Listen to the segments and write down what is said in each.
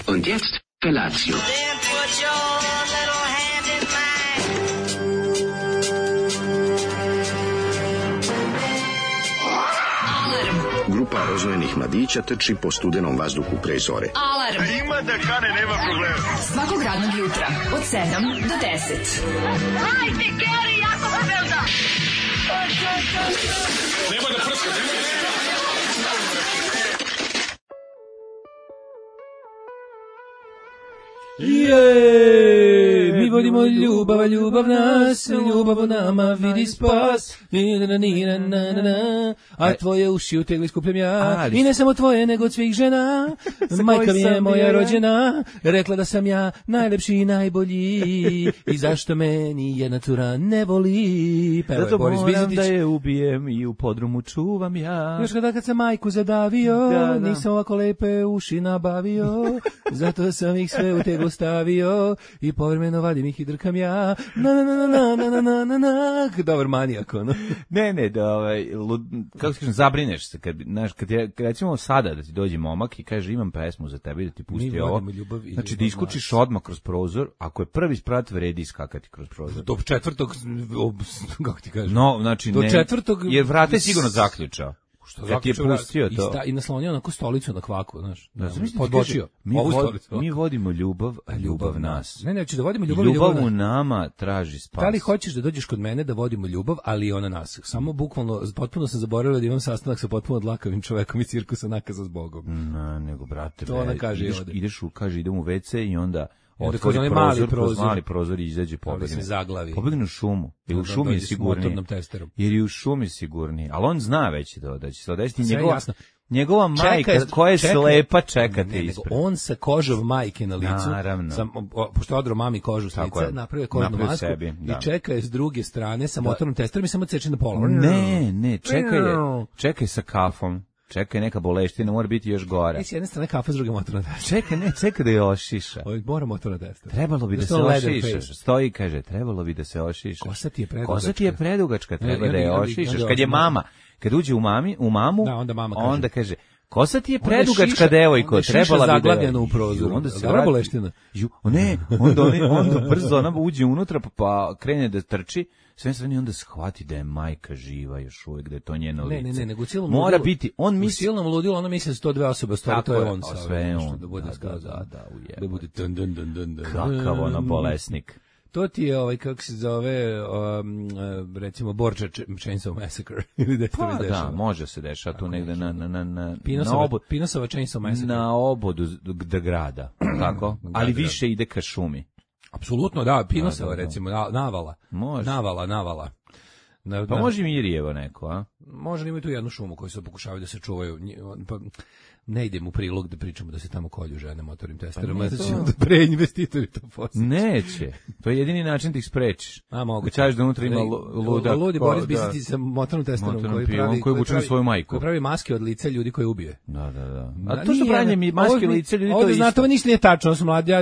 Und jetzt Felatio. Then put your little hand in mine. Grupa rozvojenih mladića trči po studenom vazduhu pre zore. Alarm. Ima da kane, nema problema. Svakog radnog jutra od 7 do 10. Hajde, Geri, jako se velda. Nema da prska, nema da prska. Mi volimo ljubav, a ljubav nas, ljubav u nama vidi spas. A tvoje uši utegli skupljam ja. I ne samo tvoje, nego od svih žena. Majka mi je moja rođena, rekla da sam ja najlepši i najbolji. I zašto me ni jedna cura ne voli. Zato moram da je ubijem i u podrumu čuvam ja. Još kad sam majku zadavio, nisam ovako lepe uši nabavio. Zato sam ih sve u teglu stavio i povremeno vadim ih i drkam ja. Dobar manijak, ono. Ne, da kako se kažem, zabrineš se kad recimo sada da ti dođe momak i kaže imam pesmu za tebe da ti pusti ovo. Znači da iskučiš odmah kroz prozor, ako je prvi sprat vredi iskakati kroz prozor. Do četvrtog, kako ti kažem? No, znači do ne. Četvrtog, jer vrata je sigurno zaključao. Što ja ti je pustio to. I naslonio onako stolicu na kvaku, znaš. Podbočio. Mi vodimo ljubav, a ljubav nas. Ne, da vodimo ljubav. Ljubav u nama traži spas. Da li hoćeš da dođeš kod mene da vodimo ljubav, ali i ona nas? Samo bukvalno, potpuno sam zaboravila da imam sastanak sa potpuno dlakavim čovekom iz cirkusa Nakaza s Bogom. Nego, brate, to ona kaže idem u WC i onda otvori mali prozor i izađe pobegne u šumu. Jer u šumi je sigurniji. Jer je u šumi sigurniji. Ali on zna već da će se odesiti njegova majka koja je slepa čekate ispred. On sa kožom majke na licu, pošto odro mami kožu s lica, napravio kožnu masku i čeka je s druge strane sa motornom testerom i samo ceče na pola. Ne, čekaj sa kafom. Čekaj, neka boleština, mora biti još gore. S jedne strane kafa, s druge motorna testera. Čekaj da je ošiša. Mora motorna testera. Trebalo bi da se ošiša. Stoji, kaže, trebalo bi da se ošiša. Kosa ti je predugačka, treba da je ošišaš. Kad je mama, kad uđe u mamu, onda kaže, kosa ti je predugačka, devojko, trebala bi da zaglavljena u prozoru. Onda se vrati boleština. Onda brzo ona uđe unutra pa krene da trči. Sve strane onda shvati da je majka živa još uvijek, da je to njeno lice. Ne, nego u cijelom mora ludilu, biti, on misli... U cijelom ludilu, ona misli da su to dve osobe, stvari, to je on. Sve je on. Da bude da bude kakav ono bolesnik. To ti je, kako se zove, recimo, Borča Chainsaw Massacre. Pa da, može se dešava tu negde na Pinosova Chainsaw Massacre. Na obodu grada, tako? Ali više ide ka šumi. Apsolutno, da, Pinosova, recimo, navala. Može. Navala. Pa može Mirjevo neko, a? Može, ima tu jednu šumu koju se pokušavaju da se čuvaju. Pa ne idem u prilog da pričamo da se tamo kolju žene motornim testerama, da će onda preinvestitori to postati. Neće. To je jedini način da ih sprečiš. Moguće. Kažeš da unutra ima ludak. Ludi Boris Bisiti sa motornom testerom koji vuče na svoju majku. Koji pravi maske od lica ljudi koje ubije. Da. A to što pravljenje maske od lica ljudi, to je isto. Znate, ovo ništa nije tačno.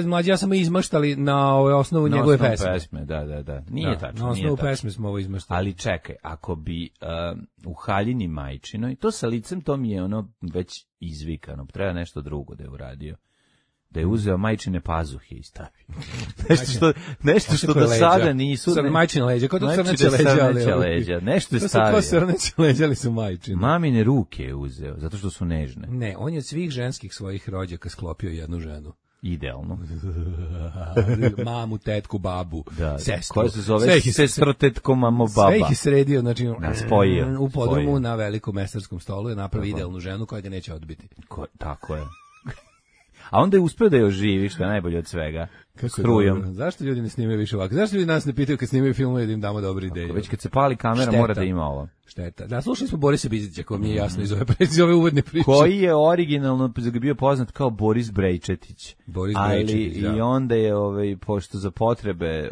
Mlađi ja sam izmaštali na osnovu njegove pesme. Da. Nije tačno. Na osnovu pesme smo ovo izmaštali. Ali čekaj, ako bi u haljini majčinoj, to sa licem, to mi je ono već izvikano, treba nešto drugo da je uradio. Da je uzeo majčine pazuhe i stavio. nešto što do sada nisu... Majčine leđa, kao to srneće leđa. Nešto je stavio. To su kao srneće leđa, ali su majčine. Mamine ruke je uzeo, zato što su nežne. Ne, on je od svih ženskih svojih rođaka sklopio jednu ženu. Idealno. Mamu, tetku, babu, sestru. Koja se zove sestro, tetko, mamo, baba. Sve ih je sredio, znači spojio. U podrumu na velikom mestarskom stolu je napravi idealnu ženu koja ga neće odbiti. Tako je. A onda je uspio da je oživi, što je najbolje od svega. Strujom. Zašto ljudi ne snimaju više ovako? Zašto ljudi nas ne pitaju kad snimaju filmove da im damo dobre ideje? Već kad se pali kamera mora da ima ovo. Šteta. Da, slušali smo Borisa Bizetića, ko mi je jasno iz ove uvodne priče. Koji je originalno bio poznat kao Boris Brejčetić. I onda je, pošto za potrebe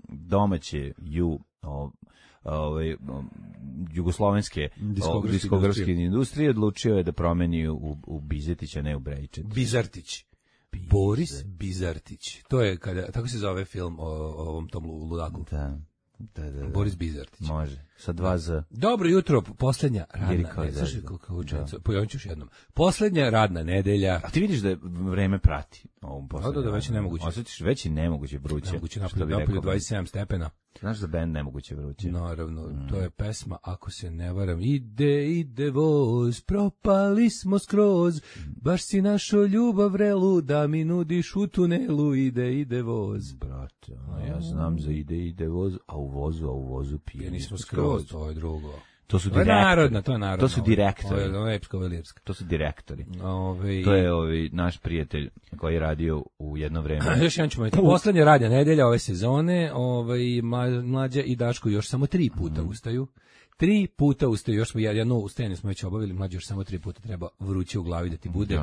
domaće jugoslovenske diskografske industrije odlučio je da promeni u Bizetića, ne u Brejčetić. Bizartić. Boris Bizartić. To je tako se zove film o ovom tom ludaku. Da. Da. Boris Bizartić. Može, sa 2 Z. Dobro jutro, poslednja radna Jeriko nedelja. Zezda. Slušaj kako učencu, pojavit ću još jednom. Poslednja radna nedelja. A ti vidiš da je vreme prati ovom poslednjem. Da, već je nemoguće. Osjetiš, već je nemoguće vruće. Nemoguće što bi napolju rekao. 27 stepena. Znaš za bend nemoguće vruće? Naravno, to je pesma, ako se ne varam, ide voz, propali smo skroz, baš si našo ljubav vrelu, da mi nudiš u tunelu, ide voz. Brate, ja znam za ide voz, a u vozu pije. Nismo skroz, to je drugo. To su To je direktori. narodna, to je narodna. To su direktori. Ovo je epska, ovo je lirska. To su direktori. To je naš prijatelj koji je radio u jedno vreme. Još jedan ćemo imati. Poslednja radnja nedelja ove sezone, Mlađa i Daško još samo 3 puta ustaju. 3 puta ustaju, još smo jedno ustajanje smo već obavili, Mlađa još samo 3 puta treba vruće u glavi da ti bude,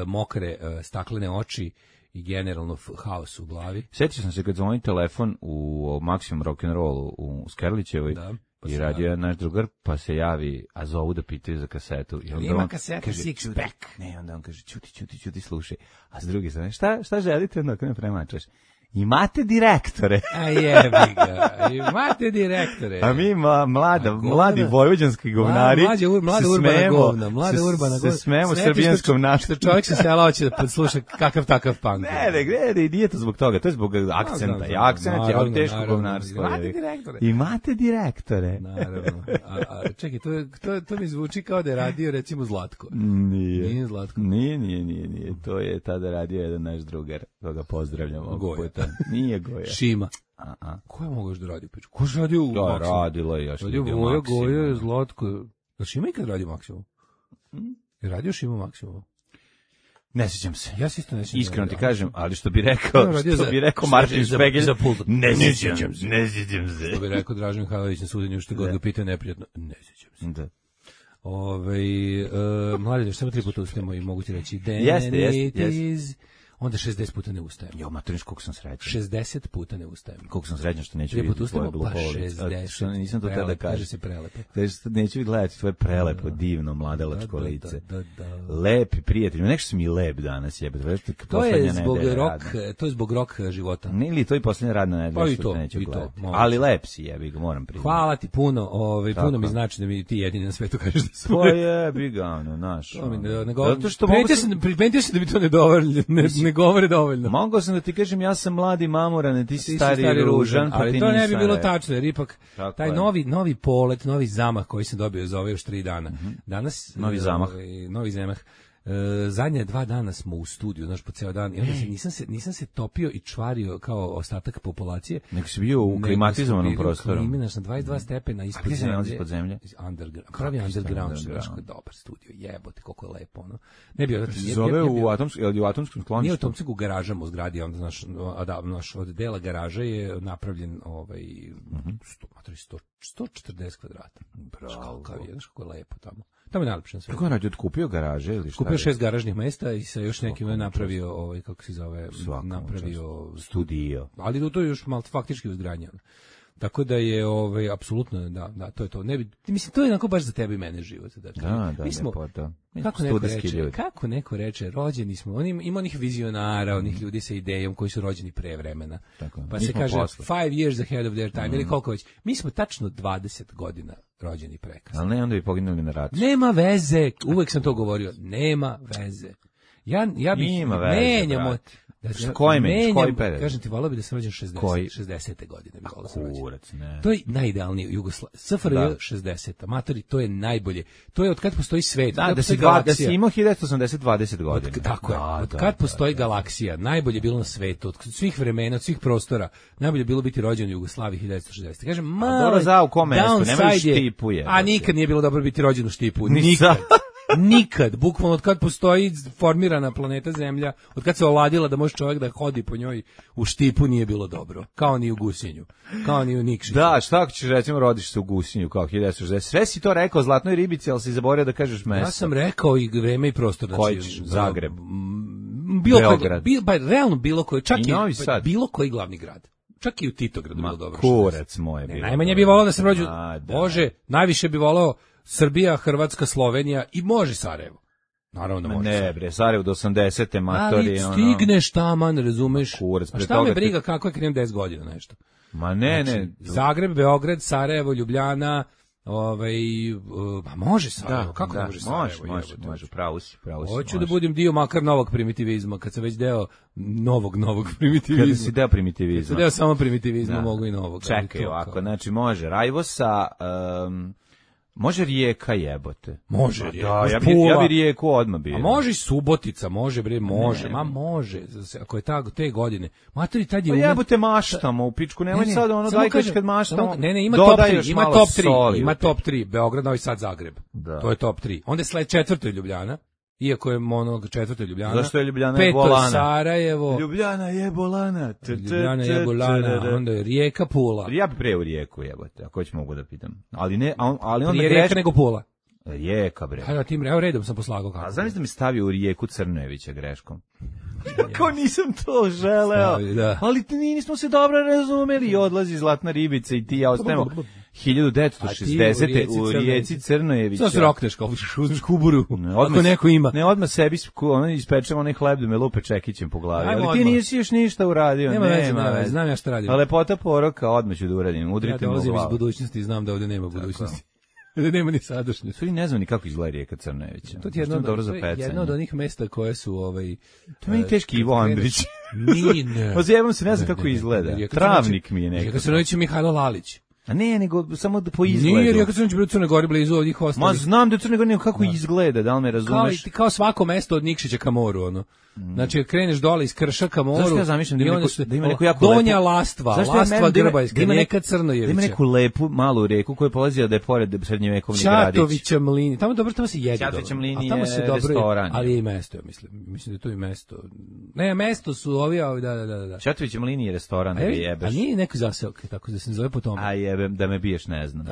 mokre staklene oči i generalno haos u glavi. Sjetio sam se kad zvoni telefon u Maximum Rock'n'Rollu u Skerlićevoj i radio je naš drugar, pa se javi, a zovu da pitaju za kasetu. I onda ima kaseta kaže, Six Pack. Ne, onda on kaže, čuti, slušaj. A s druge strane, šta želite dok ne premačaš? Imate direktore. A jebi ga, imate direktore. A mi mladi vojvođanski govnari mlada urbana govna, mlada urbana govna. Se smemo srbijanskom naštu. Čovjek se sela hoće da sluša kakav takav punk. Ne, nije to zbog toga, to je zbog akcenta. I akcent je od teškog govnarstva. Imate direktore. Imate direktore. Naravno. A čekaj, to mi zvuči kao da je radio recimo Zlatko. Nije Zlatko. Nije. To je tada radio jedan naš drugar, koga pozdravljamo. Goja. Nije Goja. Šima. Ko je mogao još da radi u piču? Ko je radio u Maksimu? Da, radilo je još ljudi u Maksimu. Goja, Zlatko. Da Šima ikad radio u Maksimu? Je radio Šima u Maksimu? Ne sjećam se. Ja se isto ne sjećam. Iskreno ti kažem, ali što bi rekao Martin Špegelj, ne sjećam se. Što bi rekao Dražen Mihajlović na suđenju, što god ga pitao neprijatno, ne sjećam se. Da. Mladi, još samo 3 puta ustajemo i mogu ti reći, Jeste. Onda 60 puta ne ustajem. Jo, materniš, koliko sam srećan. 60 puta ne ustajem. Koliko sam srećan što neću vidjeti tvoje glupovice. 60. Nisam to tada kažem. Kaže se prelepo. Neću gledati tvoje prelepo, divno, mladalačko lice. Lepi prijatelj. Nešto si mi lep danas, jebe. To je zbog rok života. Ne, ili to je posljednja radna nedelja što te neću gledati. Ali lep si, jebi ga, moram priznati. Hvala ti puno, puno mi znači da mi ti jedini na svetu kažeš da sam. Pa jebi ga, naš. Primetio se da mi to ne govore dovoljno. Mogao sam da ti kažem, ja sam mladi mamoran, ti si stari ružan, pa ali to ne bi bilo tačno, jer ipak taj novi polet, novi zamah koji sam dobio za ove još 3 dana. Danas novi zamah. Zadnje 2 dana smo u studiju, znaš, po ceo dan, i onda nisam se topio i čvario kao ostatak populacije. Nego si bio u klimatizovanom prostoru. Kliminaš na 22 stepena ispod zemlje. A gdje se ispod zemlje? Pravi underground, znaš, dobar studio, jebote, koliko je lepo, ono. Ne bio, zove u atomskom skloništu? Nije u atomskom, u garažama u zgradi, onda, znaš, od dela garaža je napravljen 140 kvadrata. Bravo. Znaš kako je lepo tamo. Tamo je najlepše na svetu. Kako je radio, kupio garaže ili šta? Kupio 6 garažnih mesta i sa još nekim je napravio, kako se zove, napravio studio. Ali to je još malo faktički uzgradnja. Tako da je apsolutno da to je to. Ne bi, mislim, to je onako baš za tebe i mene život. Dakle, mi smo, kako neko reče, rođeni smo, ima onih vizionara, onih ljudi sa idejom koji su rođeni pre vremena. Pa se kaže 5 years ahead of their time, ili koliko već. Mi smo tačno 20 godina rođeni prekasno. Ali ne, onda bi poginuli na ratu. Nema veze, uvek sam to govorio, nema veze. Ja bih menjamo. Koji period? Kažem ti, volao bi da sam rođen 60. godine. Kurac, ne. To je najidealnije Jugoslavija. SFRJ 60. Amatori, to je najbolje. To je od kad postoji svet. Da si imao 1980 20 godina. Tako je. Od kad postoji galaksija, najbolje bilo na svetu, od svih vremena, od svih prostora, najbolje bilo biti rođen u Jugoslaviji 1960. Kažem, malo downside je. A nikad nije bilo dobro biti rođen u Štipu. Nikad. Nikad, bukvalno od kad postoji formirana planeta Zemlja, od kad se ovladila da može čovjek da hodi po njoj u Štipu, nije bilo dobro. Kao ni u Gusinju, kao ni u Nikšiću. Da, šta ako ćeš recimo rodiš se u Gusinju kao 1960? Sve si to rekao Zlatnoj ribici, ali si zaboravio da kažeš mesto. Ja sam rekao i vreme i prostor. Koji ćeš? Zagreb? Beograd? Realno bilo koji, čak i Novi Sad. Bilo koji glavni grad. Čak i u Titogradu bilo dobro. Kurac moje bilo. Najmanje bi volao da sam rođen. Bože, najviše bi volao Srbija, Hrvatska, Slovenija i može Sarajevo. Naravno da može. Ne bre, Sarajevo do 80. matori. Ali stigneš taman, razumeš? Kurac, a šta me briga kako je krenem 10 godina nešto? Ma ne, Znači, ne. Zagreb, Beograd, Sarajevo, Ljubljana, može Sarajevo, kako ne može Sarajevo? Može, pravo si. Hoću da budem dio makar novog primitivizma, kad sam već deo novog primitivizma. Kada si deo primitivizma. Kad sam deo samo primitivizma, mogu i novog. Čekaj ovako, znači može Rajvosa, može Rijeka jebote. Može Rijeka, ja bi Rijeku odmah bio. A može i Subotica, može bre, može. Ma može, ako je te godine. Matori tad je Pa jebote maštamo u pičku, nemoj sad ono dajkaš kad maštamo. Ne, ima top 3, ima top 3, Beograd, Novi Sad, Zagreb. To je top 3. Onda sled 4. Ljubljana. Iako je onog 4. Ljubljana. Zašto je Ljubljana je bolana? 5. Sarajevo. Ljubljana je bolana. Onda je Rijeka, Pula. Ja bi pre u Rijeku jebote, ako već mogu da pitam. Ali onda prije Rijeka nego Pula. Rijeka bre. Da, tim redom sam poslagao kako. A znam da mi stavio u Rijeku Crnojevića greškom. Kako nisam to želeo. Da. Ali nismo se dobro razumeli i odlazi Zlatna ribica i ti ja ostajemo 1960. u Rijeci Crnojevića. Što se rokneš kao škuburu, ako neko ima. Ne, odmah sebi ispečemo onaj hleb da me lupe čekićem po glavi. Ali ti nisi još ništa uradio. Nema veze, znam ja šta radim. A lepota poroka, odmah ću da uradim. Udrite me u glavu. Ja dolazim iz budućnosti i znam da ovde nema budućnosti. Da nema ni sadašnjosti. Sve ne znam ni kako izgleda Rijeka Crnojevića. To je jedno od onih mesta koje su To je teški Ivo Andrić. Ne. Ozjebam se, ne znam kako izgleda. Travnik mi je nekako. Rijeka Crnojević Mihajlo Lalić. A ne, nego samo po izgledu. Nije Rijeka Crnojević u Crnoj Gori blizu ovih ostalih. Ma znam da je Crnoj Gori, kako izgleda, da li me razumeš? Kao svako mesto od Nikšića ka moru, ono. Znači, kreneš dole iz Krša ka moru. Zašto ja zamišljam da ima neku jako Donja Lastva, Lastva Grbajska, Rijeka Crnojevića. Da ima neku lepu malu reku koja polazi da je pored srednjevekovni gradić. Čatovića mlini. Tamo se jede dobro. Čatovića mlini je restoran. Ali je i mesto, mislim. Mislim da je to i mesto. Ne, mesto su ovi, da. Čatovića mlini je restoran, da jebeš. A nije neki zaseok, tako da se zove po tome. A jebem, da me biješ, ne znam.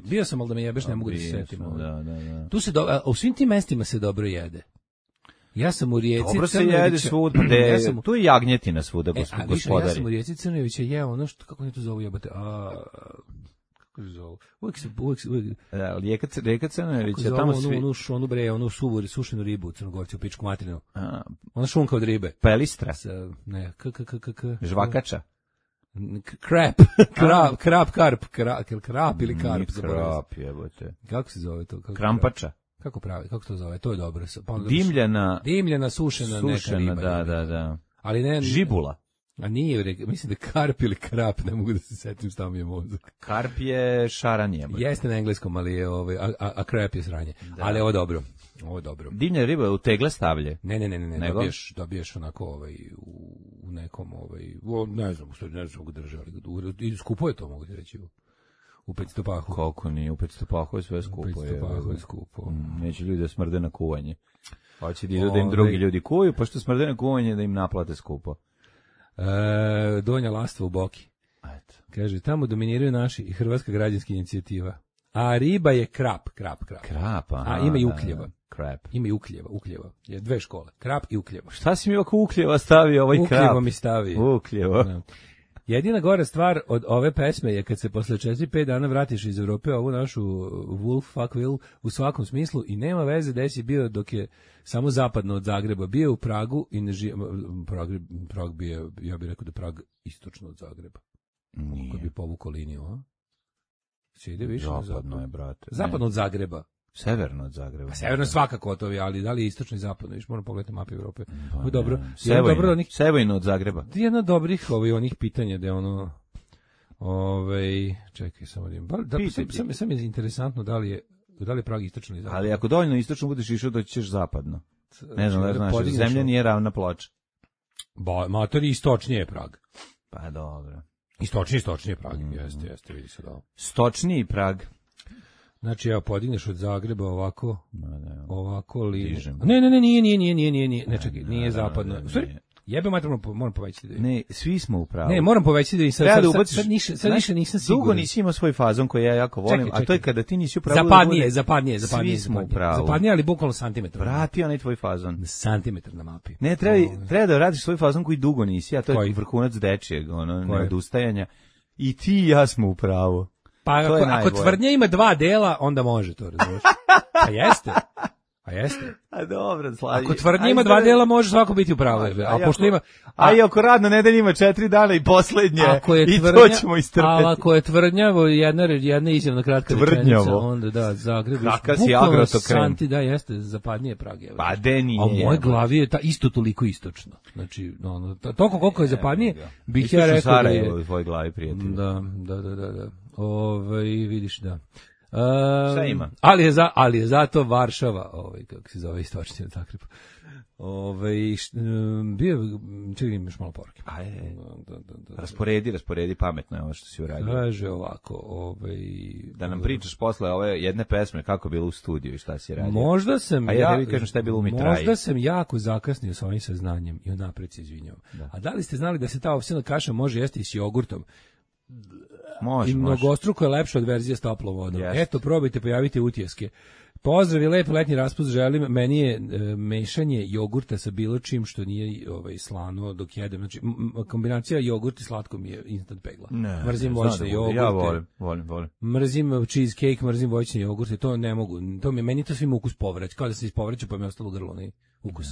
Bio sam, ali da me jebeš, ne mogu da se setim. Da. Tu se u svim tim mestima se dobro jede. Ja sam u Rijeci Dobro se jede svud, tu je jagnjetina svuda, gospodari. Ja sam u Rijeci Crnojevića jeo ono što, kako ne to zovu jebate, kako se zovu, uvijek Rijeka Crnojevića, tamo svi. Onu sušenu ribu u Crnogorci, u pičku materinu. Ona šunka od ribe. Pelistra. Ne, žvakača. Krap ili karp. Krap, jebote. Kako se zove to? Krampača. Kako to zove? To je dobro. Dimljana, sušena neka riba. Da. Ali ne... Žibula. A nije, mislim da je karp ili krap, ne mogu da se setim, stav mi je mozak. Karp je šaranje. Jeste na engleskom, ali je a krap je sranje. Da. Ali ovo je dobro. Dimljana riba u tegle stavlje. Ne, dobiješ onako u nekom, ne znam kako drže, ali skupo je to, mogu ti reći. U 500 pahu. Koliko nije, u 500 pahu je sve skupo. U 500 pahu je skupo. Neće ljudi da smrde na kuvanje. Hoće da im drugi ljudi kuju, pa što smrde na kuvanje da im naplate skupo. Donja Lastva u Boki. Eto. Kaže, tamo dominiraju naši i Hrvatska građanska inicijativa. A riba je krap. Krap, aha. A ima i ukljeva. Krap. Ima i ukljeva. Je 2 škole. Krap i ukljeva. Šta si mi oko ukljeva stavio ovaj krap? Ukljeva mi stavio. Ukljeva. Jedina gora stvar od ove pesme je kad se posle 4-5 dana vratiš iz Evrope ovu našu Wolf Fuck Will u svakom smislu i nema veze gde si bio dok je samo zapadno od Zagreba. Bio u Pragu i Prag bio, ja bih rekao da Prag istočno od Zagreba. Kad bi povukao liniju, a? Se ide više zapadno je, brate. Zapadno od Zagreba. Severno od Zagreba. Pa severno svakako to je, ali da li je istočno i zapadno? Viš, moram pogledati mapu Evrope. Pa dobro. Sevojno od Zagreba. Jedna od dobrih onih pitanja da je ono... čekaj, samo da sam je interesantno da li je Prag istočno i zapadno. Ali ako dovoljno istočno budeš išao, doći ćeš zapadno. Ne znam da znaš, zemlja nije ravna ploča. Matori istočnije je Prag. Pa dobro. Istočnije Prag, jeste, vidi se da. Stočniji Prag. Znači, evo, podigneš od Zagreba ovako liniju. Ne, nije. Ne, čekaj, nije zapadno. Jebe mater, moram povećati da... Ne, svi smo u pravu. Ne, moram povećati da i sad više nisam siguran. Dugo nisi imao svoj fazon koji ja jako volim, a to je kada ti nisi u pravu. Zapadnije. Svi smo u pravu. Zapadnije, ali bukvalno santimetar. Vrati onaj tvoj fazon. Santimetar na mapi. Ne, treba da radiš svoj fazon koji dugo nisi, a to je vrhunac dečijeg, neodustajanja. I ti i ja smo u pravu. Pa ako tvrdnja ima 2 dela, onda može to, razumiješ? Pa jeste. A dobro, slavi. Ako tvrdnja ima 2 dela, može svako biti u pravu. A pošto ima... A i ako radna nedelja ima 4 dana i poslednje, i tvrdnja, to ćemo istrpeti. Ali ako je tvrdnjavo jedna izjavna kratka rečenica, onda da, Zagreb... Kakav si agrotokren. Da, jeste, zapadnije Prage. Pa de nije. A u mojoj glavi je isto toliko istočno. Znači, toliko koliko je zapadnije, bih ja rekao da je... u tvojoj glavi, prijatelj. Da. Vidiš, da. Šta ima? Ali je zato Varšava, kako se zove istočni Zagreb. Čekaj, imaš malo poruke. Rasporedi pametno je ovo što si uradio. Kaže ovako, da nam pričaš posle ove jedne pesme kako je bilo u studiju i šta si radio. Možda sam tebi kažem šta je bilo u mitraji. Možda sam jako zakasnio sa ovim saznanjem i unapred se izvinjavam. A da li ste znali da se ta ovsjena kaša može jesti i s jogurtom? Može. I mnogostruko je lepša od verzije s toplom vodom. Eto, probajte, pojavite utjeske. Pozdrav i lep letnji raspust želim. Meni je mešanje jogurta sa bilo čim što nije slano dok jedem. Znači, kombinacija jogurt i slatko mi je instant pegla. Mrzim voćne jogurte. Ja volim. Mrzim cheesecake, mrzim voćne jogurte. To ne mogu. Meni to svima ukus povrać. Kao da se ispovraću pa mi je ostalo grlo. Ukus.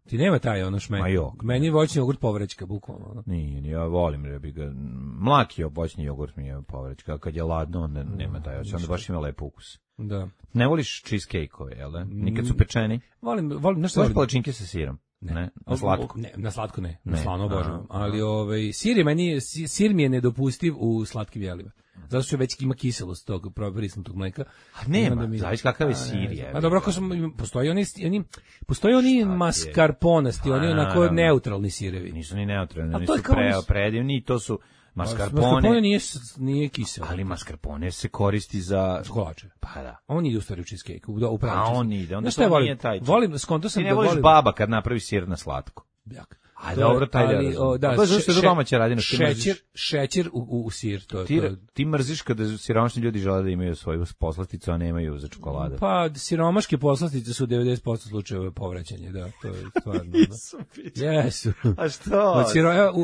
Ti nema taj šmek. Meni je voćni jogurt povraćka, bukvalno. Nije, ja volim rebiga. Mlaki voćni jogurt mi je povraćka. Kad je ladno, onda nema taj. Onda baš ima lep ukus. Da. Ne voliš cheesecake-ove, jel da? Nikad su pečeni? Volim nešto. Voliš palačinke sa sirom? Ne. Na slatko? Ne, na slatko ne. Na slano obožavam. Ali sir mi je nedopustiv u slatkim jelima. Zato što već ima kiselost tog prisnutog mleka. A nema, zavisi kakav je sir je. A dobro, ako postoji oni mascarponasti, oni onako neutralni sirevi. Nisu ni neutralni, oni su predivni, to su mascarpone nije kiselo. Ali mascarpone se koristi za kolače. Pa da. On ide u stvari u cheesecake, u pravi. A on ide, onda to nije taj. Volim, skonto sam da volim. Ti ne voliš baba kad napravi sir na slatko. Jak. A dobro, taj da. To je zašto je domaća radina. Šećer u sir. Ti mrziš kada siromašni ljudi žele da imaju svoju poslasticu, a nemaju za čokolade. Pa siromaške poslastice su 90% slučajeva povraćanje, da, to je stvarno. Jesu. A što?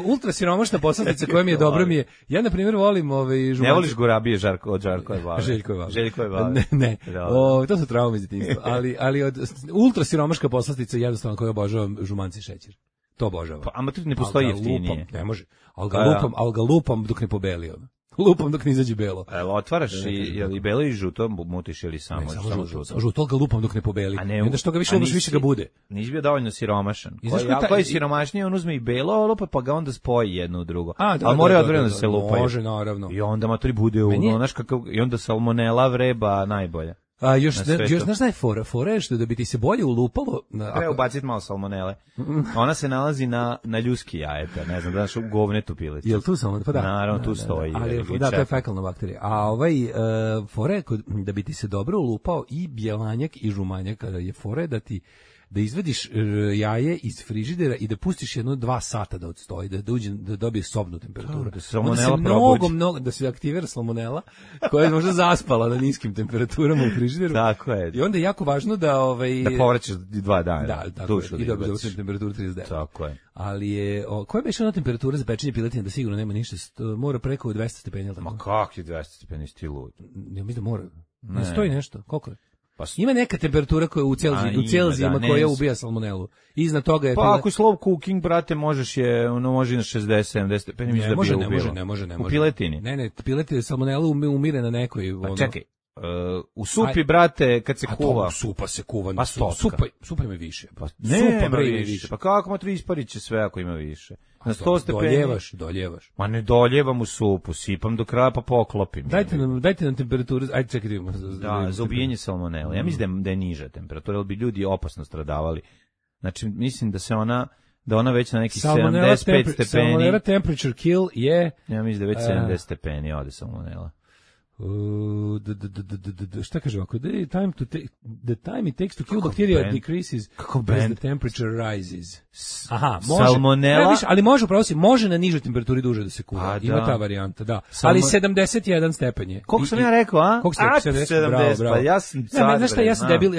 Ultra siromašna poslastica koja mi je dobra mi je, ja na primjer volim žumanci. Ne voliš gurabije od Žarkove bave? Željkove bave. Ne. To su traume iz detinjstva. Ali od ultra siromaška poslastica jednostavno koja obožavam žumanci šećer. To obožavam. Pa, ama tu ne postoji jeftinije. Ne može. Ali ga lupam dok ne pobeli. Lupam dok ne izađe belo. Otvaraš i belo i žuto mutiš ili samo žuto? Žuto ga lupam dok ne pobeli. I onda što ga više više ga bude. Nisi bio dovoljno siromašan. Koji je siromašniji, on uzme i belo lupa pa ga onda spoji jedno u drugo. Ali mora odvremeno da se lupaju. Može, naravno. I onda maturi bude i onda salmonela vreba najbolja. Još znaš šta je fora? Fora je što da bi ti se bolje ulupalo... Treba ubaciti malo salmonele. Ona se nalazi na ljuski jajeta, ne znam, daš u govnetu pileti. Jel tu salmonele? Pa da. Naravno, tu stoji. Da, to je fekalna bakterija. A fora je da bi ti se dobro ulupao i bjelanjak i žumanjak, kada je fora da izvadiš jaje iz frižidera i da pustiš 2 sata da odstoji, da dobije sobnu temperaturu. Da se salmonela probuđi. Da se aktivira salmonela, koja je možda zaspala na niskim temperaturama u frižideru. Tako je. I onda je jako važno da... Da povraćaš 2 dana. Da, tako je. I dobiješ temperaturu 39. Tako je. Ali je... Koja je ona temperatura za pečenje piletine da sigurno nema ništa? Mora preko 200 stepeni. Ma kak je 200 stepeni, sti lud? Ja mislim da mora. Ne stoji nešto. Koliko je? Ima neka temperatura koja u Celzijima koja ubija salmonelu. Iznad toga je... Pa ako je slow cooking, brate, možeš može na 60-70 stepeni. Ne može. U piletini? Ne, piletine salmonelu umire na nekoj... Pa čekaj, u supi, brate, kad se kuva... Supa se kuva. Pa supa ima više. Supa ima više. Pa kako matri isparit će sve ako ima više? Na 100 stepeni... Doljevaš. Ma ne doljevam u supu, sipam do kraja pa poklopim. Dajte nam temperaturu, ajde čekaj. Da, za ubijenje salmonele. Ja mislim da je niža temperatura, ali bi ljudi opasno stradavali. Znači, mislim da ona već na neki 75 stepeni. Salmonella temperature kill je... Ja mislim da već 70 stepeni ode salmonela. Šta kaže ovako? The time it takes to kill bacteria decreases as the temperature rises. Aha, može. Salmonela? Ali može na nižoj temperaturi duže da se kuva. Ima ta varijanta, da. Ali 71 stepen je. Koliko sam ja rekao, a? Koliko ste 70? Bravo. Pa ja sam car. Znaš šta, ja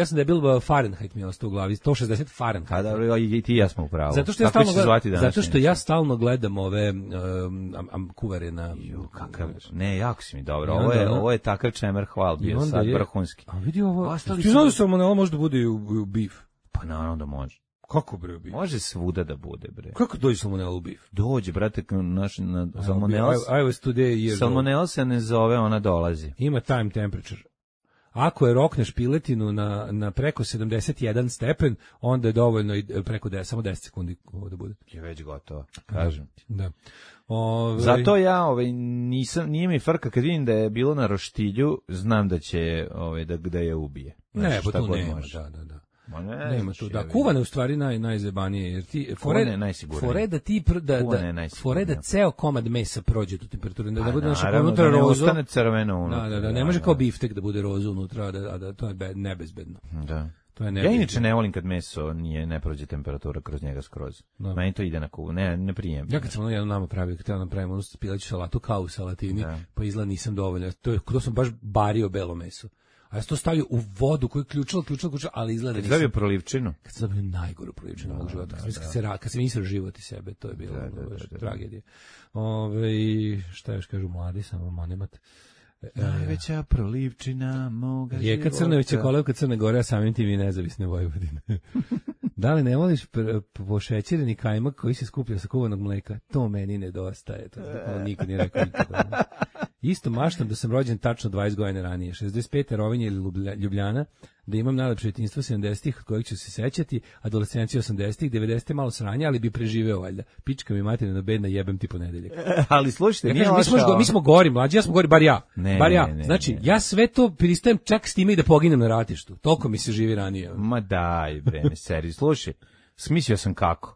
sam debil Fahrenheit mi je ostao u glavi. 160 Fahrenheit. A da, i ti ja smo u pravu. Zato što ja stalno gledam ove kuvare na... Ne, jako si mi dobro. Ovo je ovo je takav čemer hval bio sad vrhunski. A vidi ovo, ti znaš da salmonela može da bude i u bif? Pa naravno da može. Kako bre u bif? Može svuda da bude, bre. Kako dođe salmonela u bif? Dođe, brate, na salmonela. I was today years salmonela se ne zove, ona dolazi. Ima time temperature. Ako je rokneš piletinu na preko 71 stepen, onda je dovoljno i preko samo 10 sekundi da bude. Je već gotovo, kažem. Da. Zato ja nije mi frka kad vidim da je bilo na roštilju, znam da će da je ubije. Ne, pa tu nema, da. Nema tu, da, kuvane u stvari najzebanije, jer ti fore da ceo komad mesa prođe tu temperaturu, da bude naša unutra rozo, ne ostane crveno unutra. Da, ne može kao biftek da bude rozo unutra, a da to je nebezbedno. Da. Ja inače ne volim kad meso ne prođe temperatura kroz njega skroz. Meni to ide na kuvu, ne prijem. Ja kad sam jedno nama pravio, kad treba napravimo onu pileću salatu kao u salatini, pa izgleda nisam dovoljno. To sam baš bario belo meso. A ja sam to stavio u vodu koju je ključala, ali izgleda nisam. Kad sam prolivčinu? Kad sam dobio najgoru prolivčinu mog života. Kad sam isro život iz sebe, to je bilo tragedija. Šta još kažu mladi, samo manemat. Najveća prolivčina moga života. Rijeka Crnovića, kolevka Crne Gore, a samim tim i nezavisne Vojvodine. Da li ne voliš pošećereni kajmak koji se skuplja sa kuvanog mleka? To meni nedostaje. To nikad nije rekao nikada. Isto maštam da sam rođen tačno 20 godina ranije. 65. Rovinje ili Ljubljana, da imam najlepše djetinjstvo 70-ih od kojeg ću se sećati, adolescenciju 80-ih, 90-te malo sranja, ali bi preživeo valjda. Pička mi materina bedna, jebem ti ponedeljak. Ali slušajte, mi smo gori, mlađi, ja smo gori, bar ja. Znači, ja sve to pristajem čak s time i da poginem na ratištu. Toliko mi se živi ranije. Ma daj, bre, seri, slušaj, smislio sam kako.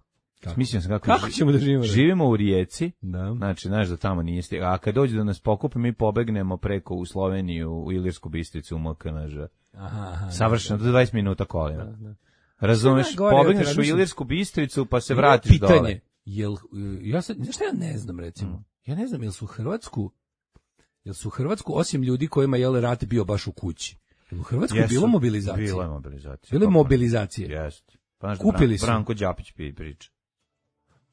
Kako ćemo da živimo? Živimo u Rijeci, znači, znaš da tamo nije stigao, a kad dođe da nas pokupe, mi pobegnemo preko u Sloveniju, u Ilirsku Bistricu, u MKNŽ. Savršeno, do 20 minuta kolima. Razumeš, pobegneš u Ilirsku Bistricu, pa se vratiš dole. Pitanje, znaš šta ja ne znam, recimo? Ja ne znam, jel su u Hrvatsku, osim ljudi kojima je rat bio baš u kući, u Hrvatsku bilo mobilizacije? Bilo je mobilizacije. Bilo je mobilizacije. Jeste. Kupili su. Branko Đapić priča.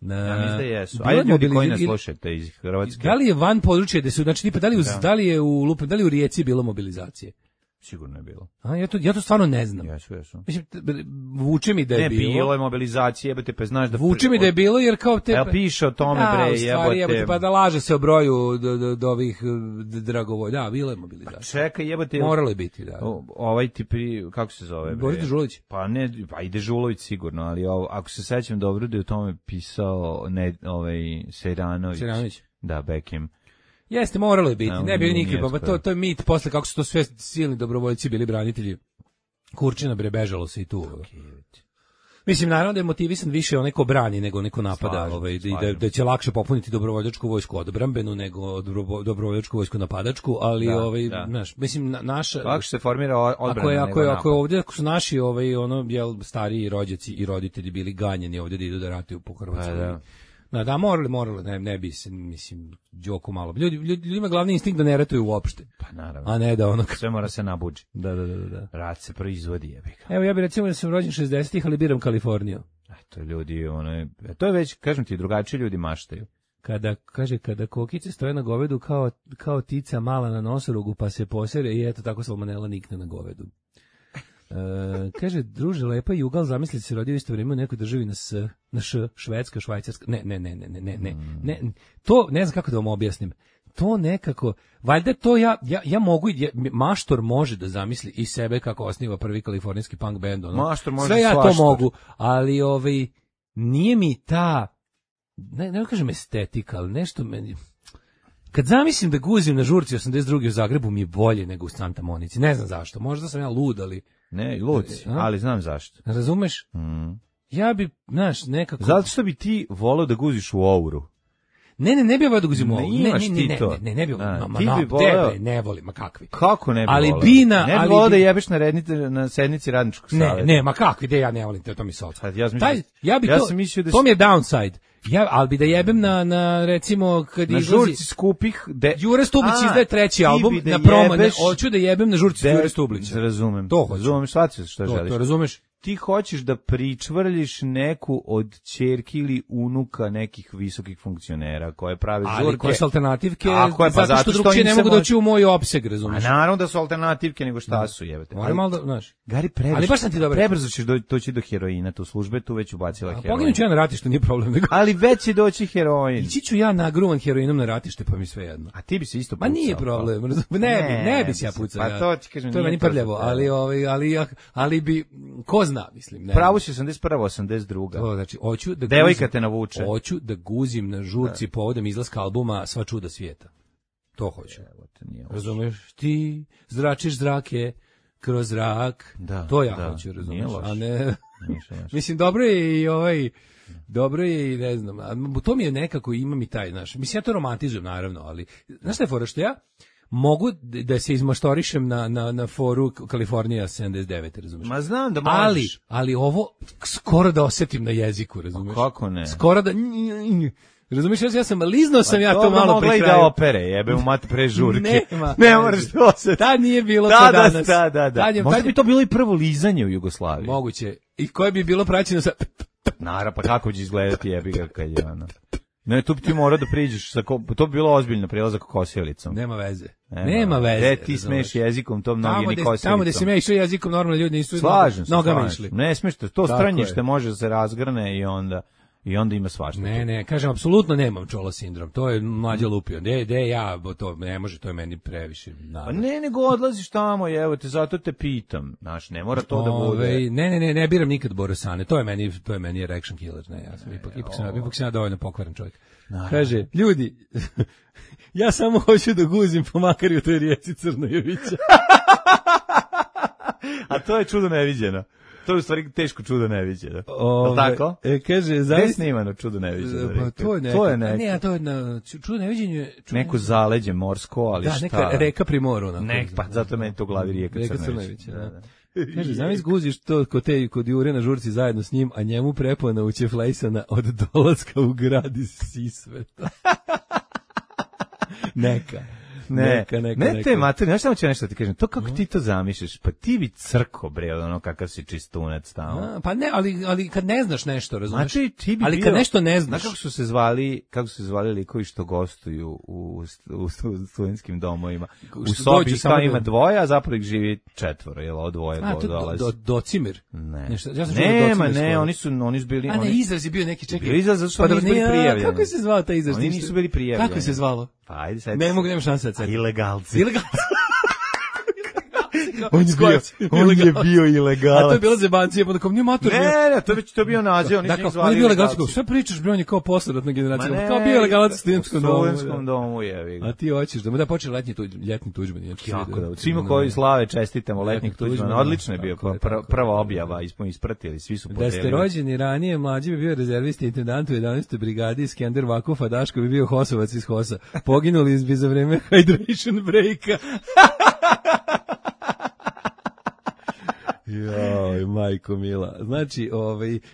Ja mislim da jesu. Ajde ljudi koji nas slušate iz Hrvatske. Da li je van područja gde su, znači tipa da li je u Rijeci bilo mobilizacije? Sigurno je bilo. Ja to stvarno ne znam. Jesu. Mislim, vuče mi da je bilo. Ne, bilo je mobilizacije, jebote, pa znaš da... Vuče mi da je bilo, jer kao te... piše o tome, bre, jebote. Pa da laže se o broju do ovih dragovoj. Da, bilo je mobilizacija. Čekaj, jebote... Moralo je biti, da. Ovaj ti kako se zove, bre? Boris Dežulović. Pa i Dežulović sigurno, ali ako se sećam dobro da je o tome pisao Sejranović. Da, Bekim. Jeste, moralo je biti, ne bi nikad, to je mit, posle kako su to sve silni dobrovoljci bili branitelji, Kurčina bežalo se i tu. Mislim, naravno da je motivisan više onaj ko brani nego neko napada, da će lakše popuniti dobrovoljačku vojsku odbrambenu nego dobrovoljačku vojsku napadačku, ali znaš, mislim naša lakše se formira odbrana nego napad. Ako su naši stariji rođaci i roditelji bili ganjeni ovdje da idu da ratuju po Hrvatskoj. Da, morali, ne bi se, mislim, džoku malo. Ljudima glavni instinkt da ne ratuju uopšte. Pa naravno. A ne da ono... Sve mora se nabuđi. Da. Rat se proizvodi, jebika. Evo, ja bih recimo da sam rođen 60-ih, ali biram Kaliforniju. To ljudi, to je već, kažem ti, drugačiji ljudi maštaju. Kada kokice stoje na govedu kao tica mala na nosorugu, pa se posere i eto tako salmonela nikne na govedu. Kaže, druže, lepa Jugal, zamislite se rodio isto vrijeme u nekoj državi na Švedska, Švajcarska, ne, to, ne znam kako da vam objasnim, to nekako, valjda to ja mogu, maštor može da zamisli i sebe kako osniva prvi kalifornijski punk band, maštor može sve ja to mogu, ali nije mi ta, ne kažem estetika, ali nešto meni... Kad zamislim da guzim na žurci 82. u Zagrebu mi je bolje nego u Santa Monici, ne znam zašto, možda sam ja lud, ali... Ne, luci, ali znam zašto. Razumeš? Ja bi, znaš, nekako... Zato što bi ti volao da guziš u Ouru. Ne bi volao da guzim u Ouru. Ne bi volao. Ne volim, ma kakvi. Kako ne bi volao? Ali ne bi volao da jebeš na sednici radničkog savjeta. Ne, ma kakvi, ja ne volim, to mi se odsad. Ja sam mislio da... To mi je downside. Ali bi da jebem na recimo kad na izlazi žurci skupih Jure Stublić izdaje treći album na promo, hoću da jebem na žurci Jure Stublića. Razumem. To razumeš, shvatio što želiš. To razumeš. ti hoćeš da pričvrljiš neku od ćerki ili unuka nekih visokih funkcionera koje prave žurke. Ali koje su alternativke, pa zato što drugčije ne mogu doći u moj opseg, razumiješ? A naravno da su alternativke, nego šta su, jebate. Moram malo da, znaš. Gari, prebrzo ćeš doći do heroina, tu službe tu već ubacila heroin. Poginut ću ja na ratište, nije problem. Nego. Ali već će doći heroin. Ići ću ja nagruvan heroinom na ratište, pa mi sve jedno. A ti bi se isto pucao. Ma nije problem, ne bi se ja pucao. Pa to ti kažem, to je meni prljavo, ali bi, ko zna, mislim. Ne. Pravo si 81. 82. To, znači, hoću da devojka te navuče. Hoću da guzim na žurci povodom izlaska albuma Sva čuda svijeta. To hoću. Razumeš? Ti zračiš zrake kroz zrak. To ja hoću, razumeš? A ne... Mislim, dobro je i ne znam, to mi je nekako, imam i taj, znaš, mislim, ja to romantizujem, naravno, ali, znaš šta je fora, što ja mogu da se izmaštorišem na foru Kalifornija 79, razumiješ? Ma znam da možeš. Ali ovo skoro da osetim na jeziku, razumiješ? Kako ne? Skoro da... Razumiješ, liznao sam ja to malo pri kraju. Da opere, jebe u mat pre žurke. Ne moraš to osetiti. Tad nije bilo to danas. Da. Možda bi to bilo i prvo lizanje u Jugoslaviji. Moguće. I koje bi bilo praćeno sa... Naravno, pa kako će izgledati jebi ga kad je ono... Ne, tu bi ti morao da priđeš, to bi bilo ozbiljno prelazak kosijelicom. Nema veze. Nema veze. Ti smeš jezikom, to mnogi ni kosijelicom. Tamo gde si me išao jezikom, normalno ljudi nisu nogama išli. Ne smeš, to stranjište može se razgrne i onda ima svašta. Ne, kažem, apsolutno nemam čola sindrom, to je mlađa lupio. To ne može, to je meni previše. Pa ne, nego odlaziš tamo, evo te, zato te pitam. Znaš, ne mora to da bude. Ne biram nikad Borosane, to je meni erection killer. Ne, ja sam ipak sam dovoljno pokvaren čovjek. Kaže, ljudi, ja samo hoću da guzim po makar u toj rijeci Crnojevića. A to je čudo neviđeno. To je u stvari teško čudo neviđeno. Tako? Kaže, zavis snimano čudo neviđeno. Pa to je neko. Ne, to je na čudo neviđenju. Neko zaleđe morsko, ali šta? Da, neka reka pri moru. Pa zato meni to u glavi rijeka Crnojevića. Kaže, zavis guziš to kod Jure na žurci zajedno s njim, a njemu prepona učeflejsana od dolaska u grad iz Sisveta. Neka. Ne te materi, znaš samo ću nešto ti kažem, to kako ti to zamišljaš, pa ti bi crko, bre, ono kakav si čistunac tamo. Pa ne, ali kad ne znaš nešto, razumiješ? Znači, ti bi ali kad nešto ne znaš. Znaš kako su se zvali likovi što gostuju u studentskim domovima? U sobi kao ima dvoje, a zapravo ih živi četvoro, jel, od dvoje dolazi. Docimir? Ne. Ne, oni su bili... A ne, izraz je bio neki, čekaj. Izraz, zato što nisu bili prijavljeni. Kako se zvao taj izraz? Oni nisu bili prijavljeni. Kako se zvalo? Pa ajde sad. Nemam šanse sad. Ilegalci. On je bio ilegalac. A to je bilo zebancija, pa tako, nije mator. Ne, to je bio naziv, oni su ih zvali ilegalci. Sve pričaš, bre, on je kao posledatna generacija. Kao bio ilegalac u studentskom domu, jevi ga. A ti hoćeš da mu da počne ljetni Tuđman. Kako da, svima koji slave čestitamo letnjeg Tuđmana. Odlično je bio, prva objava, ispratili, svi su podelili. Da ste rođeni ranije, mlađi bi bio rezervisti intendant u 11. brigadi, Skender Vakuf, a Daško bi bio Hosovac iz Hosa. Poginuli bi za vreme hydration breaka. Joj, majko mila. Znači,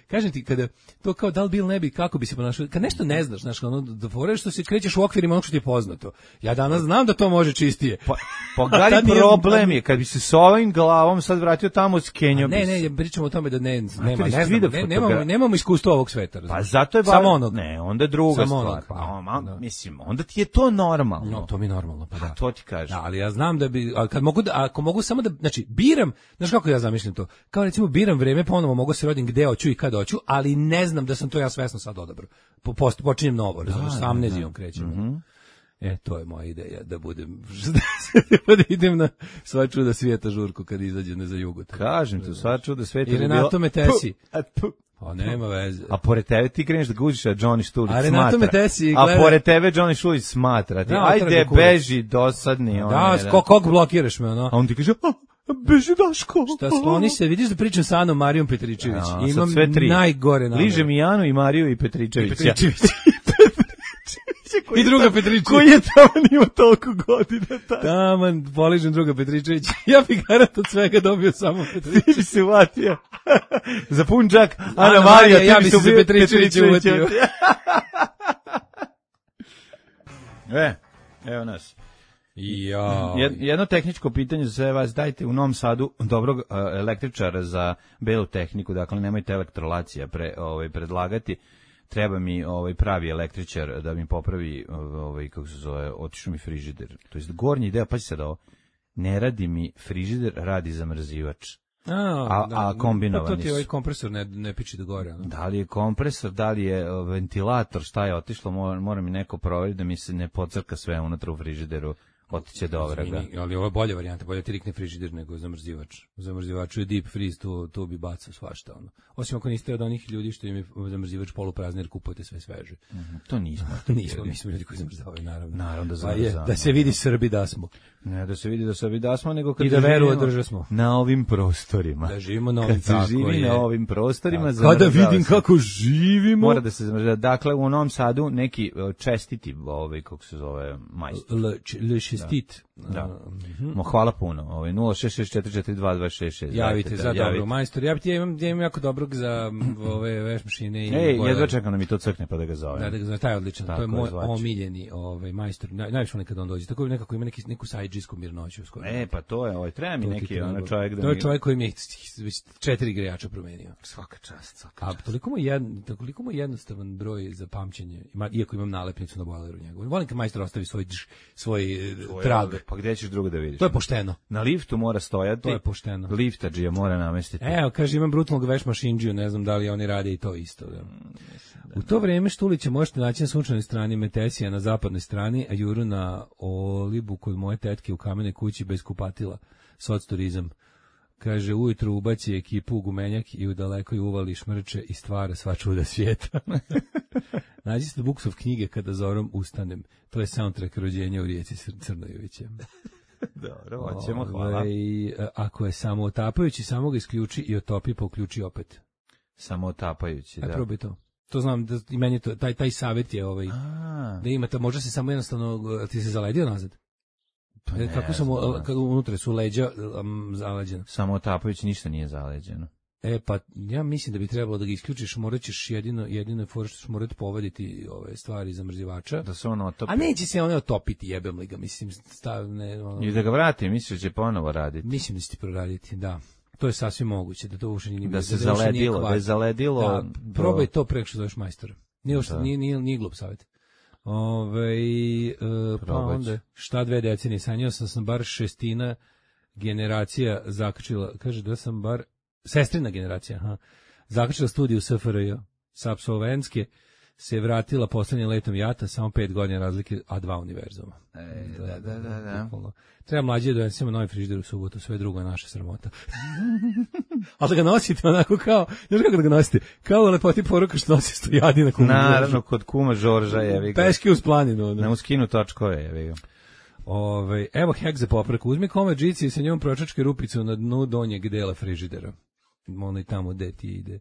kažem ti, kada to kao da li bil ne bi, kako bi se ponašao, kad nešto ne znaš, znaš, ono, da foreš što se krećeš u okvirima onog što ti je poznato. Ja danas znam da to može čistije. Pa gari problem je, kad bi se s ovim glavom sad vratio tamo s Kenjom. Ne, pričamo o tome da nemamo iskustva ovog sveta. Pa zato je samo onog. Ne, onda je druga stvar. Mislim, onda ti je to normalno. No, to mi je normalno, pa da. To ti kažem. Da, ali ja znam da bi, ako mogu samo da, znači, biram, znaš kako ja zamišljam to, kao recimo biram vreme, ponovo mogu se rodim gde hoću i kad hoću, ali ne znam da sam to ja svesno sad odabrao. Počinjem novo, razumiješ, sa amnezijom krećem. To je moja ideja, da budem da idem na Sva čuda svijeta žurku kad izađe za jugu. Kažem ti, Sva čuda svijeta je bilo... I Renato Metesi. Pa nema veze. A pored tebe ti kreneš da guziš, a Johnny Štulić smatra. A Renato Metesi gleda... A pored tebe Johnny Štulić smatra. Ajde, beži, dosadni. Kog blokiraš me, ono? A on ti kaže... Beži Daško. Šta skloni se, vidiš da pričam sa Anom Marijom Petričević. Imam najgore namere. Ližem i Anu i Mariju i Petričevića. I druga Petričević. Koji je taman ima toliko godina? Taman, poližem druga Petričević. Ja bih garant od svega dobio samo Petričević. Ti bi se uvatio. Za pun džak, Ana Marija, ja bi se Petričević uvatio. Evo nas. Jedno tehničko pitanje za sve vas, dajte u Novom Sadu dobrog električara za belu tehniku, dakle nemojte elektrolacija predlagati. Treba mi pravi električar da mi popravi kako se zove, otišao mi frižider. To jest gornji deo, pa će sad ovo. Ne radi mi frižider, radi zamrzivač. A kombinovani su. To ti ovaj kompresor ne piči do gore. Da li je kompresor, da li je ventilator, šta je otišlo, mora mi neko proveriti da mi se ne pocrka sve unutra u frižideru. Otiće do vraga. Ali ovo je bolja varijanta, bolje ti rikne frižider nego zamrzivač. U zamrzivaču je deep freeze, tu bi bacao svašta. Ono. Osim ako niste od onih ljudi što im je zamrzivač poluprazan jer kupujete sve sveže. To nismo. Mi smo ljudi koji zamrzavaju, naravno. Naravno da zamrzavamo. Da se vidi Srbi da smo. Ne da se vidi da Srbi da smo, nego kad i da veru održa smo. Na ovim prostorima. Da živimo na ovim, kad se živi na ovim prostorima. Kada vidim kako živimo. Mora da se zamrzava. Dakle, u Novom Sadu neki čestiti, kako se zove, majstor. Le čestit. Da. Hvala puno. 06644222666. Javite za dobro majstor. Ja imam jako dobrog za ove veš mašine i jedva čekam da mi to crkne pa da ga zovem. Da ga zovem, taj je odličan. To je moj omiljeni majstor. Najviše nekad on dođe. Tako nekako ima neku sajdžijsku mirnoću skoro. Pa to je, treba mi neki čovjek da. To je čovjek koji mi već 4 grejača promenio. Svaka čast. A toliko mu jednostavan broj za pamćenje. Iako imam nalepnicu na bojleru njegovu. Volim kad majstor ostavi svoj trag. Pa gde ćeš drugo da vidiš? To je pošteno. Na liftu mora stojati. To je pošteno. Liftadžija mora namestiti. Evo, kaže, imam brutalnog veš mašindžiju, ne znam da li oni rade i to isto. Da. U to vreme Štulića možete naći na sunčanoj strani, Metesija na zapadnoj strani, a Juru na Olibu kod moje tetke u kamenoj kući bez kupatila. Socturizam. Kaže, ujutru ubaci ekipu u gumenjak i u dalekoj uvali šmrče i stvara sva čuda svijeta. Nađi se Buksov knjige Kada zorom ustanem. To je soundtrack rođenja u Rijeci Crnojevića. Dobro, hoćemo, hvala. Ako je samo otapajući, samo ga isključi i otopi, pa uključi opet. Samo otapajući, da. Probaj to. To znam, da i meni to, taj savjet je da imate, može se samo jednostavno, ti se zaledio nazad? Pa ne, kako sam, unutra su leđa zaleđena. Samo otapajući ništa nije zaleđeno. Pa ja mislim da bi trebalo da ga isključiš, morat ćeš jedino fora što ćeš morati povaditi ove stvari zamrzivača. Da se on otopi. A neće se one otopiti, jebem li ga, mislim, I da ga vrati, misliš da će ponovo raditi? Mislim da će ti proraditi, da. To je sasvim moguće, da to uopšte nije... Da se zaledilo, da je zaledilo... Da, probaj to preko što zoveš majstora. Nije glup savjet. Pa onda, šta 2 decenije, sanjao sam bar 6 generacija zakačila, kaže da sam bar sestrina generacija, zakačila studiju SFRJ, sa apsolventske se vratila poslednjim letom jata, samo 5 godina razlike, a 2 univerzuma. Da. Treba mlađe da donesemo novi frižider u subotu, sve drugo je naša sramota. Ali da ga nosite onako kao, znaš kako da ga nosite? Kao u lepoti poruka što nosi stojadi na kuma Žorža. Naravno, kod kuma Žorža, jevi ga. Peške uz planinu. Na uskinu točkove, jevi ga. Evo hek za popravku. Uzmi komad džici i sa njom pročačkaj rupicu na dnu donjeg dela frižidera. Ono i tamo gde ti ide.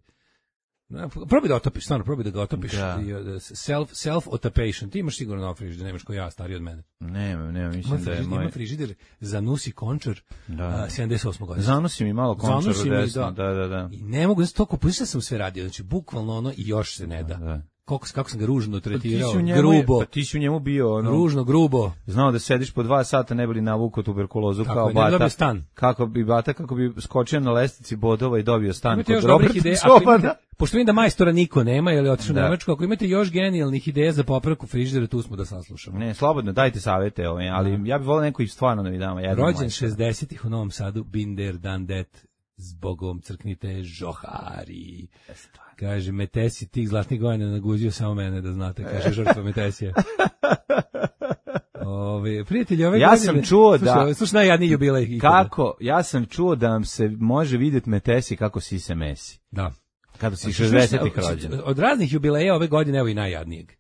Probaj da otopiš, stvarno, probaj da ga otopiš. Self-otapation. Ti imaš sigurno nov frižider, nemaš ko ja, stariji od mene. Nema, mislim da je moj... Ima frižider Zanussi Končar, 78. godina. Zanosi mi malo Končar u desno, da. I ne mogu, toliko pušta sam sve radio, znači bukvalno ono i još se ne da. Kako sam ga ružno tretirao, grubo. Pa ti si u njemu bio ružno, grubo. Znao da sediš po 2 sata, ne bi li navukao tuberkulozu kao bata. Ne stan. Kako bi skočio na lestici bodova i dobio stan imate kod Roberta Čobana. Pošto vidim da majstora niko nema, jer je otišao u Nemačku, ako imate još genijalnih ideja za popravku frižidera, tu smo da saslušamo. Ne, slobodno, dajte savete, ali ja bih volio neko i stvarno da mi damo. Rođen 60-ih u Novom Sadu, Binder, Dandet, zbogom crknite žohari. Kaže, Metesi, tih zlatnih godina naguzio samo mene, da znate, kaže žrtva Metesija. Prijatelji, ove godine... sam čuo da... Slušaj, najjadniji jubilej ikada. Ja sam čuo da vam se može vidjeti Metesi kako si se mesi. Da. Kada si 60-ih rođen. Od raznih jubileja ove godine, evo i najjadnijeg.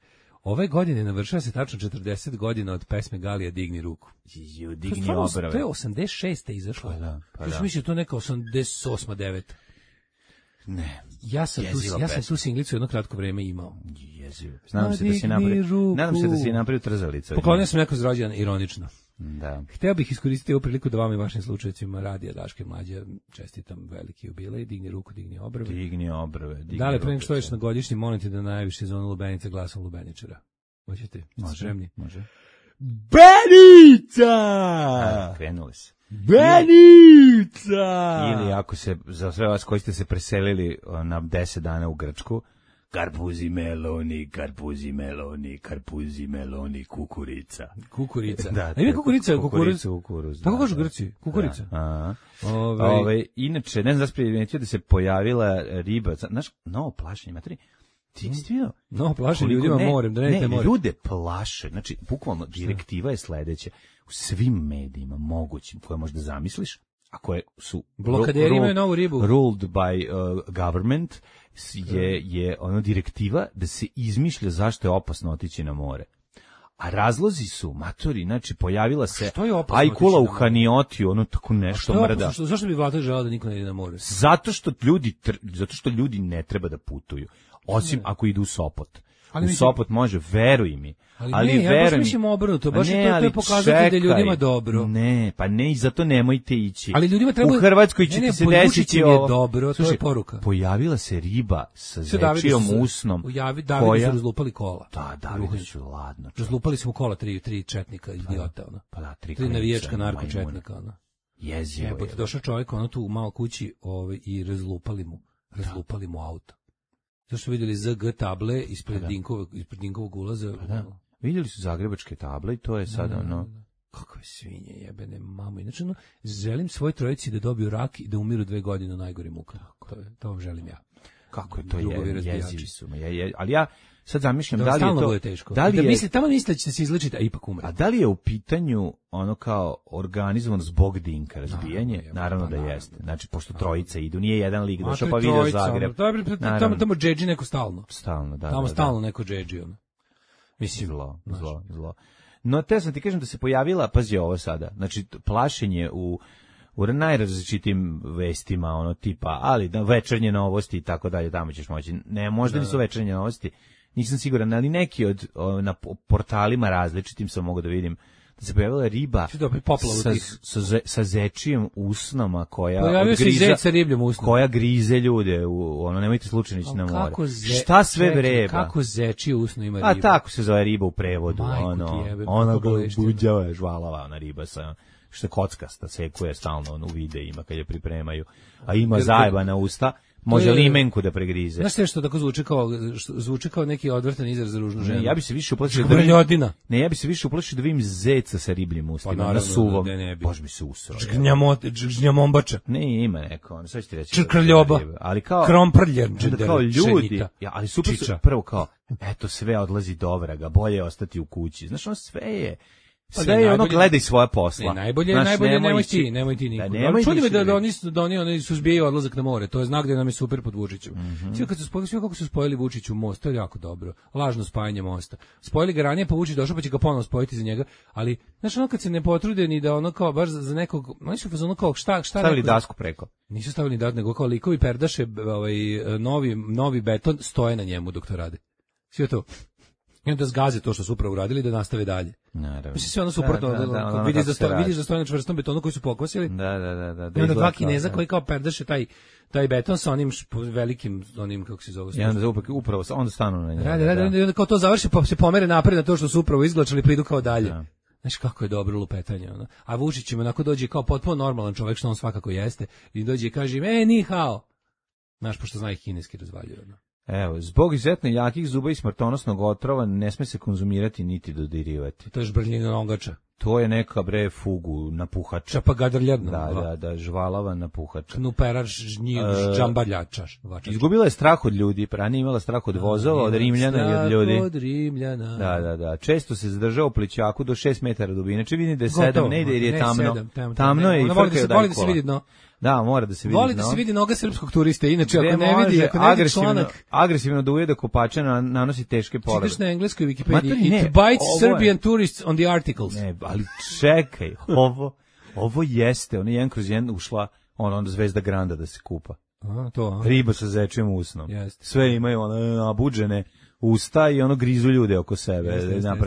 Ove godine navršava se tačno 40 godina od pesme Galija Digni ruku. Digni obrave. To je 86. izašlo. Pa da. Mislim, to je neka 88. 9. Ne. Ja sam tu singlicu jedno kratko vreme imao. Jezivo. Nadam se da si napravio trzalicu. Poklonio sam neko zrođendan ironično. Da. Hteo bih iskoristiti ovu priliku da vam i vašim slučajevima Radija Daške mlađe čestitam veliki jubilej, digni ruku, digni obrve. Digni obrve. Da li pre nego što ješ na godišnji, molim te da najaviš sezonu Lubenica glasom Lubeničara. Hoćete? Može. Spremni? Može. Benica! Krenuli se. Benica! Ili ako se, za sve vas koji ste se preselili na 10 dana u Grčku, karpuzi meloni, karpuzi meloni, karpuzi meloni, kukurica. Kukurica. Da, A ima kukurica, kukuruz. Tako kažu Grci, kukurica. Da. Inače, ne znam da se primetio da se pojavila riba, znaš, novo plašenje, materi, ti nisi vidio? No, plaše ljudima morem, da ne morem. Ljude plaše, znači, bukvalno, direktiva je sledeća, u svim medijima mogućim koje možda zamisliš, a koje su blokaderi imaju novu ribu. Ruled by government, je ono direktiva da se izmišlja zašto je opasno otići na more. A razlozi su, matori, znači pojavila se ajkula u Haniotiju, ono tako nešto mrda. Zašto bi vlada želala da niko ne ide na more? Zato što ljudi ne treba da putuju, osim ako idu u Sopot. U Sopot može, veruj mi. Ali ne, ja baš mislim obrnuto, baš to je pokazati da ljudima dobro. Ne, pa ne, i zato nemojte ići. Ali ljudima treba... U Hrvatskoj će ti se desiti ovo. Dobro, to je poruka. Pojavila se riba sa zečijom usnom. Davidu su razlupali kola. Da, Davidu su ladno. Razlupali smo kola tri četnika, idiota, ono. Pa da, tri navijačka narkočetnika, ono. Jezivo je. Došao čovjek, ono tu u malo kući i razlupali mu auto. Zašto su vidjeli ZG table ispred Dinkovog ulaza? Da. Vidjeli su zagrebačke table i to je sada ono... Kakve svinje jebene, mamo. Inače, želim svoj trojici da dobiju rak i da umiru 2 godine u najgorim mukama. To želim ja. Kako je to jezivi su. Ali ja sad zamišljam da li je stalno to... bude teško. Da li je, tamo misle da će se izlečiti, a ipak umre. A da li je u pitanju ono kao organizovan zbog Dinka razbijanje? Naravno da jeste. Znači, pošto trojica idu, nije jedan lik došao pa vidio Zagreb. Tamo džedži neko stalno. Stalno, da. Tamo stalno neko džedži, ono. Mislim, zlo. No, te sam ti kažem da se pojavila, pazi ovo sada, znači, plašenje u najrazličitim vestima, ono tipa, ali da večernje novosti i tako dalje, tamo ćeš moći. Ne, možda nisu večernje novosti, nisam siguran, ali neki na portalima različitim sam mogu da vidim da se pojavila riba sa zečijim usnama koja grize ljude, ono, nemojte slučajno ići na more. Šta sve vreba? Kako zečije usno ima riba? A tako se zove riba u prevodu, ona buđava, žvalava, ona riba sa što je kockasta, sekuje stalno u videima kad je pripremaju, a ima zajebana usta, može limenku da pregrize. Znaš sve što tako zvuči kao neki odvratan izraz za ružnu ženu? Ja bi se više uplašio da vidim zeca sa ribljim ustima, na suvom. Bož mi se usro. Žgnjamombača. Ne, ima neko, sve ću ti reći. Črkrljoba. Ali kao kromprljer, kao ljudi, ali super su prvo kao, eto sve odlazi do vraga, bolje je ostati u kući. Znaš, ono sve je. Pa da je ono gledaj svoja posla. Najbolje nemoj ti niko. Čudi me da oni suzbijaju odlazak na more. To je znak da nam je super pod Vučićem. Sve kako su spojili Vučiću most, to je jako dobro. Lažno spajanje mosta. Spojili ga ranije, pa Vučić došao, pa će ga ponovo spojiti za njega. Ali, znaš, ono kad se ne potrude ni da ono kao baš za nekog, oni su ono kao šta stavili dasku preko. Nisu stavili dasku, nego kao likovi perdaše, novi beton stoje na njemu dok to rade. Sve to. I onda zgaze to što su upravo uradili da nastave dalje. Naravno. Mislim sve ono suprotno, vidiš da stoje na čvrstom betonu koji su pokosili. Da. I onda 2 Kineza koji kao perdaše taj beton sa onim velikim, onim kako se zove. I onda upravo onda stanu na njega. Rade, i onda kao to završi pa se pomere napred na to što su upravo izglačali pa idu kao dalje. Da. Znaš kako je dobro lupetanje. Ono. A Vučić im onako dođe kao potpuno normalan čovjek što on svakako jeste i dođe i kaže im, ni hao. Znaš, pošto zna ih kineski razvaljuje. Ono. Evo, zbog izuzetno jakih zuba i smrtonosnog otrova ne sme se konzumirati niti dodirivati. To je žbrljina nogača. To je neka fugu napuhača. Čapagadrljedna. Da, žvalava napuhača. Knuperač, džambaljača. Izgubila je strah od ljudi, ranije imala strah od vozova, od Rimljana i od ljudi. Od Rimljana. Da. Često se zadržao u plićaku do 6 metara dubine. Inače vidim da je 7, ne ide jer je tamno. Tamno je i frkaju dalje kola. Se vidi dno. Da, mora da se vidi. Voli da se vidi noga srpskog turiste, inače ako ne vidi članak... Agresivno da ujede kopača nanosi teške povrede. Čitaš na engleskoj Wikipediji, it bites Serbian tourists on the articles. Ne, ali čekaj, ovo jeste, on je 1/1 ušla, onda Zvezda Granda da se kupa. To. Riba sa zečijim usnom. Jeste. Sve imaju nabuđene, usta i ono grizu ljude oko sebe.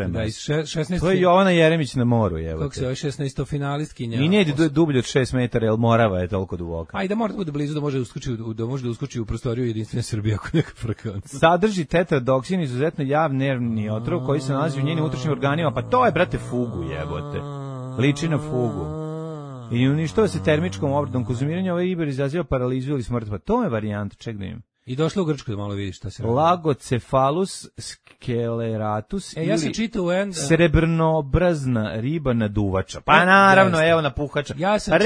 Da, iz 16. To je Jovana Jeremić na moru, evo. Kako se zove 16. finalistkinja? I ne ide dublje od 6 metara, jer Morava je toliko duboka. A i da mora da bude blizu, da može da uskoči u prostoriju Jedinstvene Srbije ako neka frekvenca. Sadrži tetradoksin, izuzetno jav nervni otrov koji se nalazi u njenim unutrašnjim organima, pa to je, brate, fugu, jebote. Liči na fugu. I uništava se termičkom obradom. Konzumiranje ove ribe izaziva paralizu ili smrt. Pa to je varijanta, ček da im. I došla u Grčku da malo vidiš šta se radi. Lagocephalus sceleratus ja sam čitao srebrnoobrazna riba naduvača. Pa naravno, evo napuhača. Ja sam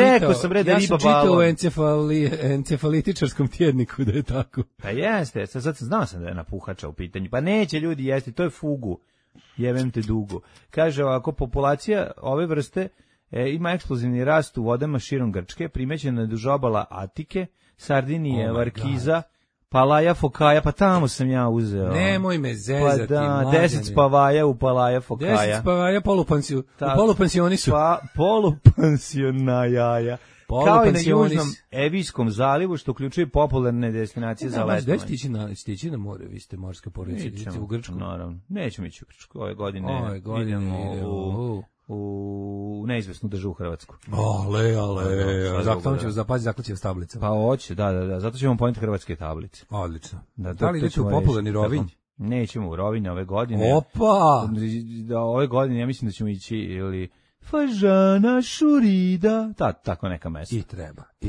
čitao u encefalitičarskom tjedniku da je tako. Pa jeste, sad znao sam da je napuhača u pitanju. Pa neće ljudi jesti, to je fugu. Jevem te dugo. Kaže ovako, populacija ove vrste ima eksplozivni rast u vodama širom Grčke, primećena je duž obala Atike, Sardinije, Varkiza, Palaja Fokaja, pa tamo sam ja uzeo. Nemoj me zezati, pa da, 10 spavaja u Palaja Fokaja. 10 spavaja polupansionisu. Polupansionajaja. Kao i na Južnom Evijskom zalivu, što uključuje popularne destinacije za letovanje. Gde stići na more, vi ste morska porodica, u Grčku? Naravno, nećemo ići u Grčku. Ove godine idemo u neizvesnu državu Hrvatsku. Ale, zato će tablica. Pa hoće, da, zato ćemo poneti hrvatske tablice. Odlično. Da li idete u popularni Rovinj? Nećemo u Rovinj ove godine. Opa! Ove godine ja mislim da ćemo ići ili Fažana Šurida, tako neka mesta. I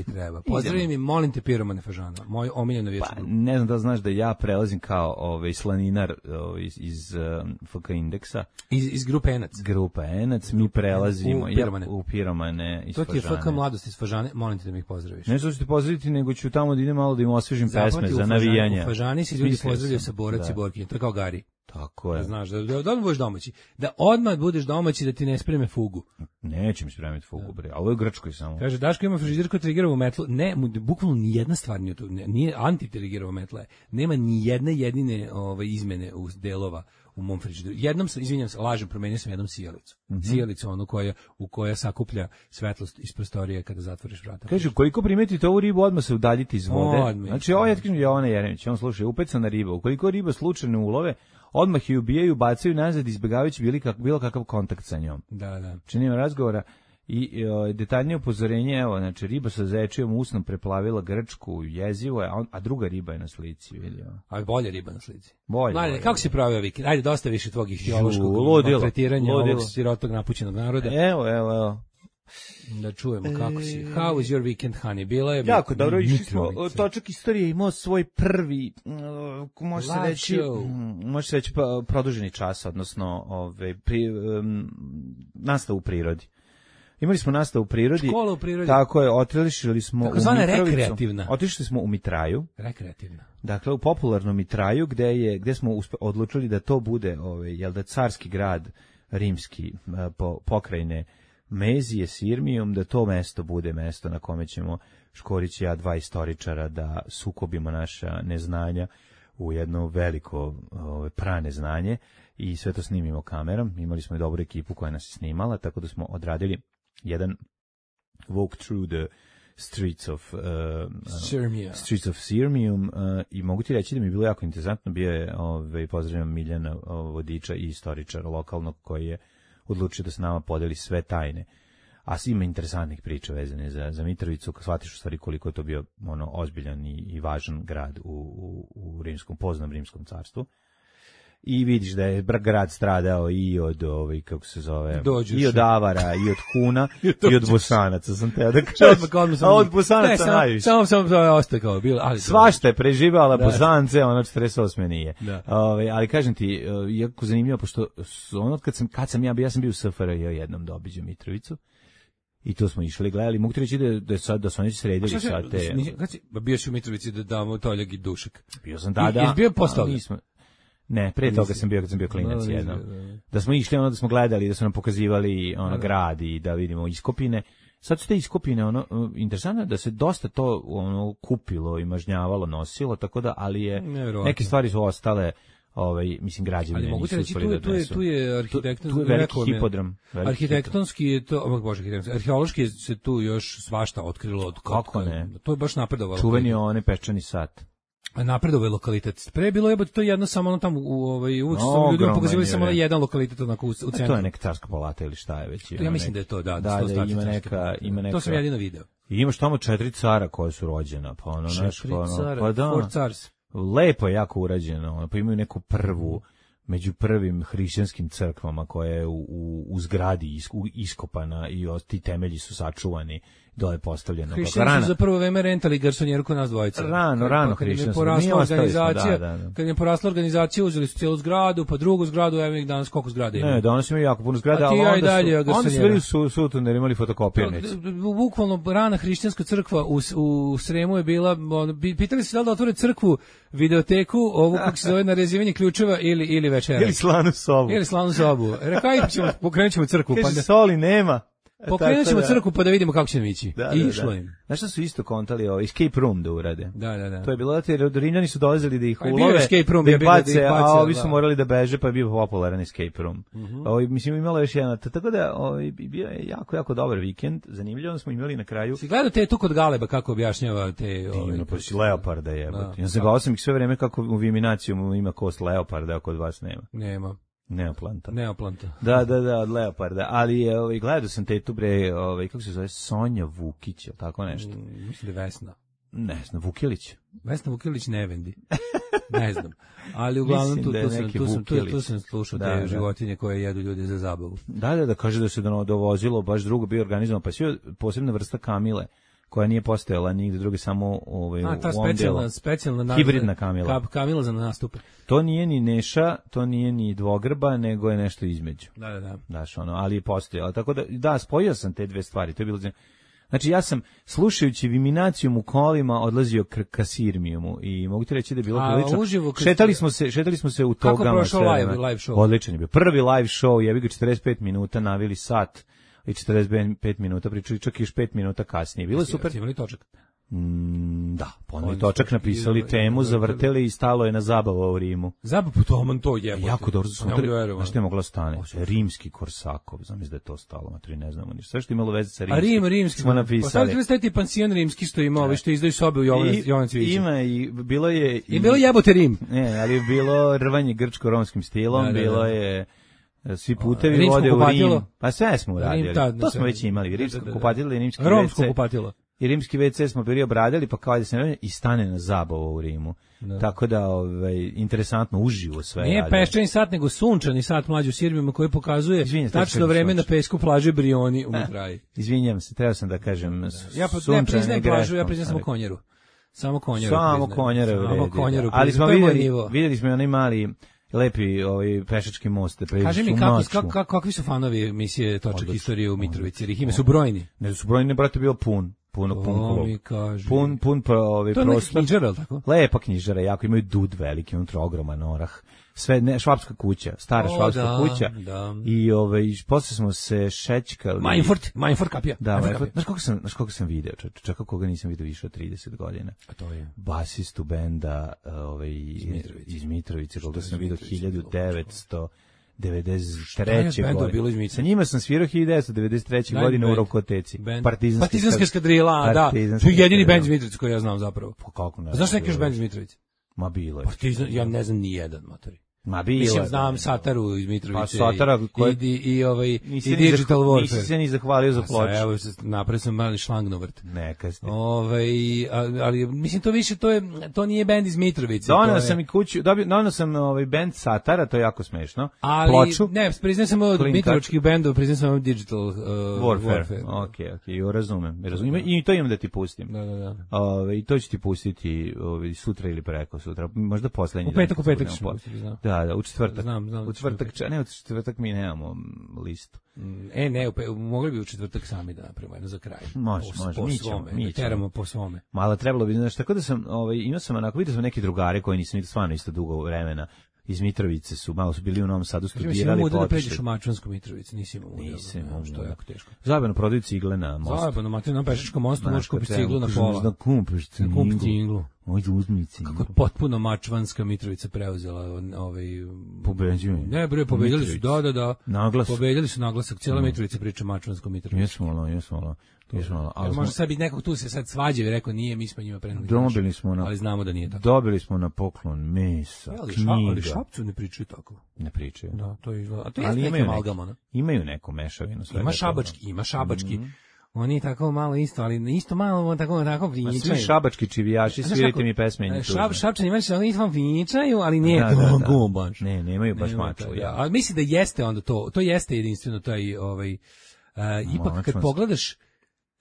treba. Pozdravim i molim te piromane Fažana, moj omiljeno vječer. Pa, ne znam da znaš da ja prelazim kao slaninar iz FK Indeksa. Iz Grupe Enac. Grupa Enac, mi prelazimo u piromane iz Fažane. To ti je FK Mladost iz Fažane, molim te da mi ih pozdraviš. Ne što ću ti pozdraviti, nego ću tamo da idem malo da im osvežim pesme za navijanja. U Fažani se ljudi pozdravljaju sa borac i borkinje, to je kao Gari. Tako je. Da znaš, da odmah budeš domaći. Da odmah budeš domaći, da ti ne spreme fugu. Neće mi spremiti fugu, bre. A ovo je u Grčkoj samo. Kaže, Daško ima frižider koji trigerovu metlu. Ne, bukvalno nijedna stvar nije to. Nije anti-trigerova metla. Nema ni jedne jedine izmene u delova u mom frižideru. Jednom sam, izvinjam se, lažem, promenio sam jednom sijalicu. Sijalicu, onu u koja sakuplja svetlost iz prostorije kada zatvoriš vrata. Kaže, koliko primetite ovu ribu, odmah se udaljite iz vode. Znači, ovo je Jovana Jeremić, on slušaj, upecana riba. Ukoliko riba slučajno ulove, odmah je ubijaju, bacaju nazad, izbjegavajući bilo kakav kontakt sa njom. Da. Činimo razgovora i detaljnije upozorenje, evo, znači, riba sa zečijom usnom preplavila Grčku, jezivo je, a druga riba je na slici, vidio. A bolje riba na slici. Bolje. Kako si pravio vikend? Ajde, dosta više tvog ihtiološkog maltretiranja ovog sirotog napućenog naroda. Evo. Da čujemo kako si. How was your weekend, honey? Bila je jako dobro, išli smo, točak istorije imao svoj prvi, može se reći produženi čas, odnosno nastavu u prirodi. Imali smo nastavu u prirodi. Škola u prirodi. Tako je, otišli smo u Mitrovicu. Rekreativna. Otišli smo u Mitraju. Rekreativna. Dakle, u popularnom Mitraju, gde smo odlučili da to bude, carski grad rimski pokrajine Mezije, Sirmijum, da to mesto bude mesto na kome ćemo Škorić i ja, dva istoričara, da sukobimo naša neznanja u jedno veliko praneznanje i sve to snimimo kamerom. Imali smo i dobru ekipu koja nas je snimala, tako da smo odradili jedan walk through the streets of Sirmium i mogu ti reći da mi je bilo jako interesantno. Bio je pozdravljam Miljana vodiča i istoričara lokalnog koji je odlučio da s nama podeli sve tajne. A ima interesantnih priča vezane za Mitrovicu, kad shvatiš u stvari koliko je to bio ozbiljan i važan grad u poznatom rimskom carstvu. I vidiš da je grad stradao i od kako se zove, i od Avara, i od Huna, i od Bosanaca, sam te da kažem. A od Bosanaca najviše. Samo ostao kao bilo. Svašta je preživala, Bosance, 48. nije. Ali kažem ti, jako zanimljivo, pošto kad sam ja sam bio u SFRJ jednom da obiđem Mitrovicu. I to smo išli gledali. Mogu ti reći da su oni sredili sad te... Bio si u Mitrovici da damo toljak i dušak. Bio sam tada. Jesi bio posle toga? Ne, pre toga sam bio kad sam bio klinac jednom. Da smo išli, da smo gledali, da su nam pokazivali grad i da vidimo iskopine. Sad su te iskopine, interesantno je da se dosta to kupilo i mažnjavalo, nosilo, tako da, ali je, neke stvari su ostale, mislim, građevine. Ali mogu ti reći, tu je arhitektonski, tu je veliki hipodrom. Arhitektonski je to, arheološki se tu još svašta otkrilo. Kako ne? To je baš napredovalo. Čuveni peščani sat. napredovao je lokalitet. Pre je bilo jebote to jedno samo ono tamo uvek su ljudima pokazivali samo na jedan lokalitet onako u centru. To je neka carska palata ili šta je već. Ja mislim da je to, da ima neka. To sam jedino video. I imaš tamo 4 cara koja su rođena, pa ono nešto, pa da. 4 cars. Lepo je jako urađeno, pa imaju neku prvu među prvim hrišćanskim crkvama koja je u zgradi iskopana i ti temelji su sačuvani, dole postavljeno. Hrišćani su za prvo vreme rentali garsonjeru kod nas dvojica. Rano hrišćanstvo. Kad je porasla organizacija, uzeli su cijelu zgradu, pa drugu zgradu, evo ih danas koliko zgrada ima. Ne, danas imaju jako puno zgrada, ali onda su bili sutoneri, imali fotokopirnicu. Bukvalno rana hrišćanska crkva u Sremu je bila, pitali se da li da otvore crkvu, videoteku, ovu kako se zove narezivanje ključeva ili večera. Ili slanu sobu. Rekao, pokrenut ćemo crkvu. Kaže, soli nema. Pokrenut ćemo crkvu pa da vidimo kako će nam ići. I išlo im. Znaš što su isto kontali escape room da urade? Da. To je bilo da Rimljani su dolazili da ih ulove, da ih bace, a ovi su morali da beže, pa je bio popularan escape room. Mislim, imalo još jedna, tako da bio je jako, jako dobar vikend, zanimljivo smo imali na kraju. Si gledao te tu kod Galeba kako objašnjava te... Divno, pa si leoparda jebote. Ja sam gledao sam ih sve vreme kako u Viminacijum ima kost leoparda, a kod vas nema. Nema. Neoplanta. Da, od leoparda, ali gledao sam tetu bre, kako se zove, Sonja Vukić, ili tako nešto. Mislim da je Vesna. Ne znam, Vukilić. Vesna Vukilić ne vendi. Ne znam. Ali uglavnom tu sam slušao te životinje koje jedu ljudi za zabavu. Da, kaže da se dovozilo baš drugo bio organizovan, pa sve posebna vrsta kamile koja nije postojala nigde druge, samo ta specijalna hibridna kamila. Kamila za nastupe. To nije ni Neša, to nije ni dvogrba, nego je nešto između. Da. Znaš, ali je postojala. Tako da, spojio sam te dve stvari. To je bilo. Znači, ja sam, slušajući Viminacijum u kolima, odlazio ka Sirmijumu i mogu ti reći da je bilo prilično. Šetali smo se u togama. Kako prošao live show? Odličan je bio. Prvi live show, jebi ga 45 minuta, navili sat i 45 minuta, pričali čak i još 5 minuta kasnije. Bilo je super. Imali točak? Da, ponovno točak napisali temu, zavrteli i stalo je na zabava u Rimu. Zabavu to jebote. Jako dobro. Znaš što je mogla stane? Rimski Korsakov, znam da je to stalo, matri ne znamo ništa. Sve što je imalo veze sa rimski smo napisali. Postavili ste ti pansion rimski što ima, što izdaju sobe u Jovan Cvića. Ima i bilo je... I bilo jebote Rim. Ne, ali je bilo rvanje grčko-romskim stilom, bilo je... Svi putevi vode u Rim. Pa sve smo uradili. To smo već imali. Rimsko kupatilo i rimski WC. Romsko kupatilo. I rimski WC smo bili obradili, pa kao da se ne i stane na zabavu u Rimu. Tako da, interesantno, uživo sve. Nije peščani sat, nego sunčani sat mlađu u Sirmijama koji pokazuje tačno vreme na pesku plaže Brioni u Mitraji. Izvinjam se, trebao sam da kažem ja ne priznajem plažu, ja priznajem samo Konjeru. Samo Konjeru. Ali smo vidjeli smo onaj mali lepi pešački most. Kaži mi kakvi su fanovi emisije Točak istorije u Mitrovici, jer ih ime su brojni. Ne su brojni, brate, bio pun klub. Pun prostor. To je neka knjižara, ali tako? Lepa knjižara, jako imaju dud veliki, unutra ogroman orah. Sve, švapska kuća, stara švapska kuća. Da. I posle smo se šećkali. Majnfort kapija. Da, znaš koga sam video, čekao koga nisam video više od 30 godina. A to je? Basistu benda iz Mitrovice, koga sam video 1993. godine. Sa njima sam svirao 1993. godine u Rokoteci. Partizanska eskadrila, da. To je jedini bend iz Mitrovice koji ja znam zapravo. Pa kako ne? Znaš neki još bend iz Mitrovice? Ma bilo je. Partizan, ja ne znam ni jedan, matori. Ma bilo. Mislim, znam Sataru iz Mitrovice. Pa Satara i Digital Warfare. Nisi se ni zahvalio za ploču. Evo, napravio sam mali šlangnovrt. Neka ste. Ali, mislim, to više, to nije bend iz Mitrovice. Donao sam i kuću, donao sam bend Satara, to je jako smešno. Ali, ploču. Ne, priznajem sam od mitrovičkih bendova, priznajem sam Digital Warfare. Ok, razumem. I to imam da ti pustim. Da. I to ću ti pustiti sutra ili preko sutra, možda poslednji. U petak ćemo pustiti, znam. Da, u četvrtak. Znam. U četvrtak mi nemamo listu. Mogli bi u četvrtak sami da napravimo jedno za kraj. Može, mi teramo po svome. Malo trebalo bi, znaš, tako da sam, imao sam onako, vidio sam neki drugare koji nisam stvarno isto dugo vremena. Iz Mitrovice malo su bili u Novom Sadu, studirali. Da pređeš u Mačvansku Mitrovicu, nisi imao što je jako teško. Zajebano prodaju cigle na mostu. Zajebano, na pešačkom mostu možeš kupiti ciglu na pola. Da kupiš ciglu. uzmici. Kako je potpuno Mačvanska Mitrovica preuzela Pobeđuju. Ne, bre, pobedili su, da. Naglas. Pobedili su naglasak, cijela Mitrovica priča Mačvansko Mitrovica. Jesmo. Ali može sad biti nekog tu se sad svađa i rekao nije, mi smo njima preneli. Ali znamo da nije tako. Dobili smo na poklon mesa, knjiga. Ali Šapcu ne pričaju tako. Ne pričaju. Da, to je izgleda. A to je neki amalgam, imaju neku mešavinu. Ima šabački. Oni tako malo isto, ali isto malo tako pričaju. Svi šabački čivijaši, svirajte mi pesme. Šapčani imaju se isto pričaju, ali nije to baš. Ne, nemaju baš maču. A mislim da jeste onda to jeste jedinstveno taj ipak kad pogledaš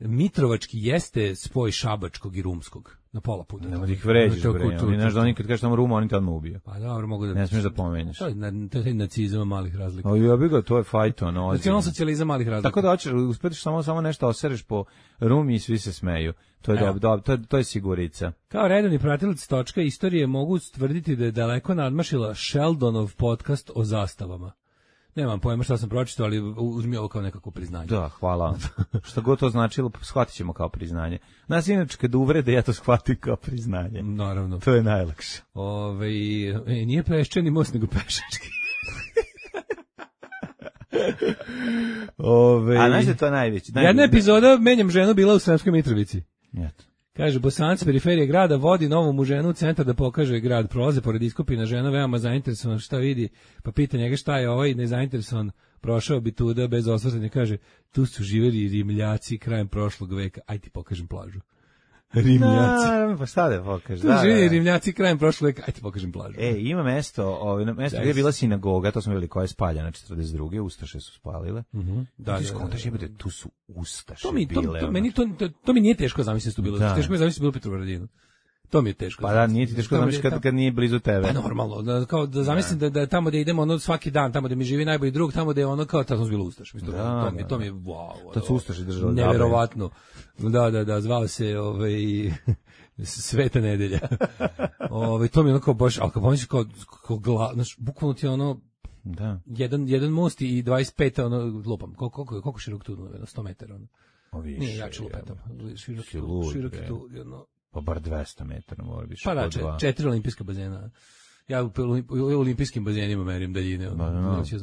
Mitrovački jeste spoj šabačkog i rumskog na pola puta. Ne možeš ih vređiš, bre. Oni znaš da oni kad kažeš tamo Ruma, oni te odmah ubiju. Pa dobro, mogu da... Ne smiješ da pomenješ. To je nacizam malih razlika. O, ja bih ga, to je fajton. Nacionalsocijalizam malih razlika. Tako da hoćeš, uspetiš samo nešto osereš po Rumi i svi se smeju. To je dobro, to je sigurica. Kao redovni pratilac točka istorije mogu stvrditi da je daleko nadmašila Sheldonov podcast o zastavama. Nemam pojma šta sam pročitao, ali uzmi ovo kao nekako priznanje. Da, hvala. Šta god to značilo, shvatit ćemo kao priznanje. Nas inače kad uvrede, ja to shvatim kao priznanje. Naravno. To je najlakše. Nije peščani most, nego pešački. A znaš da je to najveći? Jedna epizoda Menjam ženu bila u Sremskoj Mitrovici. Eto. Kaže, Bosanac periferije grada vodi novu mu ženu u centar da pokaže grad. Prolaze pored iskopina, žena veoma zainteresovan šta vidi, pa pita njega šta je ovaj nezainteresovan, prošao bi tuda bez osvrtanja, kaže, tu su živeli Rimljaci krajem prošlog veka, aj ti pokažem plažu. Rimljaci. Pa šta da pokažeš? Tu živeli Rimljaci krajem prošlog veka, aj ti pokažem plažu. Ima mesto gdje je bila sinagoga, to smo vidjeli koja je spaljena 42. Ustaše su spalile. Tu su Ustaše bile. To mi nije teško zamisliti tu bilo. Teško mi je zamisliti bilo Petrovaradinu. To mi je teško. Pa da, nije ti teško zamisliti kad nije blizu tebe. Pa normalno, kao da zamislim da tamo gdje idemo svaki dan, tamo gdje mi živi najbolji drug, tamo gdje ono tamo bilo Ustaš. To mi je wow. To su Ustaši držali. Neverovatno. Da, zvao se Sveta nedelja. To mi je ono kao baš, ali kao pomisliš znaš, bukvalno ti ono jedan most i 25 lupam. Koliko širok tu? 100 metara. Nije jače lupetam. Širok je tu jedno. Pa bar 200 metara mora biti. Pa da, 4 olimpijska bazena. Ja u olimpijskim bazenima merim daljine.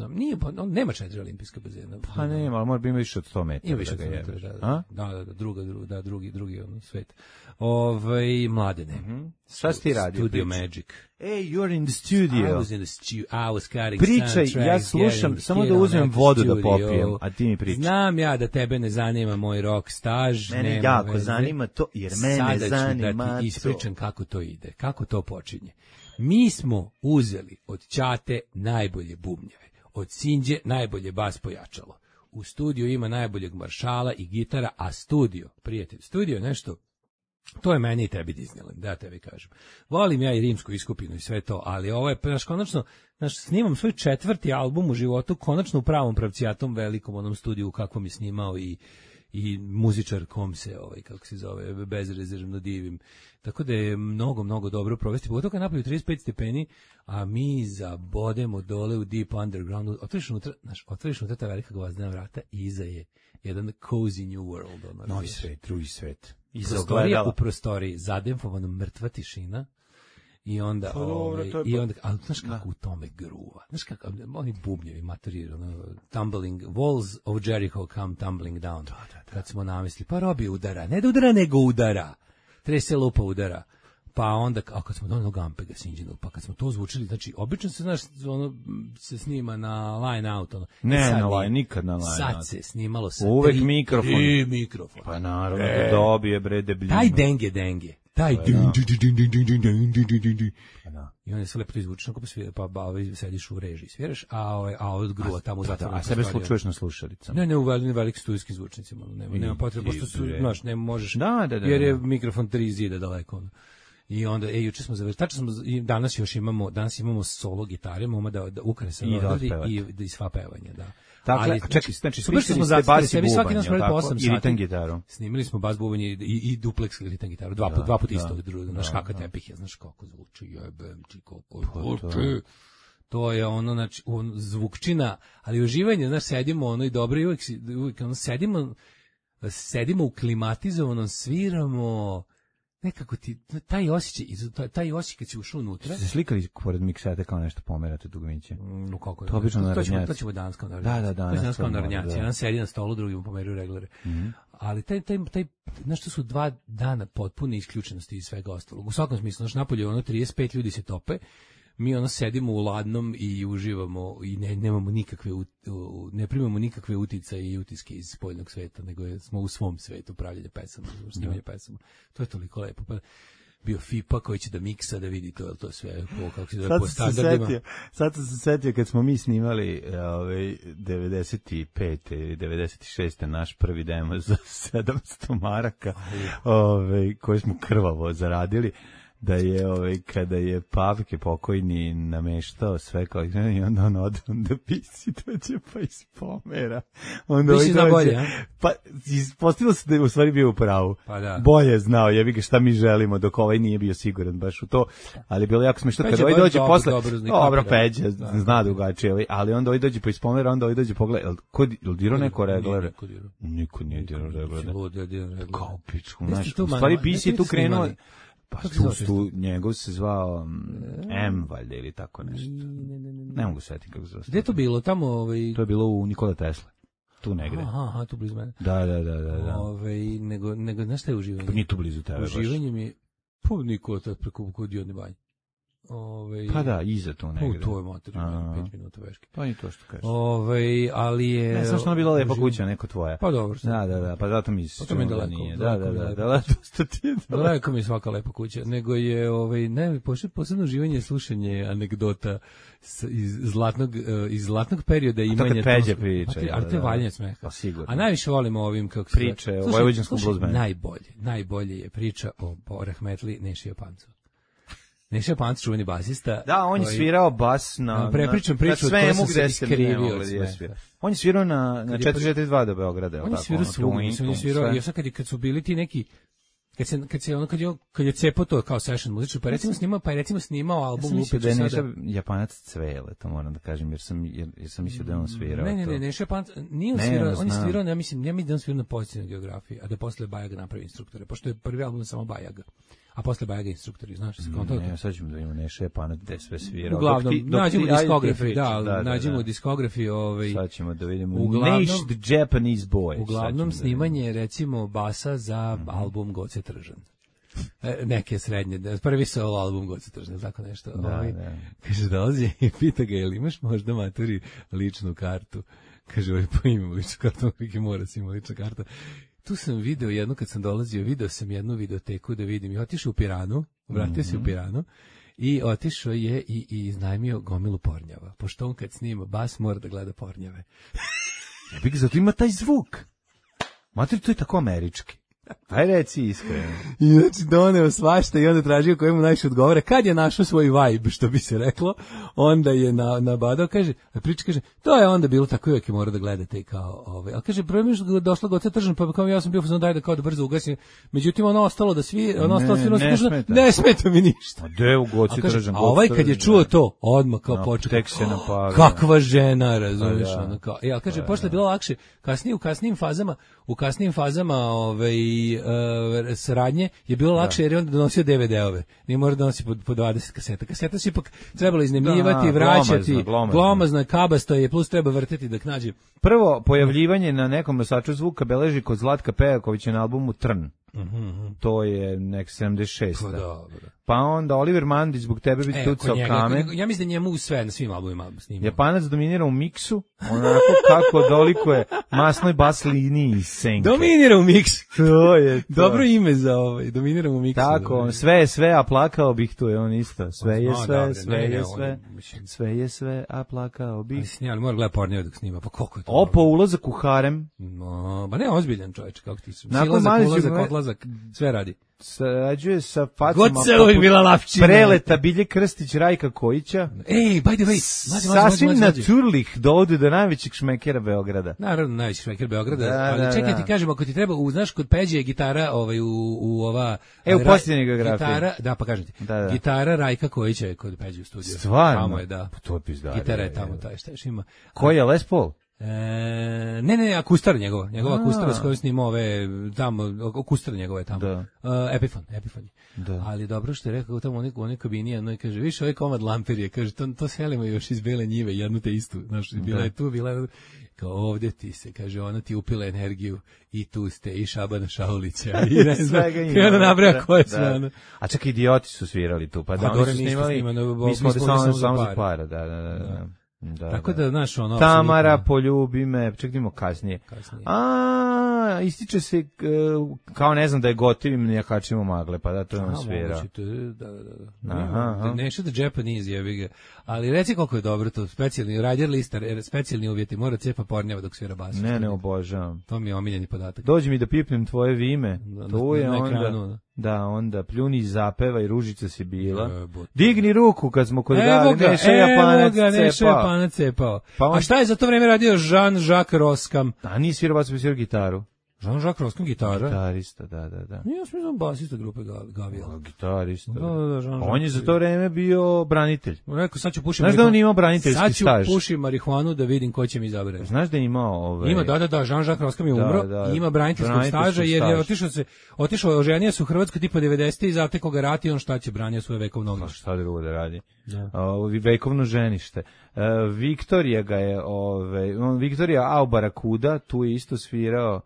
Nije, pa nema 4 olimpijska bazena. Pa nema, ali mora biti više od 100 metara. Ima više od 100 metara, da, drugi svet. Mladene. Šta si ti radio? Studio Magic. Hey, you're in the studio. I was in the studio, I was cutting Pričaj, ja slušam, samo da uzmem vodu da popijem, a ti mi pričaj. Znam ja da tebe ne zanima moj rock staž. Mene jako zanima to, jer mene zanima to. Sada ću da ti ispričam kako to ide, kako to počinje. Mi smo uzeli od Ćate najbolje bubnjeve, od Sinđe najbolje bas pojačalo. U studiju ima najboljeg maršala i gitara, a prijatelj, studio nešto, to je meni i tebi Disneyland, da tebi kažem. Volim ja i rimsku iskupinu i sve to, ali ovo je, konačno, snimam svoj 4. album u životu, konačno u pravom pravcijatom velikom onom studiju u kakvom je snimao i muzičar kom se, kako se zove, bezrezervno divim. Tako da je mnogo dobro provesti. Pogotovo kad napolju 35 stepeni, a mi zabodemo dole u deep undergroundu. Otvoriš unutra ta velika gvozdena vrata i iza je jedan cozy new world. Novi svet, drugi svet. Prostorija u prostoriji, zademfovano mrtva tišina. I onda, ali znaš kako u tome gruva, znaš kako, oni bubnjevi, materi, tumbling, walls of Jericho come tumbling down, kad smo namisli, pa Robi udara, ne da udara, nego udara, trese lupa udara, pa onda, kad smo donali Gampega Sinđinu, pa kad smo to zvučili, znači, obično se, znaš, se snima na line out, nikad na line out. Sad se snimalo sa uvek mikrofon. Pa naravno, da dobije, bre, debljino. Taj denge. I on je sve lepo to izvučeno, pa sediš u režiji, sviraš, a od gruva tamo u zatvoru. A sebe slučuješ na slušalicama? Ne, u velikim studijskim zvučnicima, nema potrebe, pošto su, znaš, ne možeš, jer je mikrofon 3 zida daleko. I onda, juče smo završili, danas imamo solo gitare, imamo da ukrasa i sva pevanja, da. Dakle, čekaj, znači smislili ste bas i bubanj, i ritam gitaru. Snimili smo bas bubanj i dupleks i ritam gitaru, dva puta isto, znaš kakav tepih je, znaš kako zvuči, jebem ti kako zvuči. To je ono, znači, zvukčina, ali uživanje, znaš, sedimo i dobro, i uvijek sedimo u klimatizovanom, sviramo, nekako ti taj osjećaj kad si ušao unutra. Se slikali pored miksete kao nešto pomerate dugmiće. No kako je? To obično narodnjaci. To ćemo danas kao narodnjaci. Da, danas kao narodnjaci. Jedan sedi na stolu, drugi mu pomeraju reglere. Ali taj znaš, to su 2 dana potpune isključenosti i svega ostalog. U svakom smislu, znaš, napolje ono 35 ljudi se tope, mi ono sedimo u ladnom i uživamo i nemamo nikakve, ne primamo nikakve uticaje i utiske iz spoljnog sveta, nego smo u svom svetu pravljenja pesama, snimanja pesama. To je toliko lepo. Pa bio FIPA koji će da miksa, da vidi to sve kako se zove po standardima. Sad sam se setio kad smo mi snimali 95. ili 96. naš prvi demo za 700 maraka, koji smo krvavo zaradili, da je kada je Pavke pokojni nameštao sve kao i onda on ode, onda pisi dođe pa ispomera. Onda Pisi zna bolje, a? Pa ispostavilo se da je u stvari bio u pravu. Pa da. Bolje znao, jebi ga šta mi želimo, dok ovaj nije bio siguran baš u to, ali je bilo jako smešno kada ovaj dođe posle. Dobro, Peđa zna drugačije, ali onda ovaj dođe pa ispomera, onda ovaj dođe pogleda, jel dirao neko reglere? Niko nije dirao reglere. Kao pičku, znaš, u stvari pisi tu krenuo. Pa tu njegov se zvao M, valjda, ili tako nešto. Ne mogu setiti kako se zove. Gde je to bilo? Tamo, To je bilo u Nikola Tesla. Tu negde. Aha, tu blizu mene. Da. Nego, znaš šta je uživanje? Pa nije tu blizu tebe baš. Uživanje mi je, Nikola Tesla preko Diodne banje. Pa da, iza tu negde. To je materijalno, 5 minuta veške. To je to što kažeš. Ali je... Ne, znaš što je bila lepa kuća, neko tvoja. Pa dobro. Da, pa zato mi se... Pa to mi je daleko. Da, dosta ti je daleko. Daleko mi je svaka lepa kuća. Nego je, posebno uživanje slušanje anegdota iz zlatnog perioda imanja... A to kad Peđe priča. A to je valjanje smeha. Pa sigurno. A najviše volimo ovim kako se... Priče o vojvođanskom bluzmenu. Najbolje je priča o rahmetli Neši Japancu. Neša Panc, čuveni basista. Da, on je svirao bas na prepričam priču na koja sam se iskrivio. On je svirao na 442 do Beograda. On je svirao svugdje. On je svirao, još kad su bili ti neki, kad je cepo to kao session muzičar, pa recimo snimao album Lupić sada. Neša Japanac Cvele, to moram da kažem, jer sam mislio da on svirao. Ne, Neša Japanac, nije on svirao, on je svirao, ja mislim da on svirao na pozitivnoj geografiji, a da posle Bajaga napravi instruktore, pošto je prvi album samo Bajaga. A posle Bajaga instruktori, znaš, se konto. Ne, sad ćemo da imamo Neša Japanac gde sve svirao. Uglavnom, nađemo diskografiju, nađemo diskografiju, sad ćemo da vidimo Neš the Japanese Boy. Uglavnom snimanje recimo basa za album Goce Tržan. Neke srednje, prvi solo album Goce Tržan, tako nešto. Kaže, dolazi i pita ga, jel imaš možda maturi ličnu kartu? Kaže, pa imam ličnu kartu, kako mora si ima lična karta. Tu sam video jedno, kad sam dolazio, video sam jednu videoteku da vidim i otišao u Piranu, vratio se u Piranu i otišao je i iznajmio gomilu pornjava, pošto on kad snima bas mora da gleda pornjave. Ja bih zato ima taj zvuk. Mater, to je tako američki. Aj reci iskreno. I znači doneo svašta i onda tražio koji mu najviše odgovara. Kad je našao svoj vibe, što bi se reklo, onda je nabadao, kaže, to je onda bilo tako, uvijek je mora da gledate kao ali kaže, prvo mi je došlo Goce Tržan, pa kao ja sam bio daj da kao da brzo ugasim. Međutim, ono ostalo da svi, ne smeta mi ništa. A de u Goce Tržan. A ovaj kad je čuo to, odmah kao počeo. Tek se napavio. Kakva žena, razumiješ, ono kao. Ja kaže, posle je bilo lakše, u kasnijim fazama, saradnje je bilo lakše jer je onda donosio DVD-ove. Nije mora da donosi po 20 kaseta. Kaseta se ipak trebalo iznajmljivati, vraćati, glomazna, kabasto je, plus treba vrteti dok nađe. Prvo pojavljivanje na nekom nosaču zvuka beleži kod Zlatka Pejakovića na albumu Trn. To je nek 76. Pa onda Oliver Mandić zbog tebe bi tucao kamen. Ja mislim da njemu sve na svim albumima snima. Japanac dominira u miksu, onako kako dolikuje masnoj bas liniji Senke. Dominira u miksu. To je to. Dobro ime za dominira u miksu. Tako, sve je sve, a plakao bih, tu je on isto. Sve je sve, a plakao bih. Ali mora gleda pornjeve dok snima, pa koliko je to? Opo, ulazak u harem. Ba ne, ozbiljan čovječ, kako ti su. Silazak, odlazak, sve radi. Sarađuje sa facama Preleta Bilje Krstić, Rajka Kojića. Ej, by the way, sasvim naturlih dovode do najvećeg šmekera Beograda. Naravno, najveći šmeker Beograda, ali čekaj ti kažem, ako ti treba, znaš, kod Peđe je gitara u ova... u posljednjoj geografiji. Da, pa kažem ti, gitara Rajka Kojića je kod Peđe u studiju. Stvarno? Tamo je, da. To je pizdari. Gitara je tamo, šta još ima. Ko je Les Paul? Ne, akustar njegova akustar s kojom snima ove tamo, akustar njegova je tamo. Da. Epifon. Da. Ali dobro što je rekao tamo u onoj kabini, ono i kaže, više ovaj komad lamperije, kaže, to selimo još iz Bele njive, jednu te istu, znaš, bila je tu, kao ovdje ti se, kaže, ona ti upila energiju i tu ste, i Šabana Šaulića, i ne znam, i ona nabraja koje su, ono. A čak Idioti su svirali tu, pa da, oni su snimali, mi smo samo za para, da. Tako da, znaš, ono... Tamara, poljubi me, čekajmo kasnije. Ističe se, kao ne znam da je gotivim nijakačima magle, pa da to je on svira. Da. Nešto da Japanese jebi ga. Ali reci koliko je dobro to, specijalni rider listar, specijalni uvjeti, mora cepa pornjava dok svira bas. Ne obožavam. To mi je omiljeni podatak. Dođi mi da pipnem tvoje vime, to je onda... Da, onda pljuni, zapevaj, ružica si bila. Digni ruku kad smo kod Gali, Neša Japanac cepao. A šta je za to vreme radio Jean-Jacques Roskam? A nije svirao bas, svirao gitaru. Jean-Jacques Roskam gitara? Gitarista, da. Nije smislam basista grupe Gavijel. Gitarista. Da, on je za to vreme bio branitelj. Rekao, sad ću pušiti marihuanu. Znaš da on imao braniteljski staž? Sad ću pušiti marihuanu da vidim ko će mi izabrati. Znaš da je imao... Ima, da, Jean-Jacques Roskam je umro i ima braniteljskog staža jer je otišao, oženio se u Hrvatskoj tipa 90. i zatekao ga rat i on šta će, branio svoje vekovno ognjište. Šta drugo da radi? Vekovno ženište. Viktorija Aubarakuda, tu je isto svirao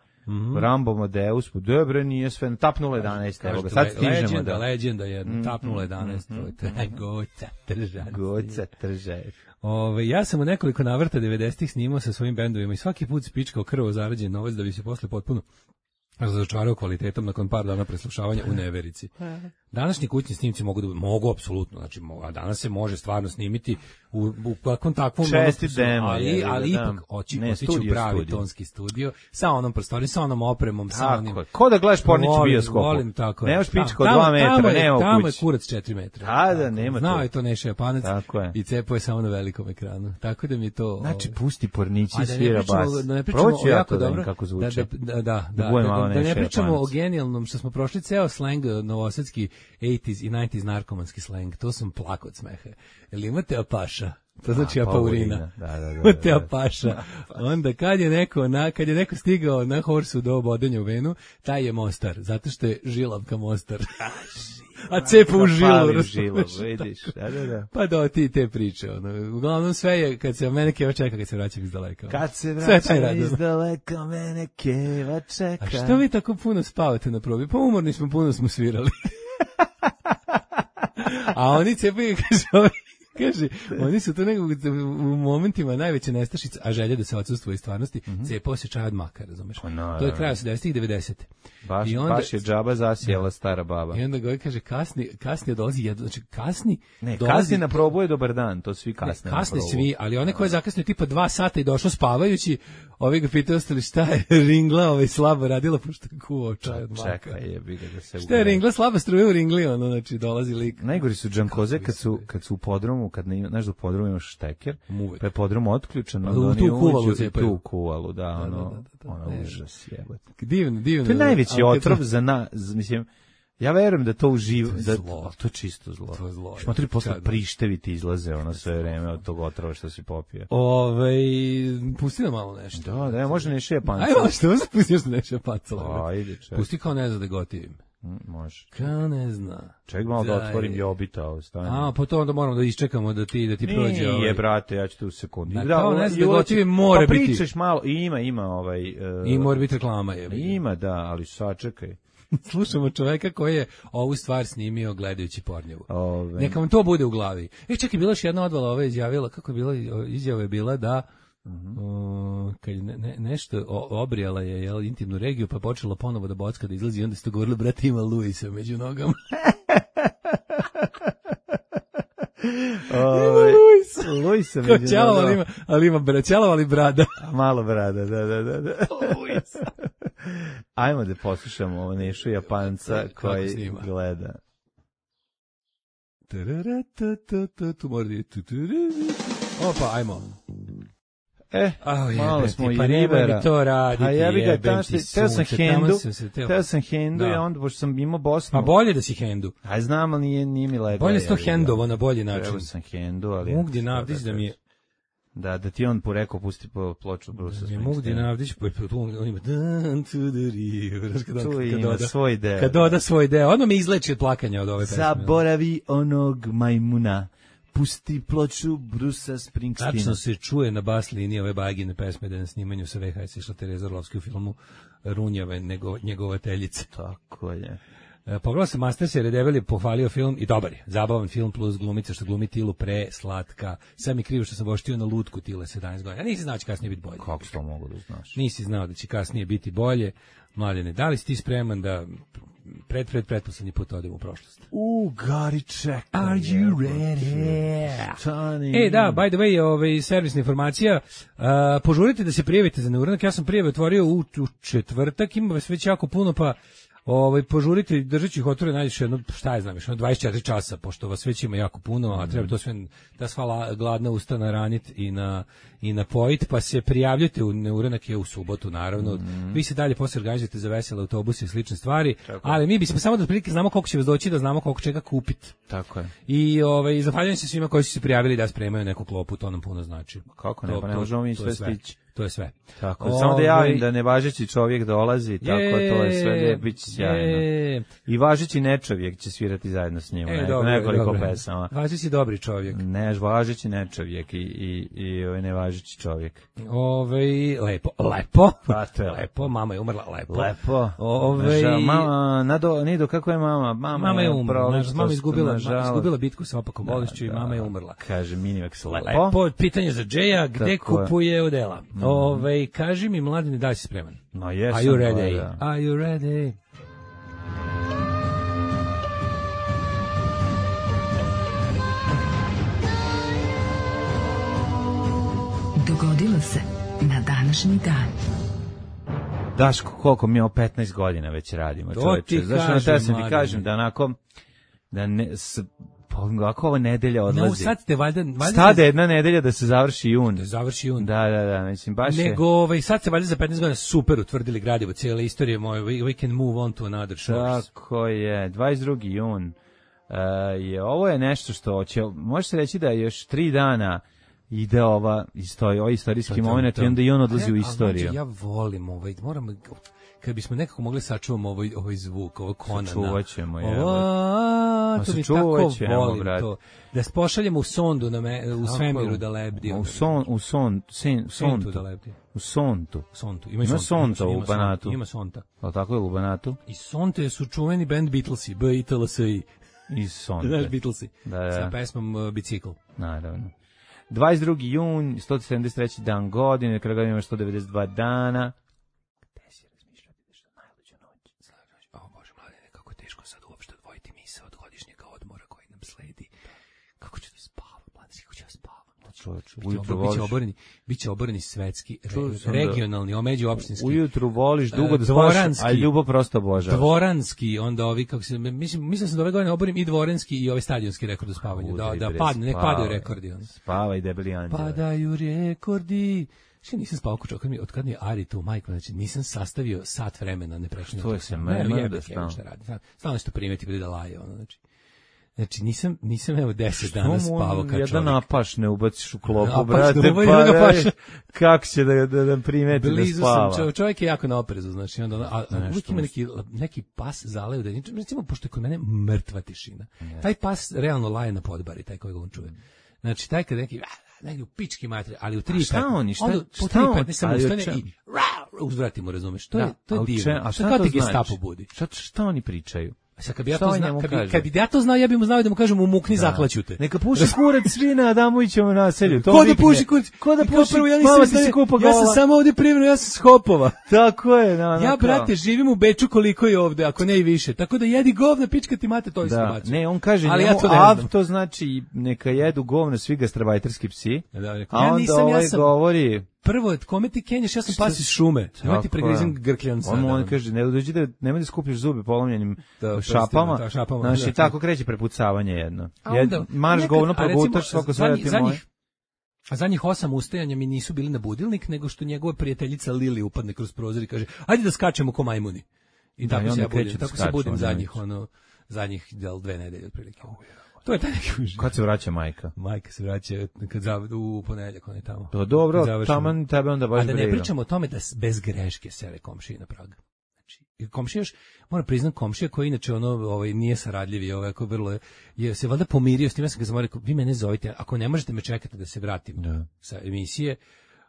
Rambo Modeus, dobre, nije sve, tap 011, evo ga, sad stižemo da... Legenda jedna, tap 011, Goca tržaj. Ja sam u nekoliko navrata 90-ih snimao sa svojim bendovima i svaki put spičkao krvo zarađen novac da bi se posle potpuno razočarao kvalitetom nakon par dana preslušavanja u neverici. Današnji kućni snimci mogu apsolutno, znači, a danas se može stvarno snimiti u kakvom takvom ali ipak otići u pravi tonski studio sa onom prostorijom, sa onom opremom, sa onim... Ko da gledaš Pornić u bioskopu? Volim, tako je. Nemaš pička od 2 metra, nema u kući. Tamo je kurac 4 metra. Da, nema to. Znao je to Neša Japanac i cepao je samo na velikom ekranu. Tako da mi je to... Znači, pusti Pornići svira bas. Da ne pričamo o jako dobro... kako zvuči. Da ne pričamo o genijalnom, što smo prošli ceo slang novosadski 80s i 90s narkomanski slang, to sam plako od smeha. Jel imate apaša? To znači apaurina. Imate apaša. Onda kad je neko stigao na horsu do bodenja u venu, taj je Mostar, zato što je žilavka Mostar. A cepa u žilu, vidiš. Da. Pa da, ti te priče. Uglavnom sve je, kad se mene keva čeka, kad se vraćam iz daleka. Kad se vraćam iz daleka, mene keva čeka. A što vi tako puno spavate na probi? Pa umorni smo, puno smo svirali. A oni cepaju, kaže, oni su to nekog u momentima najveće nestašice, a želja da se odsustvo iz stvarnosti, cepao se čaj od maka, razumeš? To je kraj 80-ih i 90. Baš je džaba zasijela stara baba. I onda ga kaže, kasnije dolazi jedno, znači kasni na probu je dobar dan, to svi kasne. Kasne svi, ali one koje zakasnije tipa 2 sata i došlo spavajući, ovi ga pitaju ostali šta je ringla, slabo radila, pošto kuo čaj od maka. Čekaj, jebi ga da se šta je ringla, slaba struja u ringli, znači dolazi lik. Najgori su džankoze kad su u podrumu, kad ne znaš da u podrumu imaš šteker, pa je podrum otključen, onda oni uđu tu kuvalu, ono užas jebate. Divno. To je najveći otrov mislim, ja verujem da to uživa, to je čisto zlo. To je zlo. Šmatri posle prišteviti izlaze sve vreme od tog otrova što si popio. Pusti nam malo nešto. Da, može Neša Japanca. Ajmo, što se pusti još Neša Japanca? Ajde, ček. Pusti kao ne zna da gotivim. Može. Kao ne zna. Ček malo da otvorim Jobita. Pa to onda moramo da iščekamo da ti prođe. Nije, brate, ja ću tu u sekundi. Kao ne zna da gotivim mora biti. Pa pričaš malo, ima I mora biti reklama. Ima, da, ali sačekaj. Slušamo čoveka koji je ovu stvar snimio gledajući Pornjevu. Neka vam to bude u glavi. Čekaj, bila još jedna odvala izjavila, kako je bila, izjava je bila da kad nešto obrijala je intimnu regiju, pa počela ponovo da bocka, da izlazi i onda ste govorili, brate, ima Luisa među nogama. Luisa među nogama. Ali ima ćelava, ali brada. Malo brada, da. Ajmo da poslušamo ovo Nešu Japanca koji gleda. Tu mora da je opa, ajmo. Malo smo i Rivera. Mi to raditi, teo sam hendu i onda, pošto sam imao Bosnu. Pa bolje da si hendu. Aj znam, ali nije mi lepo. Bolje s to hendovo na bolji način. Trebao sam hendu, ali... Ugdje navdiš da mi je... Da ti on rekao pusti po ploču Brusa Springsteena. Mugdin Avdić, on ima Down to the river. Tu ima svoj deo. Kad doda svoj deo, odmah me izleči od plakanja od ove pesme. Zaboravi onog majmuna, pusti ploču Brusa Springsteena. Tačno se čuje na bas liniji ove Bagine pesme da je na snimanju sa VHS išla Tereza Orlovski u filmu Runjave, njegovateljice. Tako je. Pogledao sam Masters jer je Debeli pohvalio film i dobar je. Zabavan film plus glumica što glumi Tilu slatka. Sad mi krivo što sam voštio na lutku Tile 17 godina. Ja nisi znao da će kasnije biti bolje. Kako to mogu da znaš? Nisi znao da će kasnije biti bolje. Mladene, da li si ti spreman da pretposlednji put odem u prošlost? Gari, čekaj. Are you ready? Da, by the way, servisna informacija, požurite da se prijavite za neuranak. Ja sam prijave otvorio u četvrtak, ima vas već jako puno, pa požurite, držeći ih otvore najviše jedno, šta je znam, 24 časa, pošto vas već ima jako puno, a treba to sve, ta sva gladna usta naranit i napojit, pa se prijavljujte u neuranak je u subotu, naravno. Vi se dalje posle organizujete za vesele autobuse i slične stvari, ali mi bismo samo da otprilike znamo koliko će vas doći, da znamo koliko čega kupiti. Tako je. I zahvaljujem se svima koji su se prijavili da spremaju neku klopu, to nam puno znači. Kako ne, pa ne možemo mi sve stići. To je sve. Tako, samo da javim da nevažeći čovjek dolazi, tako to je sve, bit će sjajno. I važeći nečovjek će svirati zajedno s njim, nekoliko pesama. Važeći dobri čovjek. Ne, važeći nečovjek i nevažeći čovjek. Lepo. Pa to je lepo, mama je umrla, lepo. Lepo. Mama, Nido, kako je mama? Mama je umrla, mama izgubila bitku sa opakom bolešću i mama je umrla. Kaže Minimax, lepo. Lepo, pitanje za Džeja, gde kupuje odela? Kaži mi, Mladine, da li si spreman? No, jesam. Are you ready? Are you ready? Dogodilo se na današnji dan. Daško, koliko mi 15 godina već radimo, čoveče. Zašto sam ti kažem da onako, da ne... Ako ova nedelja odlazi. No, sad ste valjda stade jedna nedelja da se završi jun. Da završi jun. Da, mislim baš je. Nego sad se valjda za 15 godina super utvrdili gradivo, cijela istorija moja. We can move on to another shores. Tako je, 22. jun. Ovo je nešto što će, može se reći da još 3 dana ide ovaj istorijski moment i onda i on odlazi u istoriju. Znači, ja volim moram kad bismo nekako mogli sačuvamo ovaj zvuk, ovo Konana. Sačuvaćemo, to mi tako volim to. Da pošaljemo u sondu u svemiru da lebdi. U sontu da lebdi. U sontu. Ima sonta u Banatu. Ima sonta. A tako je u Banatu. I sonte su čuveni band Beatlesi, B-I-T-L-S-I. I sonte. Znaš Beatlesi. Da. Sa pesmom Bicikl. Naravno. 22. jun, 173. dan godine, kada ga ima 192 dana. Biće oboreni svetski, regionalni, omeđuopštinski. Ujutru voliš dugo da spavaš, a ljubav prosto obožavaš. Dvoranski, onda ovi, kako se, mislim sam da ove godine oborim i dvoranski i ovaj stadionski rekord u spavanju. Da padne, nek padaju rekordi. Spavaj, debeli anđele. Padaju rekordi. Što nisam spavao od kad mi je Ari tu, majko, znači nisam sastavio sat vremena, ne prekinut. Što je se mene da stalno što primeti bude da laje, Znači, nisam evo 10 dana spavao kao čovjek. Jedan napaš ne ubaciš u klopu, brate, pa kako će da primeti da spava. Blizu sam, čovjek je jako na oprezu, znači, onda, uvijek ima neki pas zaleju, recimo, pošto je kod mene mrtva tišina. Taj pas realno laje na podbari, taj kojeg on čuje. Znači, taj kad neki u pički materi, ali u 3:15. Šta oni? Po 3:15 sam ustane i uzvrati mu, razumeš? To je divno. A šta to znači? Budi. Šta oni pričaju? Sad kad bi ja to znao, ja bih mu znao da mu kažem umukni, zaklaću te. Neka puši kurac svi na Adamovićevom naselju. Ko da puši kurac? Ko da puši? Ja sam samo ovdje privremeno, ja sam s Hopova. Tako je. Ja, brate, živim u Beču koliko je ovde, ako ne i više. Tako da jedi govna, pička ti mate, to isto baci. Ne, on kaže to znači neka jedu govna svi gastarbajterski psi. A onda govori... Prvo, kome ti kenješ, ja sam pas iz šume. Nemoj ti pregrizim grkljan sada. On kaže, nemoj da skupljaš zube polomljenim šapama. Znači, tako kreće prepucavanje jedno. Marš govno, progutaš svako svoje ti moje. A zadnjih 8 ustajanja mi nisu bili na budilnik, nego što njegova prijateljica Lili upadne kroz prozor i kaže, ajde da skačemo ko majmuni. I tako se budim zadnjih 2 nedelje otprilike. To je taj neki užitak. Kad se vraća majka? Majka se vraća u ponedeljak, on je tamo. To dobro, taman tebe onda baš briga. A da ne pričamo o tome da bez greške sere komšije na prag. Znači, komšija još, moram priznati, komšija koji inače nije saradljivi, ovako vrlo je se valjda pomirio s tim, ja sam ga zamolio, vi mene zovite, ako ne možete me čekati da se vratim sa emisije,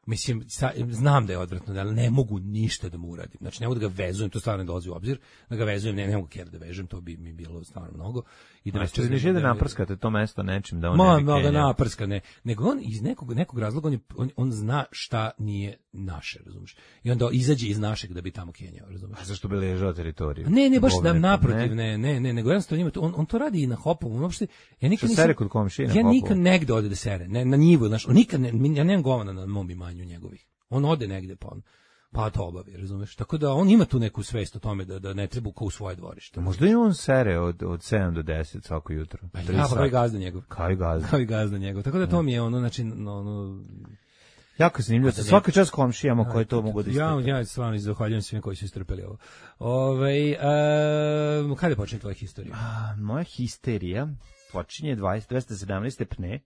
mislim, znam da je odvratno, ali ne mogu ništa da mu uradim. Znači, ne mogu da ga vezujem, to stvarno ne dolazi u obzir, da ga vezujem, ne mogu da vežem, to bi mi bilo stvarno mnogo. I da ne naprskate to mesto nečim, da on ne bi naprska, ne. Nego on iz nekog razloga, on zna šta nije naše, razumiješ? I onda izađe iz našeg da bi tamo kenjao, razumiješ? A zašto bi ležao teritoriju? Ne, baš da naprotiv, ne, nego jednostavno on to radi i na Hopovu, uopšte. Ja nikad nisam sere kod komšije na Hopovu. Ja nikad negde ode da sere, na njivu, znači, ja nemam govana na mom imanju njegovih. On ode negde pa to obavi, razumeš? Tako da on ima tu neku svest o tome da ne treba kao u svoje dvorište. Možda i on sere od 7 do 10 svako jutro. Kao i gazda njegov. Kao i gazda njegov. Tako da to mi je znači jako zanimljivo. Svaka čast komšijama koji to mogu da istrpe. Ja stvarno zahvaljujem svima koji su istrpeli ovo. Kada počne tvoja historija? Moja histerija počinje 217. pne.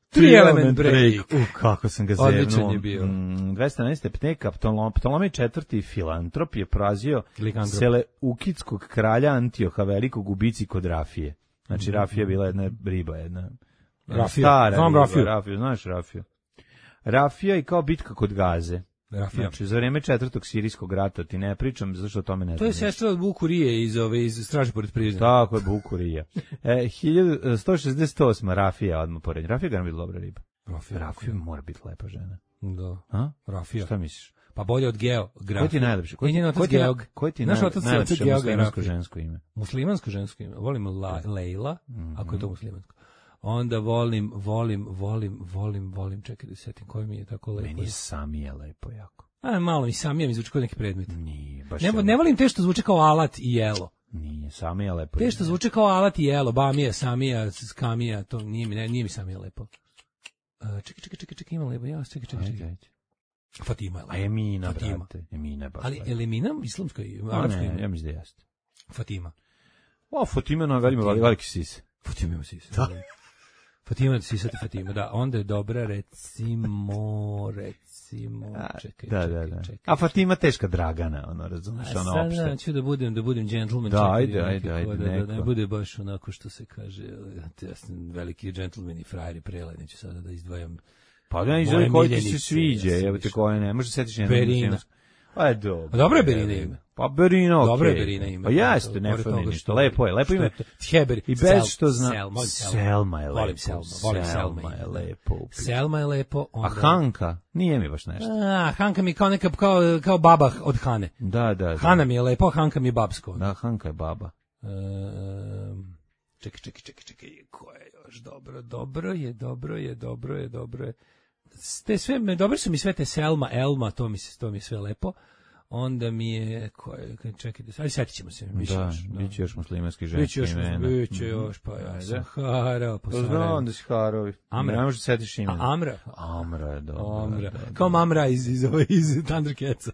Tri element break. Kako sam ga zevnuo. Odličan je bio. 211. pne Ptolomej IV. Filantrop je porazio Seleukidskog kralja Antioha Velikog u bici kod Rafije. Znači, Rafija je bila jedna riba, Rafija. Znam Rafiju. Znaš Rafiju? Rafija i kao bitka kod Gaze. Rafija. Znači, za vreme 4. sirijskog rata, ti ne pričam, zašto o tome ne znam. To je sestra od Bukurije iz Straže pored Prizna. Tako je, Bukurija. 1168. Rafija odmah pored. Rafija ga nam bila dobra riba. Rafija mora biti lepa žena. Da. Rafija. Šta misliš? Pa bolje od Geo. Koji ti je najlepši? Koji ti je najlepše muslimansko žensko ime? Muslimansko žensko ime. Volim Lejla, ako je to muslimansko. Onda volim, čekaj da setim koji mi je tako lepo. Meni je Samija lepo jako. Malo mi Samija mi zvuči kao neki predmet. Nije, baš ne volim te što zvuči kao alat i jelo. Nije, Samija lepo. Te što zvuči kao alat i jelo, Bamija, Samija, Skamija, to nije mi Samija lepo. Čekaj, ima lepo, čekaj. Fatima je lepo. A Emina, brate. Emina je baš ali lepo. je li Emina islamsko ime? Arapsko ime? Ja mislim da jeste. Fatima. Fatima na veliki sise. Fatima ima sise. Fatima, sisati Fatima, da, onda je dobra, recimo, čekaj. A Fatima teška Dragana, razumiješ, opšte. Sad ću da budem gentleman. Da, ajde, da ne bude baš onako što se kaže, veliki gentleman i frajeri prele, neću sada da izdvajam. Pa da izvoli koji ti se sviđa, evo te koje ne, možda setiš jedno. Berina. Pa je dobro. Dobro je Berina ime. Pa Berina, okej. Dobro je Berina ime. Pa jeste, ne fali ništa, lepo ime. Heberi. I bez što zna. Selma je lepo. Volim Selma je lepo. Selma je lepo. A Hanka? Nije mi baš nešto. Hanka mi kao neka, kao baba od Hane. Da. Hana mi je lepo, Hanka mi je babsko. Da, Hanka je baba. Čekaj, ko je još dobro je. Te sve, dobro su mi sve te Selma, Elma, to mi je sve lepo. Onda mi je, čekaj, ali setit ćemo se. Biće još muslimanski ženski imena. Biće još, pa ja sam harao. Znam da si harovi. Amra. Ne možeš setiš imena. Amra je dobro. Kao Mamra iz Thundercatsa.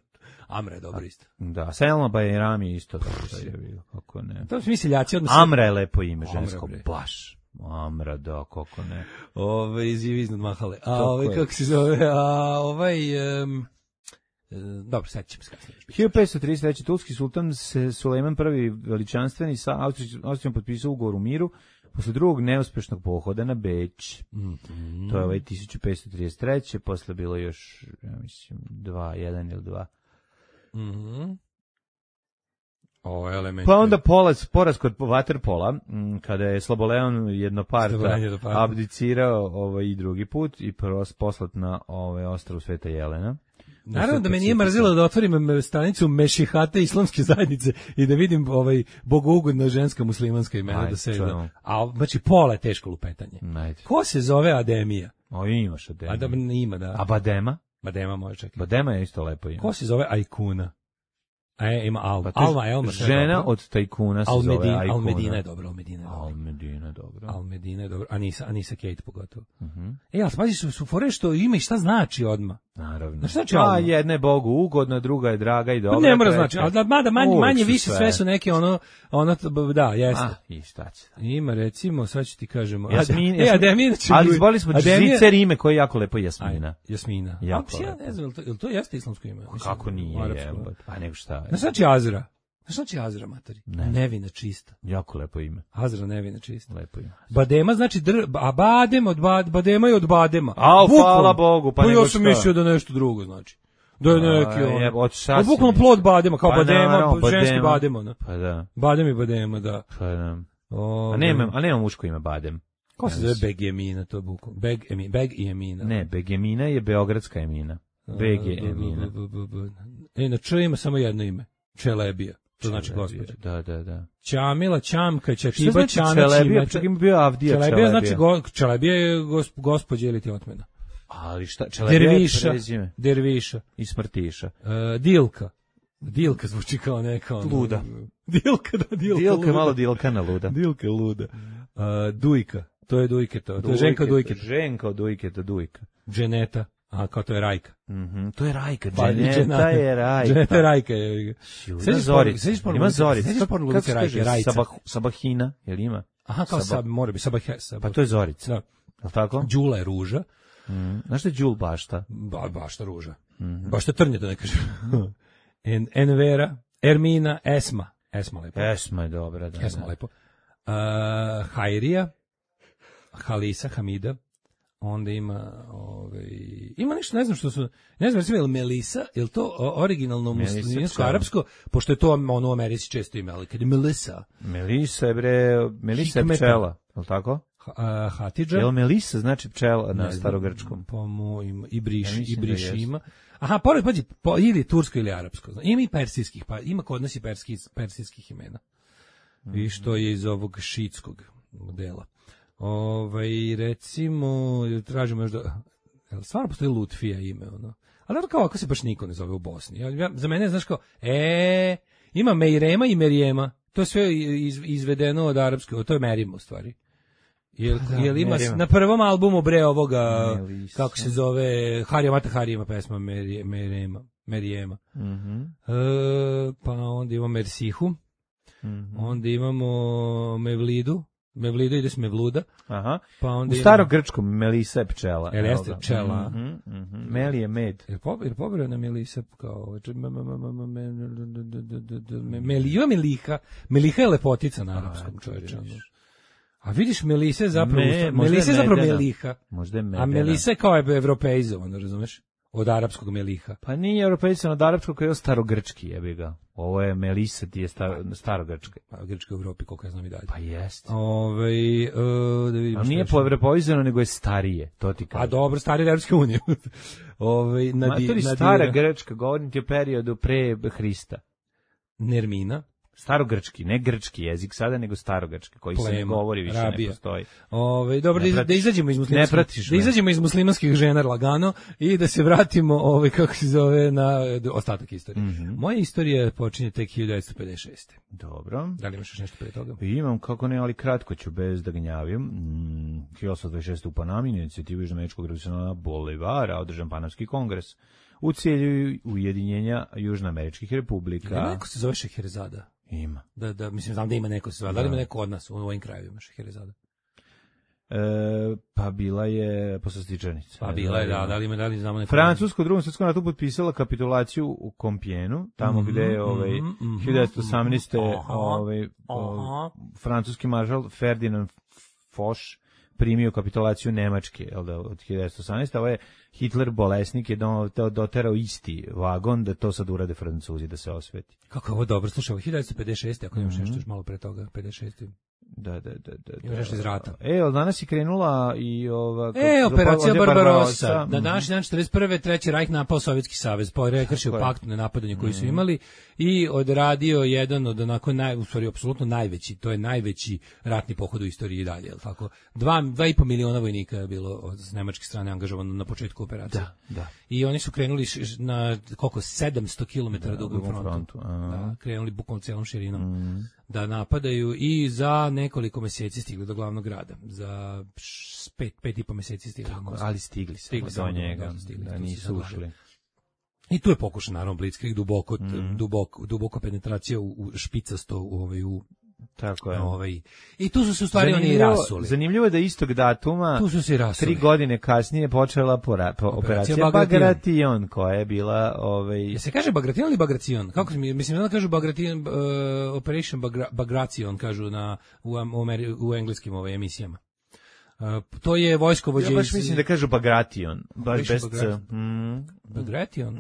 Amra je dobro isto. Da, Selma Bajram je isto dobro je bilo, kako ne. To su mi seljaci odmah. Amra je lepo ime žensko, baš. Amra, da, kako ne. Iznad mahale. Kako se zove, dobro, sad ćemo skasnije. 1533. Turski sultan Sulejman I veličanstveni sa Austrijom potpisao ugovor u miru posle drugog neuspešnog pohoda na Beč. To je 1533. Posle bilo još, ja mislim, 1 ili 2. Pa onda poraz kod vaterpola, kada je Sloboleon jednoparta abdicirao i drugi put i poslat na ostrvo Sveta Jelena. Naravno da me nije mrzilo da otvorim stranicu Mešihate islamske zajednice i da vidim bogougodna ženska muslimanska imena da se a znači pola je teško lupetanje. Ko se zove Ademija? Imaš Ademija. Ima, da. A Badema? Badema može čekati. Badema je isto lepo ime. Ko se zove Ajkuna? Ima Alma. Alma, Elma. Žena od tajkuna se zove Ajkuna. Almedina je dobro. Almedina je dobro. Anisa Kate pogotovo. Ali pazi, su fore što ima i šta znači odmah. Naravno. Znači, jedna je Bogu ugodna, druga je draga i dobra. Ne mora znači, ali mada manje više sve su neke ono da, jeste. I šta će? Ima recimo, sad ću ti kažemo. Ademina, ali izboli smo žicer ime koje je jako lepo Jasmina. Jasmina. Ja ne znam, jel to jeste islamsko ime? Kako nije? Pa nego šta? Znači Azra. Znači Azra, materi? Nevina čista. Jako lepo ime. Azra nevina čista. Lepo ime. Badema znači a badem badema je od badema. Hvala Bogu, pa nego ja sam mislio da nešto drugo znači. Da je neki on. Bukvalno plod badema, kao badema, ženski badema. Pa da. Badem i badema, da. Pa da. A nema muško ime Badem. Kako se zove Begemina, to je bukvalno? Beg i Emina. Ne, Begemina je beogradska Emina. Beg je Emina. Na Č ima samo jedno ime. Čelebija. To znači gospođa. Da. Ćamila, Ćamka, Ćatiba, Čana, Čelebija, čak ima bio Avdija Čelebija. Znači Čelebija je gospođa ili ti otmena. Ali šta, Čelebija je prezime. Derviša. I Smrtiša. Dilka. Dilka zvuči kao neka... Luda. Dilka, da, Dilka. Dilka je malo Dilkana luda. Dilka je luda. Dujka. To je Dujketa. To je Ženka Dujketa. Ženka od Dujketa, Dujka. Dženeta. A kao to je Rajka. To je Rajka, Dženeta je Rajka. Dženeta je Rajka. Ima Zorica. Ima Zorica. Sećaš porno Ludice Rajke, Rajca. Sabahina, jel ima? Aha, kao mora bi, Sabahesa. Pa to je Zorica. Jel tako? Đula je Ruža. Znaš što je Đul Bašta? Bašta Ruža. Bašta Trnje, da ne kažem. Envera, Ermina, Esma. Esma lepo. Esma je dobra, da. Esma lepo. Hajrija, Halisa, Hamida. Onda ima nešto, ne znam što su, ne znam, recimo, je li Melisa, je li to originalno muslimansko-arapsko, pošto je to ono u Americi često ime, ali kad je Melisa. Melisa je pčela, je li tako? Hatidža. Je li Melisa znači pčela na starogrčkom? Pa ima, i briš ima. Aha, pored, pađi, ili tursko ili arapsko. Ima i persijskih, pa ima kod nas i persijskih imena. I što je iz ovog šitskog modela. Recimo, tražimo još da... Stvarno postoji Lutfija ime, ono. Ali da kao ako se baš niko ne zove u Bosni. Za mene, znaš kao, ima Mejrema i Merijema. To je sve izvedeno od arapske, to je Merima u stvari. Jel ima na prvom albumu bre ovoga, kako se zove, Harija Mata Harija ima pesma Merijema. Pa onda imamo Mersihu, onda imamo Mevlidu. Mevlida ide s Mevluda. Aha. Pa onda u starogrčkom Melisa je pčela. Jeste pčela. Meli je med. Jer pobrao na Melisa kao... Melija Meliha. Meliha je lepotica na arapskom, čovječe. A vidiš, Melisa je zapravo... Melisa je zapravo Meliha. Možda je Medena. A Melisa je kao evropeizovan, razumeš? Od arapskog Meliha. Pa nije europeizovan od arapskog, koji je starogrčki, jebi ga. Ovo je Melisa, ti je starogrčka. Pa grčka u Evropi, koliko ja znam i dalje. Pa jest. Da vidim. A nije evropeizovano, nego je starije, to ti kažem. A dobro, starije Evropske unije. To je stara grčka, govorim ti o periodu pre Hrista. Nermina. Starogrčki, ne grčki jezik sada, nego starogrčki, koji se ne govori više, ne postoji. Dobro, da izađemo iz muslimanskih, da izađemo iz muslimanskih žena lagano i da se vratimo, kako se zove, na ostatak istorije. Moja istorija počinje tek 1956. Dobro. Da li imaš još nešto pre toga? Imam, kako ne, ali kratko ću, bez da gnjavim. 1826. u Panami, inicijativu Južnoameričkog revolucionarnog bolivara, održan Panamski kongres u cilju ujedinjenja Južnoameričkih republika. Ima neko se zove Šeherezada? Ima. Da, mislim, znam da ima neko se zove. Da li ima neko od nas u ovim krajevima Šeherezada? Pa bila je poslastičarnica. Pa bila je, da li znamo neko. Francusko u Drugom svjetskom ratu potpisala kapitulaciju u Kompjenu, tamo gde je 1918. Francuski maršal Ferdinand Foch primio kapitulaciju Nemačke, od 1918. Ovo je Hitler bolesnik je doterao isti vagon da to sad urade Francuzi, da se osveti. Kako je ovo dobro, slušaj, 1956. ako imaš nešto još malo pre toga, 56. Da. Imaš nešto iz rata. Od danas je krenula i operacija Barbarossa. Na današnji dan 41. Treći Rajh napao Sovjetski savez, prekršio pakt na napadanje koji su imali i odradio jedan od onako u stvari apsolutno najveći, to je najveći ratni pohod u istoriji i dalje, je li tako? 2,5 miliona vojnika je bilo od nemačke strane angažovano na početku operacije. Da. I oni su krenuli na 700 km dugom frontu. Da, krenuli bukvalno celom širinom da napadaju i za nekoliko meseci stigli do glavnog grada. Za 5,5 meseci stigli. Ali stigli do njega, da nisu ušli. I tu je pokušan, naravno, Blitzkrieg, duboko penetracija u špicasto, u tako je. I tu su se u stvari oni rasuli. Zanimljivo je da istog datuma, tu su se rasuli. 3 godine kasnije počela operacija Bagration, koja je bila... Ja se kaže Bagration ili Bagration? Kako mislim da kažu Bagration, Operation Bagration, kažu u engleskim emisijama. To je vojskovođe. Ja baš mislim da kažu Bagration, baš bez C. Bagration?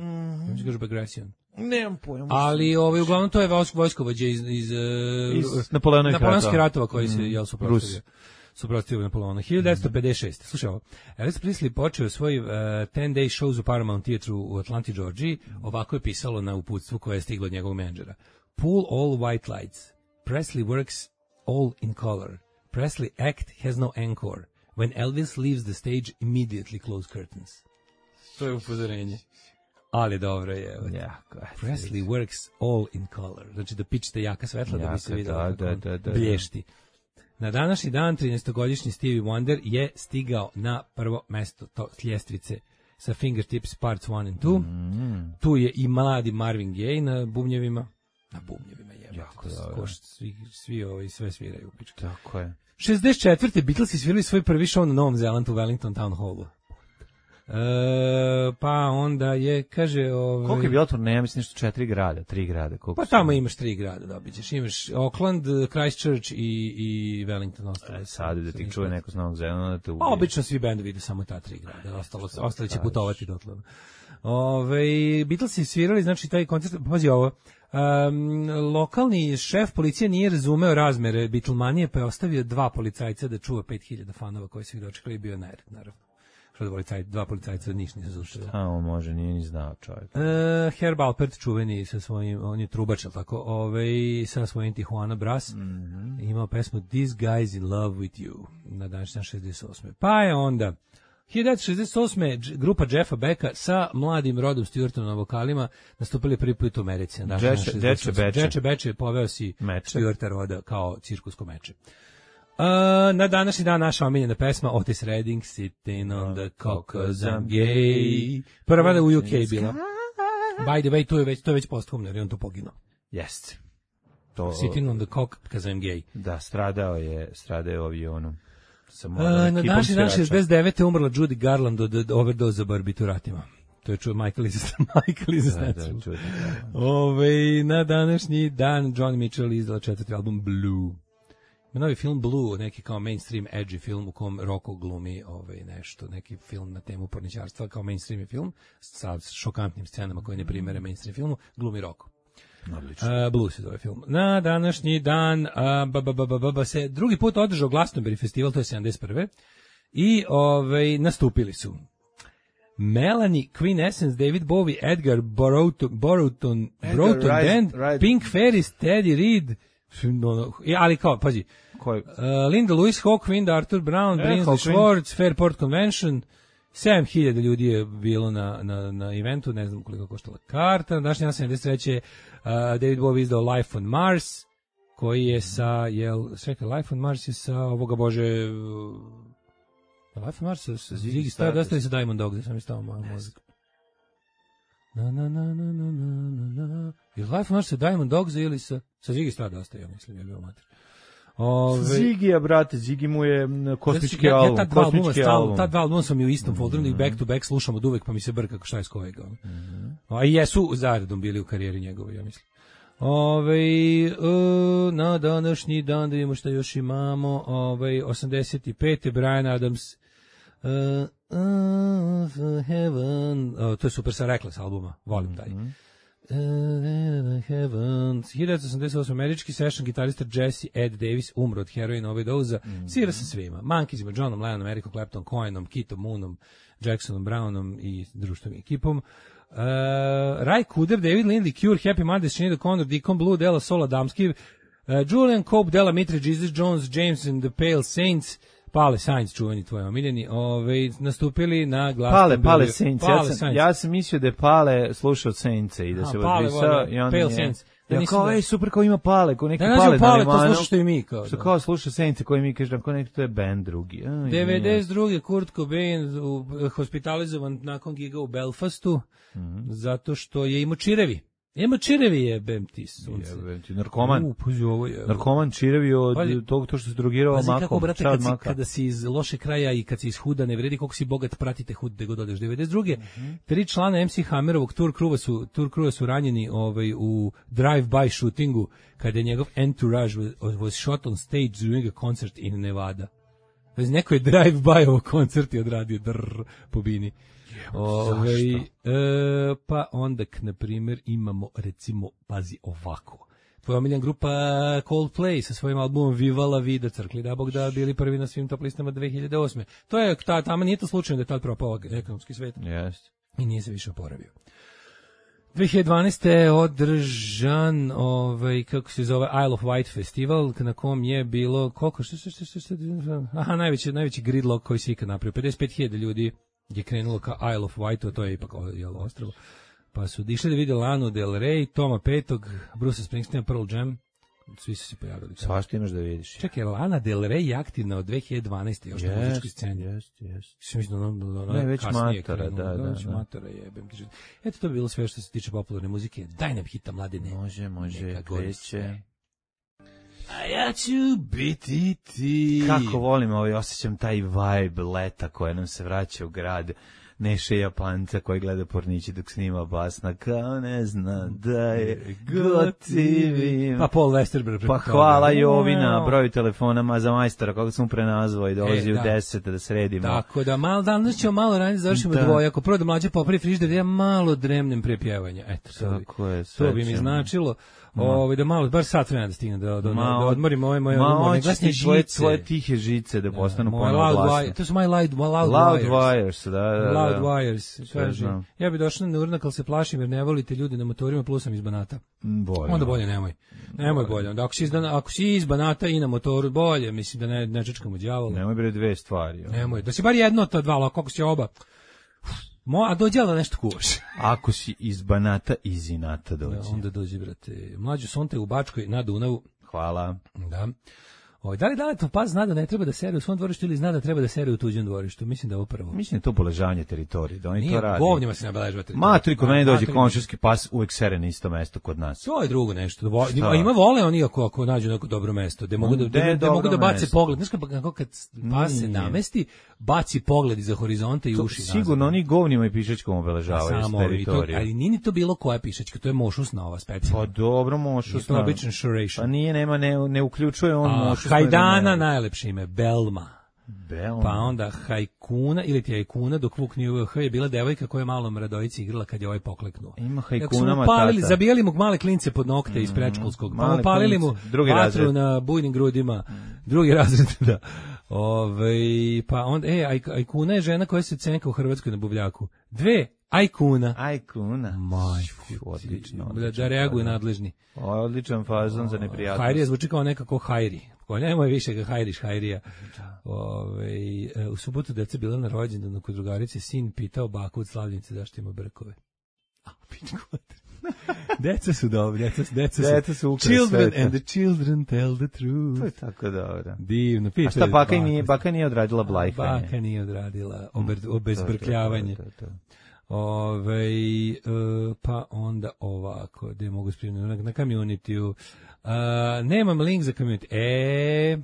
Ja kažu Bagration. Nemam pojma. Ali uglavnom to je vojskovođe iz Napoleonskih ratova koji se suprotstavio Napoleonu. 1956. Slušaj ovo. Elvis Presley počeo svoj 10-day shows u Paramount Theatre u Atlanti, Georgiji. Ovako je pisalo na uputstvu koje je stiglo od njegovog menadžera. Pull all white lights. Presley works all in color. Presley act has no encore. When Elvis leaves the stage, immediately close curtains. To je upozorenje. Ali dobro je. Presley works all in color. Znači da pičite jaka svetla da bi se vidjelo kako blješti. Na današnji dan 13-godišnji Stevie Wonder je stigao na prvo mesto ljestvice sa Fingertips Parts 1 and 2. Tu je i mladi Marvin Gaye na bubnjevima. Na bubnjevima je. Jako dobro. Sve sviraju. Tako je. 64. Beatlesi svirali svoj prvi show na Novom Zelandu u Wellington Town Hallu. Pa onda je, kaže... Koliko je bilo turneja? Mislim nešto 4 grada, 3 grada. Pa tamo imaš 3 grada, dobit ćeš. Imaš Auckland, Christchurch i Wellington. Sad da ti čuje neko s Novog Zelanda da te ubije. Obično svi bendovi ide samo ta 3 grada. Ostali će putovati dotle. Beatlesi svirali, znači taj koncert, pazi ovo, lokalni šef policije nije razumeo razmere Beatlemanije, pa je ostavio 2 policajca da čuva 5000 fanova koji su ih dočekali i bio nered, naravno. Što dva policajca ništa nisu zušili. On može, nije ni znao čovjek. Herb Alpert, čuveni sa svojim, on je trubač, tako, sa svojim Tijuana Brass, imao pesmu This Guy's in Love with You, na današnji 68. Pa je onda 1968. grupa Jeffa Becka sa mladim Rodom Stewartom na vokalima nastupili prvi put u Americi. Dječe Beče poveo si Stewarta Roda kao cirkusko meče. Na današnji dan naša omiljena pesma Otis Redding, Sitting on the Cock 'cause I'm gay. Prva da u UK bila. By the way, to je već posthumno, jer je on to poginuo. Jeste. Sitting on the Cock 'cause I'm gay. Da, stradao je u avionu. Na današnji dan 69. umrla Judy Garland od overdoza barbituratima. To je čuo Michael Izaznacu. Na današnji dan Johnny Mitchell izdala 4. album Blue. Novi film Blue, neki kao mainstream edgy film u kom Rocco glumi nešto, neki film na temu porničarstva, kao mainstream je film sa šokantnim scenama koje ne primere mainstream filmu, glumi Rocco. Blue se zove film. Na današnji dan se drugi put održao Glastonbury festival, to je 71. I nastupili su Melanie, Queen Essence, David Bowie, Edgar Broughton Band, Pink Ferris, Teddy Reid, ali kao, pazi, Linda Lewis, Hawk Wind, Arthur Brown, Brinsley Schwartz, Fairport Convention, 7000 ljudi je bilo na eventu, ne znam koliko koštala karta. Na današnji dan 73. David Bowie izdao Life on Mars, koji je sa, Life on Mars je sa ovoga bože... Life on Mars sa Ziggy Stardust ili sa Diamond Dogs, da sam istao malo mozak. Je Life on Mars sa Diamond Dogs ili sa Ziggy Stardust, ja mislim, je bio mater. Ziggy, brate, Ziggy mu je kosmički album. Ta dva albuma sam i u istom folderu i back to back slušam od uvek, pa mi se brka šta je s kojega. A i jesu zaredom bili u karijeri njegove, ja mislim. Na današnji dan, da vidimo šta još imamo, 85. Brian Adams, Heaven, to je super sa Reckless albuma, volim taj. 1988. američki session gitarista Jesse Ed Davis umro od heroina overdoza, svira sa svima, Monkeysima, Johnom Lennonom, Ericom Claptonom, Cohenom, Keithom Moonom, Jacksonom Brownom i društvenom ekipom. Ray Cooder, David Lindley, Cure, Happy Mondays, Sinead O'Connor, Deacon Blue, Della Soul, Adamski, Julian Cope, Della Mitre, Jesus Jones, James and the Pale Saints, Pale Saints, čuveni tvoji omiljeni, nastupili na glasnom... Pale Saints, ja sam mislio da je Pale slušao Saintse i da se odbrisao. Pale Saints, Da Ja nisam kao, da- ej, super, kao ima Pale, kao neki Da Pale nađu na Pale, to limanu. slušaš što i mi. Kao, Što da. kao sluša Sence koji mi kaže, kao neki to je band drugi. 92. Kurt Cobain hospitalizovan nakon giga u Belfastu, zato što je imao čirevi. Ima čirevi jebem ti sunce. Narkoman. Pazi ovo je. Narkoman čirevi od Pazi- tog to što se drogirao Pazi makom. kako, brate, čaj od kad si, maka. kada si iz loše kraja i kad si iz huda, ne vredi koliko si bogat, pratite hud gde god odeš. 92. 3 člana MC Hammerovog tour crewa su ranjeni u drive-by shootingu, kada je njegov entourage was shot on stage during a concert in Nevada. Znači, neko je drive-by koncert i odradio po bini. Pa onda, na primjer, imamo, recimo, pazi ovako. Tvoja omiljena grupa Coldplay sa svojim albumom Viva la Vida, crkli da Bog da bili prvi na svim top listama 2008. To je, tamo nije to slučajno da je tad propao ekonomski svet. Jeste. I nije se više oporavio. 2012. je održan kako se zove Isle of Wight festival, na kom je bilo koliko najveći gridlock koji se ikad napravio. 55.000 ljudi je krenulo ka Isle of Wight, to je ipak ostrvo. Pa su išli da vide Lanu Del Rey, Toma Petog, Bruce Springsteen, Pearl Jam. Svi su se pojavili. Svašta imaš da vidiš. Čekaj, Lana Del Rey je aktivna od 2012. još na muzičkoj sceni. Jeste. Ne, već matora, da. Već matora jebem ti. Eto, to bi bilo sve što se tiče popularne muzike. Daj nam hita, mladine. Može, kreće. A ja ću biti ti. Kako volim osjećam taj vibe leta koje nam se vraća u grad. Neše Japanca koji gleda pornići dok snima basna, kao ne zna da je gotivim. Pa Paul Westerberg. Pa hvala Jovina, broj telefona za majstora, koga sam prenazvao i dolazi u 10 da sredimo. Tako da, danas ćemo malo ranije završimo dvojako. Prvo da mlađe popravi frižider, da ja malo dremnem pre pjevanja. Eto, to bi mi značilo. Da malo, bar sat vremena da stignem da odmorim ove moje glasne žice. Tvoje tihe žice da postanu ponovno glasne. To su moje loud wires. Loud wires. Kaže, ja bi došla na urnak, ali se plašim jer ne volite ljudi na motorima, plus sam iz Banata. Onda bolje nemoj. Nemoj bolje. Onda ako si iz Banata i na motoru, bolje. Mislim da ne čečkamo đavola. Nemoj bre dve stvari. Nemoj. Da si bar jedno od ta dva, ali kako si oba. A dođe da nešto kuvaš. Ako si iz Banata, iz Inata dođe. Da, onda dođe, brate. Mlađu Sonte u Bačkoj na Dunavu. Hvala. Da. Da li Daletov pas zna da ne treba da sere u svom dvorištu ili zna da treba da sere u tuđem dvorištu? Mislim da je ovo prvo. Mislim da je to poležanje teritorije, da oni to radi. Govnjima se nabeležava teritorija. Matri, kod mene dođe komšijski pas, uvek sere na isto mesto kod nas. To je drugo nešto. Ima vole oni ako nađu neko dobro mesto, gde mogu da bace pogled. Znaš kako kad pas se namesti, baci pogled iza horizonta i uši. Sigurno oni govnjima i pišačkom obeležavaju teritoriju. Ali nije ni to bilo koja pišačka, to je mošusna ova specijalna. Pa dobro, mošusna. To je običan šuration. Pa nije, ne uključuje on mošusna. Hajdana, najlepše ime, Belma. Pa onda Hajkuna, ili ti Hajkuna, dok Vuk nije uveo H, je bila devojka koja je malom Radojici igrala kad je ovaj pokleknuo. Ima Hajkuna matata. Zabijali mu male klince pod nokte iz predškolskog, pa mu palili mu vatru na bujnim grudima, drugi razred, da. Pa onda, Ajkuna je žena koja se cenka u Hrvatskoj na buvljaku. Ajkuna. Majku, odlično. Da reaguju nadležni. Odličan fazon za neprijatnost. Hajrija zvuči kao nekako Hajri. Nemoj više ga Hajriš, Hajrija. U subotu deca bila na rođendanu kod drugarice, sin pitao baku od Slavljenice zašto ima brkove. Deca su dobri, deca su children and the children tell the truth. To je tako dobro. Divno. A šta baka nije odradila blajfanje? Baka nije odradila obezbrkljavanje. Pa onda ovako, gde mogu spremiti na community-u. Nemam link za community.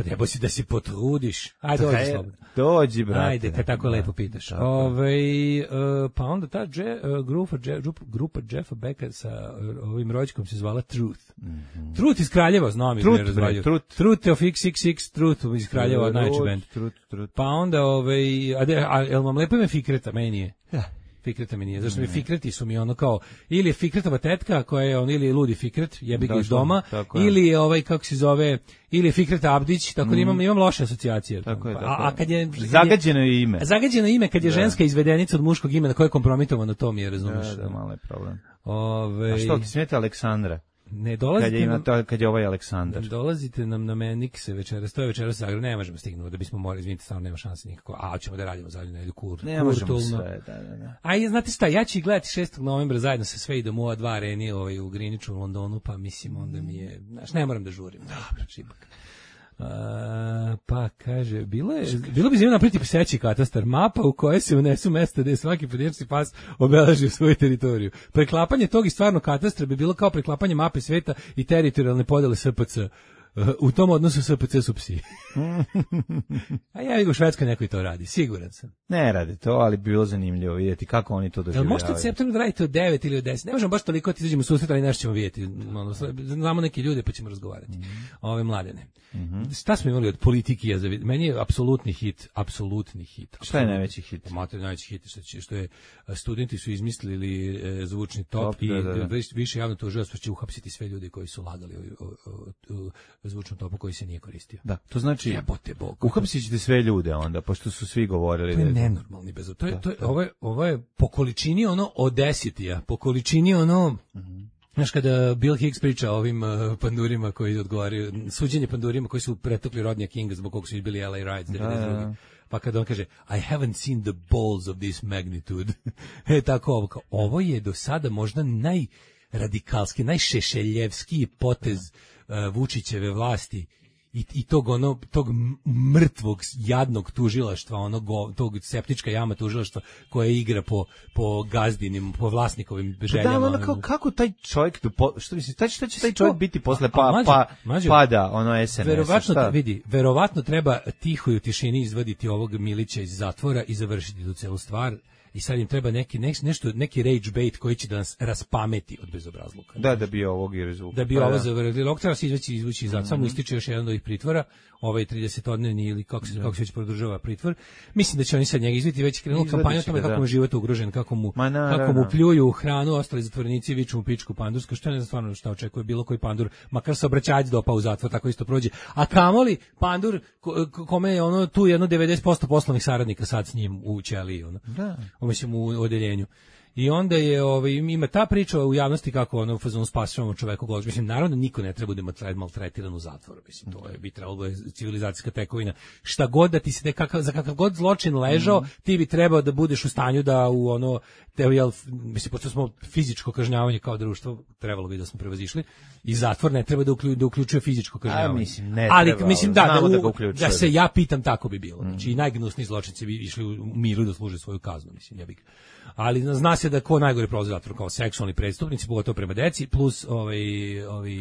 Treba si da se potrudiš. Ajde, dođi slobodno. Dođi, brate. Ajde, kad tako lepo pitaš. Pa onda ta grupa Jeffa Becka sa ovim rođakom se zvala Truth. Truth iz Kraljeva, znam ih ne razvalju. Truth of XXX, Truth iz Kraljeva, najveći band. Pa onda, jel vam lepo ime Fikreta? Meni je. Fikreta mi nije, zašto mi Fikreti su mi ono kao, ili je Fikretova tetka koja je on, ili je ludi Fikret, jebi ga iz doma, ili je kako se zove, ili je Fikreta Abdić, tako da imam loše asocijacije. Tako je, a kad je zagađeno je ime. Zagađeno ime kad je ženska izvedenica od muškog imena koje je kompromitovano, to mi je, razumiješ. Da, malo je problem. A što ti smeta Aleksandra? Ne dolazite kad je ovaj Aleksandar. Dolazite nam na Menikse večeras, to je večeras Zagreb, ne možemo stignuti da bismo morali, izvinite, stvarno nema šanse nikako. A ćemo da radimo zadnju nedelju ne možemo sve, da. A znate šta, ja ću gledati 6. novembra zajedno sa sve idemo u ova 2 areni u Greenwichu u Londonu, pa mislim onda mi je, znaš, ne moram da žurim. Dobro, čipak. Pa kaže, bilo bi zanimljivo napraviti pseći katastar, mapa u kojoj se unesu mesta gde svaki pojedinačni pas obeleži svoju teritoriju. Preklapanje tog i stvarno katastra bi bilo kao preklapanje mape sveta i teritorijalne podele SPC. U tom odnosu SPC su psi. A ja u Švedskoj neko i to radi, siguran sam. Ne radi to, ali bi bilo zanimljivo vidjeti kako oni to doživljavaju. Možete od septembra da radite od 9 ili od 10. Ne možemo baš toliko da izađemo u susret, ali nešto ćemo vidjeti. Znamo neke ljude pa ćemo razgovarati. Ove mladene. Šta smo imali od politike? Meni je apsolutni hit. Šta je najveći hit? Najveći hit što je studenti su izmislili zvučni top i više javno tužilaštvo će uhapsiti sve ljude koji su lagali o zvučnom topu koji se nije koristio. Da, to znači uhapsit ćete sve ljude onda, pošto su svi govorili. To je nenormalni bez. Ovo je po količini ono Odesitija, po količini ono. Znaš, kada Bill Hicks priča o ovim pandurima koji odgovaraju, suđenje pandurima koji su pretukli Rodnija Kinga zbog kog su bili LA Riots 92. Pa kada on kaže I haven't seen the balls of this magnitude. Tako ovo je do sada možda najradikalski, najšešeljevskiji potez Vučićeve vlasti i tog mrtvog jadnog tužilaštva, tog septička jama tužilaštva koje igra po gazdinim, po vlasnikovim željama. Da, kako taj čovjek, što misliš, šta će taj čovjek biti posle pada ono SNS? Verovatno treba tiho i u tišini izvaditi ovog Milića iz zatvora i završiti tu celu stvar. I sad im treba neki rage bait koji će da nas raspameti od bezobrazluka. Da bi ovog i rezultat. Da bi ovo zavrli. Lok treba se izvući iz zatvora. Samo ističe još jedan od ovih pritvora, ovaj 30-odnevni ili kako se već produžava pritvor. Mislim da će oni sad njega izviti, već krenuli kampanju o tome kako mu život ugrožen, kako mu pljuju hranu, ostali zatvorenici viču mu pičku pandursku, što ne znam stvarno šta očekuje bilo koji pandur, makar se obraćač dopao u zatvor, tako isto prođe. A kamoli pandur kome je tu jedno 90% poslovnih saradnika sad s njim u ćeliji, mislim u odeljenju. I onda je ima ta priča u javnosti kako fazon spasavamo čoveku golač. Mislim, naravno niko ne treba da maltretiran u zatvoru. Mislim, to bi trebalo je civilizacijska tekovina. Šta god da ti se za kakav god zločin ležao, ti bi trebao da budeš u stanju da mislim, pošto smo fizičko kažnjavanje kao društvo, trebalo bi da smo prevazišli, i zatvor ne treba da uključuje fizičko kažnjavanje. Mislim, ne ali treba, mislim da se ja pitam, tako bi bilo. Znači, i najgnusniji zločinci bi išli u miru da služe svoju kaznu, mislim, ja bih. Ali zna se da ko najgore prolazi zatvor kao seksualni prestupnici, pogotovo prema deci, plus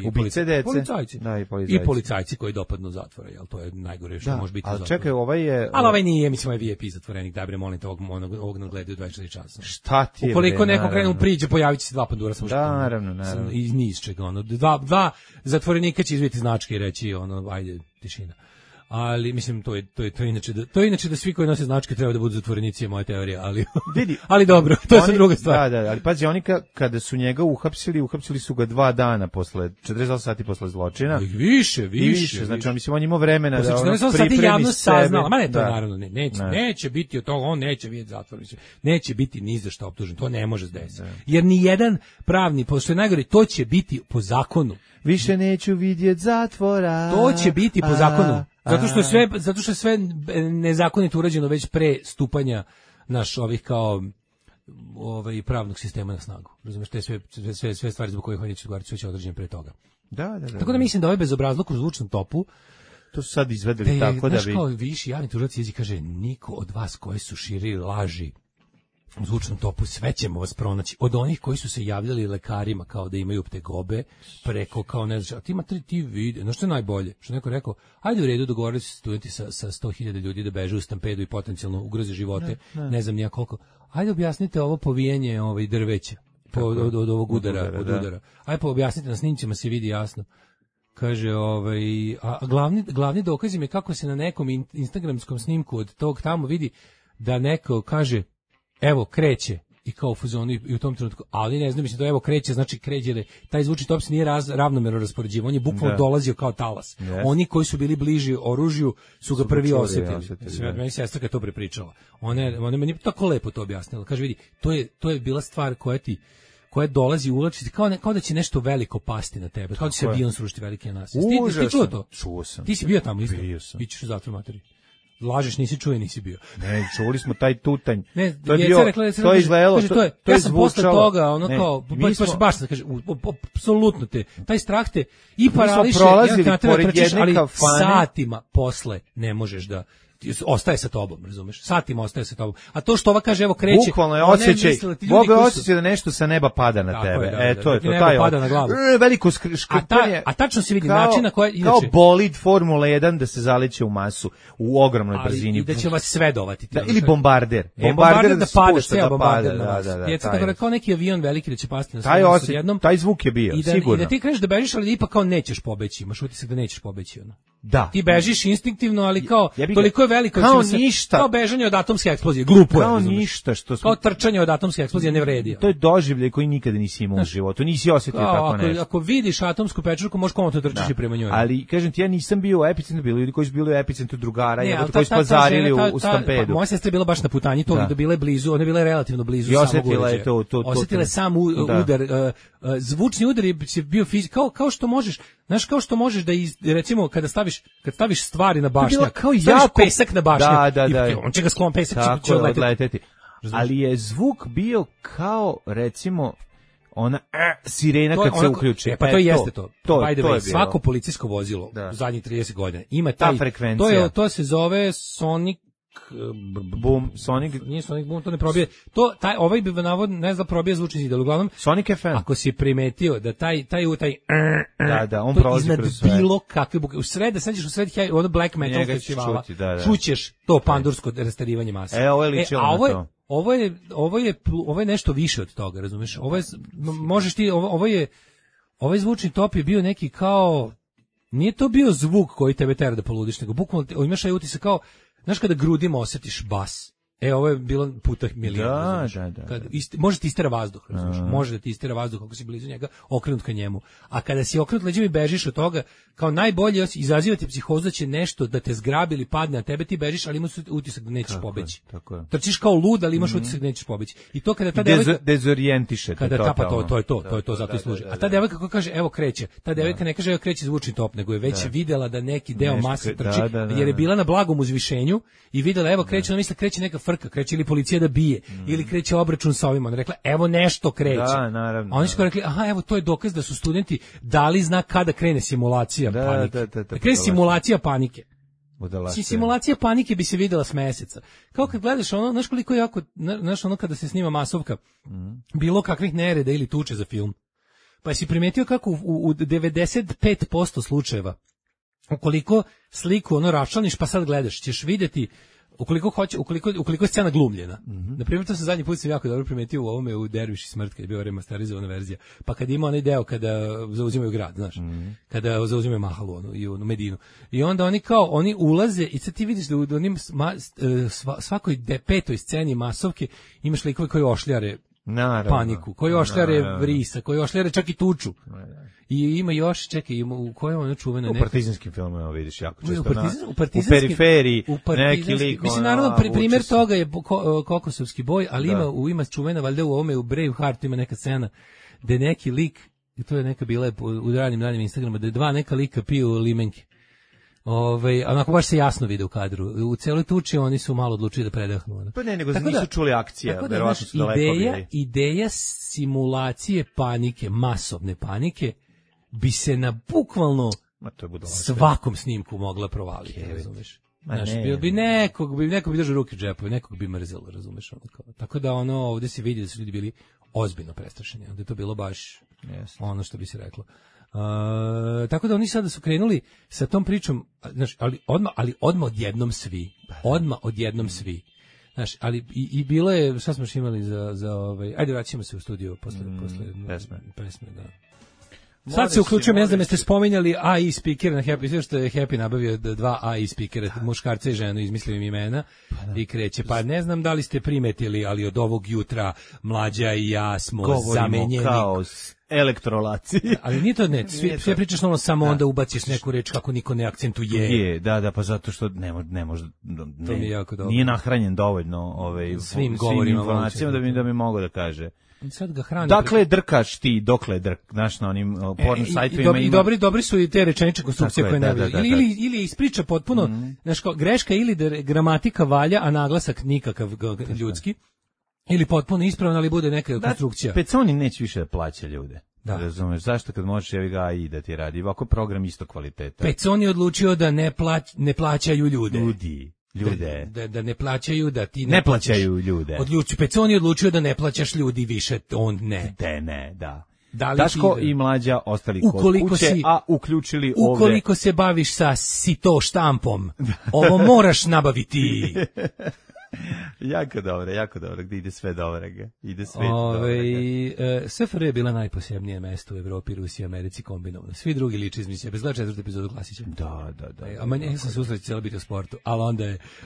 ubice dece, policajci. Da, i policajci koji dopadnu zatvora, jel to je najgore što može biti u zatvoru. Čekaj, ovaj nije, mislim, ovaj VIP zatvorenik, da bre, molim te, ovog nadgledaju 24 časa. Šta ti je? Ukoliko neko krenu priđe, pojavit će se 2 pandura samo što. Da, naravno. Iz niz čega, dva zatvorenika će izviti značke i reći, ajde, tišina. Ali mislim to je inače da svi koji nose značke treba da budu zatvorenici, je moja teorija, ali dobro, to je sad druga stvar. Da, ali pazi, oni kada su njega uhapsili su ga 2 dana posle 48 sati posle zločina. Više. Znači on imao vremena da pripremi sebe. Sati javnost saznala, ma ne, to naravno neće biti od toga, on neće vidjeti zatvor, neće biti ni za šta optužen, to ne može se desiti. Jer ni jedan pravni, pošto je najgore, to će biti po zakonu. Više neću vidjeti zatvora. To će biti po zakonu. Zato što je sve nezakonito urađeno već pre stupanja ovih kao pravnog sistema na snagu. Razumeš, te sve stvari zbog kojih hoće odgovarati će određene pre toga. Da. Tako da mislim da ovaj bezobrazluk u zvučnom topu to su sad izvedeli tako da bi... Znaš, kao viši javni tužilac jezik kaže, niko od vas koji su širili laži u zvučnom topu, sve ćemo vas pronaći. Od onih koji su se javljali lekarima kao da imaju ptegobe, preko kao ne znam, ti ima ti vide, no što je najbolje, što neko rekao, ajde u redu, dogovorili su studenti sa 100.000 ljudi da beže u stampedu i potencijalno ugroze živote, ne znam nija koliko. Ajde objasnite ovo povijenje drveća od ovog udara. Ajde pa objasnite, na snimcima se vidi jasno. Kaže, a glavni dokaz im je kako se na nekom instagramskom snimku od tog tamo vidi da neko kaže evo kreće i kao u fuzonu i u tom trenutku, ali ne znam, mislim da evo kreće, znači kreće, taj zvučni top se nije ravnomerno raspoređivao, on je bukvalno dolazio kao talas. Yes. Oni koji su bili bliži oružju su ga prvi osjetili. Meni sestra kad to prepričala. Ona meni tako lepo to objasnila. Kaže, vidi, to je bila stvar koja dolazi u ulačici, kao da će nešto veliko pasti na tebe, kao da će se avion srušiti veliki na nas. Ti čuo to? Čuo sam. Ti si bio tamo isto? Bio sam. Ićeš u zatvor materi. Lažeš, nisi čuo, nisi bio. Ne, čuli smo taj tutanj. Ne, to je bio, to je izgledalo, to je ja sam posle toga, ono kao, baš se kaže, apsolutno taj strah te i parališe, ali satima posle ne možeš da ostaje sa tobom, razumeš? Satima ostaje sa tobom. A to što ova kaže, evo kreće, bukvalno je osjećaj, Boga osjećaj da nešto sa neba pada na tebe. To je to, taj pada na glavu. Veliko škrtanje. A tačno se vidi način na koji inače kao bolid Formula 1 da se zaleće u masu u ogromnoj brzini. I da će vas sve dovati. Ili bombarder. Bombarder da pada, ceo bombarder. Da, kao neki avion veliki da će pasti na sve jednom. Taj zvuk je bio, sigurno. I da ti kreneš da bežiš, ali ipak kao nećeš pobeći. Imaš utisak da nećeš pobeći, ono. Da. Ti bežiš instinktivno, ali kao toliko je veliko kao ništa, kao bežanje od atomske eksplozije, glupo je. Kao ništa što kao trčanje od atomske eksplozije ne vredi. To je doživljaj koji nikada nisi imao u životu, nisi osjetio tako nešto. Ako vidiš atomsku pečurku, možeš komotno trčiš i prema njoj. Ali kažem ti, ja nisam bio u epicentru, bili ljudi koji su bili u epicentru drugara, koji su pazarili u stampedu. Moja sestra je bila baš na putanji, to da bile blizu, ona je bila relativno blizu samog uređaja. Osjetila sam udar, zvučni udar je bio kao što možeš, znaš, kao što možeš da recimo kada staviš stvari na bašnjak, staviš pesak na bašnjak, on će ga sklon pesak, će odleteti. Ali je zvuk bio kao, recimo, ona sirena kad se uključi. Pa to jeste to. By the way, svako policijsko vozilo u zadnjih 30 godina ima ta frekvencija. To se zove Sonic Boom, Sonic, nije Sonic Boom, to ne probije. Ovaj bi navodno ne znam probije zvučni zid, ali uglavnom Sonic FM. Ako si primetio da taj on prolazi kroz sve. Bilo kakve buke. U sred, sad ćeš u sred ono black metal festivala. Čućeš to pandursko rastarivanje mase. Ovo je ličilo na to. Ovo je nešto više od toga, razumeš? Ovaj zvučni top je bio neki kao, nije to bio zvuk koji tebe tera da poludiš, nego bukvalno imaš taj utisak kao, znaš kada grudima osjetiš bas. Ovo je bilo puta milion. Da. Može ti istera vazduh, razumiješ? Može da ti istera vazduh ako si blizu njega, okrenut ka njemu. A kada si okrenut leđima i bežiš od toga, kao najbolje izazivati psihozu da će nešto da te zgrabi ili padne na tebe, ti bežiš, ali imaš utisak da nećeš pobeći. Trčiš kao lud, ali imaš utisak da nećeš pobeći. I to kada ta devojka dezorijentiše te totalno. To je to, zato i služi. A ta devojka koja kaže evo kreće, ta devojka ne kaže evo kreće zvučni top, nego je već videla da neki deo mase trči, jer je bila na blagom uzvišenju i videla evo kreće, ona misli kreće neka frka, kreće ili policija da bije, ili kreće obračun sa ovima. Ona rekla, evo nešto kreće. Da, naravno. A oni su rekli, aha, evo to je dokaz da su studenti dali znak kada krene simulacija panike. Da krene simulacija panike. Simulacija panike bi se videla s meseca. Kao kad gledaš ono, znaš koliko jako, znaš ono kada se snima masovka, bilo kakvih nereda ili tuče za film. Pa si primetio kako u 95% slučajeva, ukoliko sliku ono raščlaniš pa sad gledaš, ćeš vidjeti ukoliko je scena glumljena. Na primjer, to sam zadnji put jako dobro primetio u ovome u Derviš i smrt, kad je bio remasterizovana verzija. Pa kad ima onaj deo kada zauzimaju grad, znaš, kada zauzimaju Mahalu i onu Medinu. I onda oni ulaze i sad ti vidiš da u onim svakoj petoj sceni masovke imaš likove koji ošljare paniku, koji ošljare vrisa, koji ošljare čak i tuču. I ima još, čekaj, u kojem ono čuveno u partizanskim filmovima vidiš jako često u periferiji neki lik. Mislim, naravno, primjer toga je Kokosovski boj, ali ima čuvena, valjda u ovome, u Braveheart ima neka scena gde neki lik, i to je neka bila u ranim Instagrama, da dva neka lika piju limenke. Onako baš se jasno vide u kadru. U celoj tuči oni su malo odlučili da predahnu. Pa ne, nego nisu čuli akcije, verovatno su daleko bili. Ideja simulacije panike, masovne panike, bi se na bukvalno svakom snimku mogla provaliti, razumeš? Neko bi držao ruke u džepu, nekog bi mrzelo, razumeš? Tako da ovdje se vidi da su ljudi bili ozbiljno prestrašeni, onda je to bilo baš ono što bi se reklo. Tako da oni sada su krenuli sa tom pričom, znaš, ali odmah odjednom svi. Znaš, ali i bilo je, šta smo još imali za ajde vraćamo se u studio posle pesme, da. Sad se uključujem, ne znam jeste spominjali AI speaker na Happy, sve što je Happy nabavio 2 AI speakera, muškarca i ženu, izmislio im imena i kreće. Pa ne znam da li ste primetili, ali od ovog jutra Mlađa i ja smo zamenjeni. elektrolaci. Ali nije to ne, sve pričaš samo onda ubaciš neku reč kako niko ne akcentuje. Da, pa zato što ne može, to mi je jako dobro. Nije nahranjen dovoljno svim informacijama da bi mogao da kaže. Sad ga hrani. Dakle, drkaš ti, dokle znaš, na onim porno sajtovima. I dobri su i te rečenične konstrukcije koje ne vole. Ili ispriča potpuno, znaš, greška ili da gramatika valja, a naglasak nikakav ljudski, ili potpuno ispravan, ali bude neka konstrukcija. Peconi neće više da plaća ljude. Da. Razumeš, zašto kad možeš jevi ga i da ti radi? Ovako program isto kvaliteta. Peconi odlučio da ne plaćaju ljude. Ljude. Da ne plaćaju, da ti ne plaćaju ljude. Peconi odlučio da ne plaćaš ljudi više, on ne. Da. Daško i Mlađa ostali kod kuće, a uključili ovde. Ukoliko se baviš sa sito štampom, ovo moraš nabaviti. Jako dobro, gde ide sve dobro. SFRJ je bila najposebnije mesto u Evropi, Rusiji, Americi kombinovano. Svi drugi liči između sebe. Zgleda 4. epizodu Klasića. Da. A manje sam se usreći cijelo biti u sportu, ali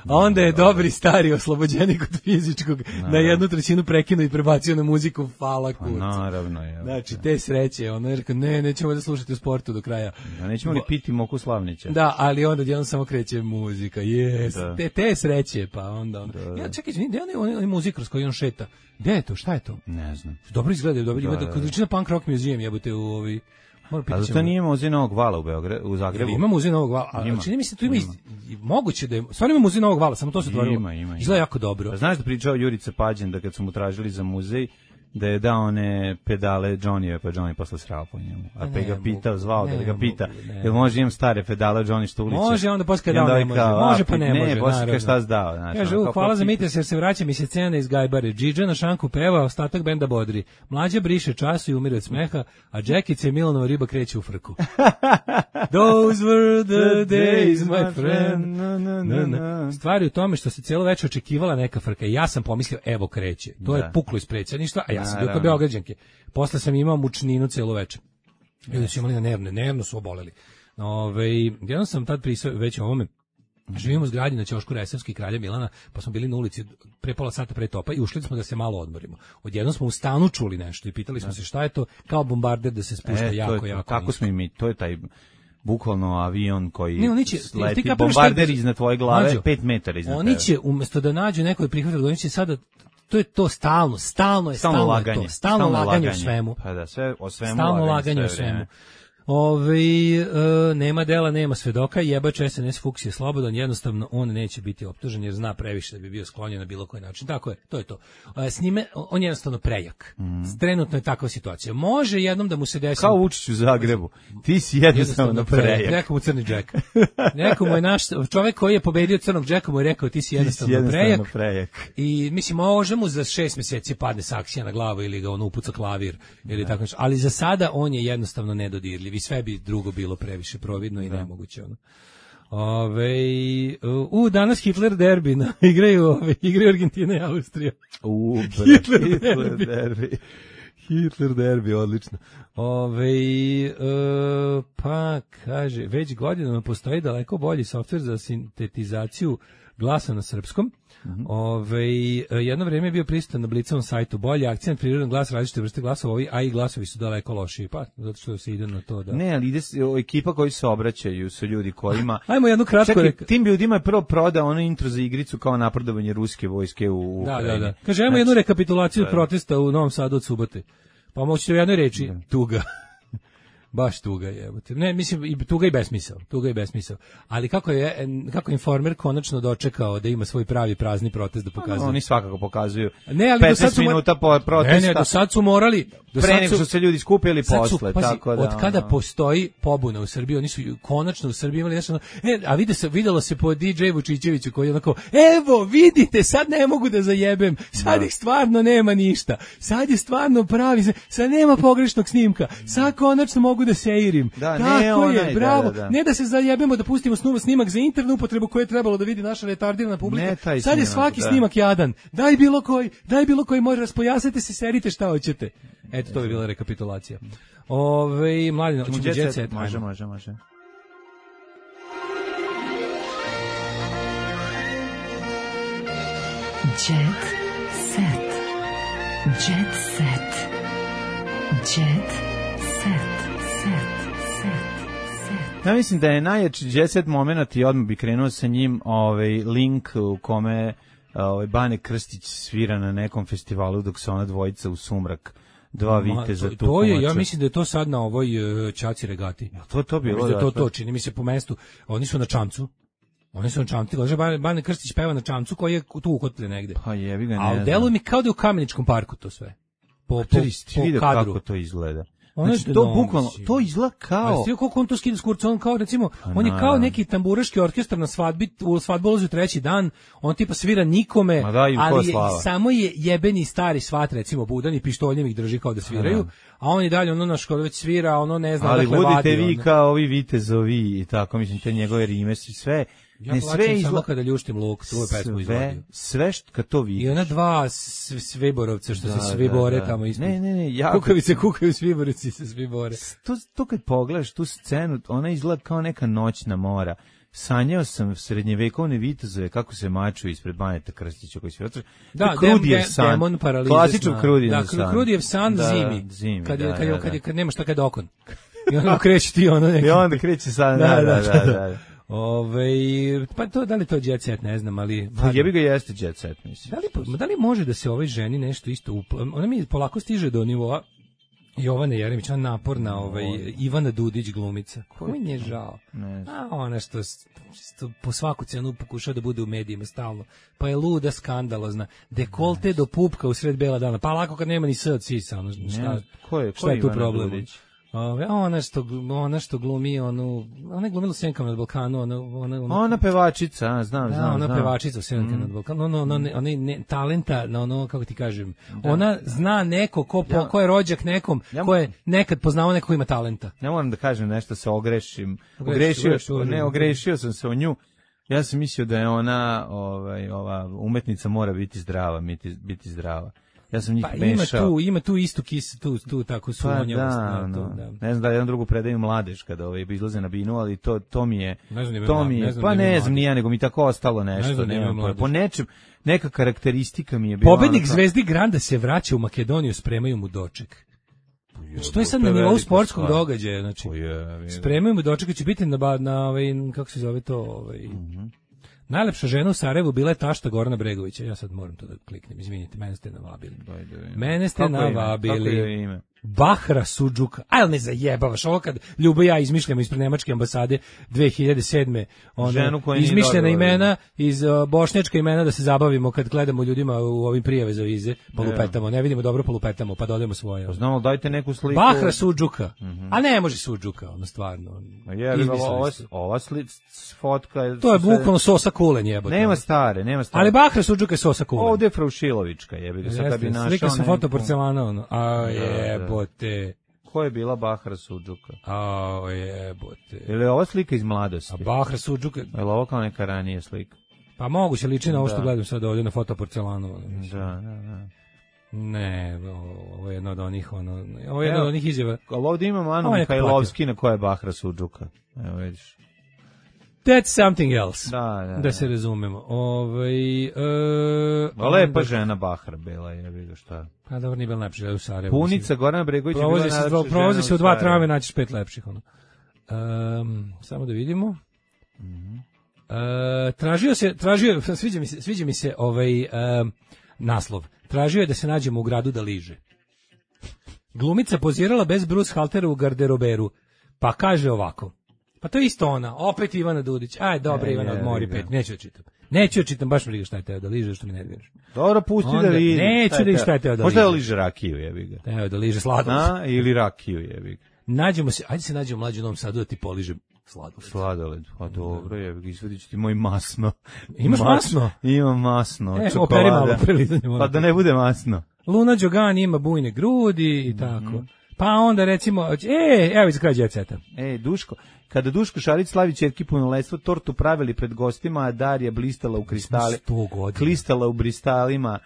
onda je dobri stari oslobođenik od fizičkog na 1/3 prekinuo i prebacio na muziku, fala kuc. Naravno je. Znači, te sreće, ono je rekao, nećemo da slušati u sportu do kraja. Nećemo li piti moku Slavnića? Da, ali onda jednom samo kreće muzika, te sreće, pa onda. Ja čekaj, gde je muzik kroz koji on šeta? Gde je to? Šta je to? Ne znam. Dobro izgleda, kod liči na Punk Rock Museum, jebote u ovi. A zato nije muzej Novog Vala u Zagrebu? Ima muzej Novog Vala, ali čini mi se tu ima moguće da je, stvarno ima muzej Novog Vala, samo to se otvorilo. Ima. Izgleda jako dobro. A znaš da pričao Jurica Pađen da kad su mu tražili za muzej, da je dao one pedale Johnnyve, pa Johnny posle srao po njemu. A pa ga pitao, zvao da ga pita, jel može imam stare pedale Johnny što uliče? Može, onda posle dao ne može. Može pa ne može, naravno. Ne, šta si dao? Kaže, hvala za mites jer se vraća mi se cena iz Gajbare. Džidža na šanku peva, ostatak benda bodri. Mlađa briše času i umire od smeha, a Džekica i Milanova riba kreće u frku. Those were the days, my friend. Stvari u tome što se cijelo večer očekivala neka frka i ja sam pomislio, evo kreće. To je puklo iz predsjedništva, a ja sam bio kao Beograđanke. Posle sam imao mučninu celo večer. Ljudi su imali na nervno su oboleli. Jednom sam tad prisao već o ovome. Živimo u zgradi na ćošku Resavski Kralja Milana, pa smo bili na ulici pre pola sata pre topa i ušli smo da se malo odmorimo. Odjednom smo u stanu čuli nešto i pitali smo se šta je to, kao bombarder da se spušta jako. Kako smo i mi, to je taj bukvalno avion koji leti, bombarder iznad tvoje glave, 5 metara iznad tebe. Oni će, umjesto da nađu neko je prihvatilo, oni će sada, to je to stalno laganje u svemu. Pa da, o svemu stalno laganje u svemu. Nema dela, nema svedoka, jebač SNS Fuchs je slobodan, jednostavno on neće biti optužen jer zna previše da bi bio sklonjen na bilo koji način. Tako je, to je to. S njime, on je jednostavno prejak. Trenutno je takva situacija. Može jednom da mu se desi... Kao Vučić u Zagrebu. Ti si jednostavno prejak. Rekao mu Crni Džek. Neko mu je naš, čovjek koji je pobedio Crnog Džeka mu je rekao ti si jednostavno prejak. I mislim, može mu za 6 mjeseci padne saksija na glavu ili ga on upuca klavir ili tako nešto. Ali za sada on je jednostavno nedodirljiv. I sve bi drugo bilo previše providno i nemoguće. Danas Hitler derbi, igraju Argentina i Austrija. Hitler derbi, odlično. Pa kaže, već godinama postoji daleko bolji softver za sintetizaciju glasa na srpskom. Jedno vrijeme je bio prisutan na Blicovom sajtu. Bolji akcent, prirodan glas, različite vrste glasova, a i glasovi su daleko lošiji. Pa, zato što se ide na to da... Ne, ali ekipa koji se obraćaju su ljudi kojima... Ajmo jednu kratko tim ljudima je prvo prodao ono intro za igricu kao napredovanje ruske vojske u Ukrajini. Da. Kaže, ajmo jednu rekapitulaciju protesta u Novom Sadu od subote. Pa moćete u jednoj reči, tuga. Baš tuga je. Ne, mislim, tuga i besmisao. Ali kako je Informer konačno dočekao da ima svoj pravi prazni protest da pokazuje? Oni svakako pokazuju 15 minuta po protesta. Ne, do sad su morali... Pre nego su se ljudi skupili posle. Tako da, od kada postoji pobuna u Srbiji, oni su konačno u Srbiji imali nešto... a videlo se po DJ Vučićeviću koji je onako, evo, vidite, sad ne mogu da zajebem, sad ih stvarno nema ništa, sad je stvarno pravi, sad nema pogrešnog snimka, sad konačno mogu da seirim. Tako je, bravo. Ne da se zajebemo da pustimo snimak za internu upotrebu koju je trebalo da vidi naša retardirana publika. Sad je svaki snimak jadan. Daj bilo koji može raspojasnite se, serite šta hoćete. Eto, to bi bila rekapitulacija. Mladine, hoćemo Jet Set. Može. Jet Set. Ja mislim da je najjači jet set moment i odmah bi krenuo sa njim link u kome Bane Krstić svira na nekom festivalu dok se ona dvojica u sumrak dva viteza tu. To je, ja mislim da je to sad na ovoj Čaci regati. To bilo da to čini mi se po mestu. Oni su na čamcu. Bane Krstić peva na čamcu koji je tu ukotljen negde. Pa jebi ga, ne. A deluje mi kao da je u Kameničkom parku to sve. Po kadru. Kako to izgleda. Znači, to bukvalno, to izgleda kao... A koliko on to skida s kurca, on kao, recimo, on je kao neki tamburaški orkestar na svadbi, u svadbu ulazi u treći dan, on tipa svira nikome, ali samo je jebeni stari svat, recimo, budan i pištoljem ih drži kao da sviraju, a on i dalje, ono naš kod već svira, ono ne zna, ali budite vi kao ovi vitezovi i tako, mislim, te njegove rime i sve... Ja plaćam samo kada ljuštim luk, tu je pesmu izvodio. Sve kad to vidiš. I ona dva Sviborovca što se svi bore tamo ispod. Ne, kukavice kukaju, Sviborovci se svi bore. To kad pogledaš tu scenu, ona izgleda kao neka noćna mora. Sanjao sam srednjevekovne vitezove kako se maču ispred Baneta Krstića koji svira. Da, demon paralize. Klasičan Krudijev san. Da, Krudijev san zimi. Kad nema šta kad okon. I onda kreće ti ono neki. I onda kreće san, da. Pa to, da li to jet set, ne znam, ali... Pa jebi ga jeste jet set, mislim. Da li može da se ovoj ženi nešto isto... Ona mi polako stiže do nivoa Jovane Jeremić, ona naporna Ivana Dudić glumica. Ko mi nije žao? A ona što po svaku cenu pokušava da bude u medijima stalno. Pa je luda, skandalozna. Dekolte do pupka u sred bela dana. Pa lako kad nema ni s od sisa. Šta je tu problem? Dudić? Ona što glumi ona je glumila u Senkama nad Balkanu, ona pevačica, znam. Ona pevačica u Senkama nad Balkanu, ona talenta, kako ti kažem, ona zna neko ko je rođak nekom, ko je nekad poznao neko ko ima talenta. Ja moram da kažem nešto, se ogrešim. Ogrešio sam se o nju. Ja sam mislio da je ona, ova umetnica mora biti zdrava, biti zdrava. Ja sam njih mešao. Ima tu istu kisu, tu tako sunjavost. Ne znam da jedan drugu predaju mladež kada izlaze na binu, ali to mi je... Ne znam ni ja, nego mi tako ostalo nešto. Po nečem, neka karakteristika mi je bila... Pobednik Zvezdi Granda se vraća u Makedoniju, spremaju mu doček. Znači, to je sad na nivou sportskog događaja. Znači, spremaju mu doček, će biti na kako se zove to... Najlepša žena u Sarajevu bila je tašta Gorana Bregovića. Ja sad moram to da kliknem, izvinite, mene ste navabili. Kako je ime? Bahra Sudžuka. Ajde ne zajebavaš, ovo kad Ljubo i ja izmišljamo ispred Nemačke ambasade 2007. Izmišljena imena iz bošnjačka imena da se zabavimo kad gledamo ljudima u ovim prijave za vize, polupetamo, ne vidimo dobro, polupetamo, pa dodajemo svoje. Znamo, dajte neku sliku. Bahra Sudžuka. A ne može Sudžuka, ono stvarno. Ova fotka je... To je bukvalno Sosa Kulen, jebote. Nema stare. Ali Bahra Sudžuka je Sosa Kulen. Ovdje je Fraušilovička, jebi. Slika sam foto porcelana, jebote. Ko je bila Bahra Sudžuka? Jebote. Ili je ova slika iz mladosti? Bahra Sudžuka. Je li ovo kao neka ranije slika? Pa moguće liči na ovo što gledam sad ovdje na fotoporcelanu. Da. Ne, ovo je jedna od onih izjava. Ali ovdje imamo Anu Mihajlovski na koja je Bahra Sudžuka. Evo vidiš. That's something else. Da se razumemo. Lepa žena Bahra bila je, šta. Pa dobro, nije bila najlepša žena u Sarajevu. Punica Gorana Bregović je bila najlepša žena u Sarajevu. Provozi se u 2 trave, naćiš 5 lepših. Samo da vidimo. Sviđa mi se naslov. Tražio je da se nađemo u gradu da liže. Glumica pozirala bez Bruce Haltera u garderoberu. Pa kaže ovako. Pa to je isto ona, opet Ivana Dudić. Aj, dobro, Ivana, odmori 5, neću da čitam, baš mi briga šta je teo da liže, što mi nerviraš. Dobro, pusti da liže. Neću da šta je teo da liže. Možda da liže rakiju, jebi ga. Teo da liže sladoled. Ili rakiju, jebi ga. Ajde se nađemo mlađu u Novom Sadu da ti poližem sladoled. Pa dobro, jebi ga, izvadit ću ti moj masno. Imaš masno? Imam masno, čokolada. Operi malo prelizanje. Pa da ne bude masno. Luna Đogan ima bujne grudi i tako. Pa onda recimo, evo iz kraja jet seta. Duško, kada Duško Šarić slavi ćerki punoletstvo, tortu pravili pred gostima, a Darija blistala u kristali. 100 godina. Klistala u bristalima,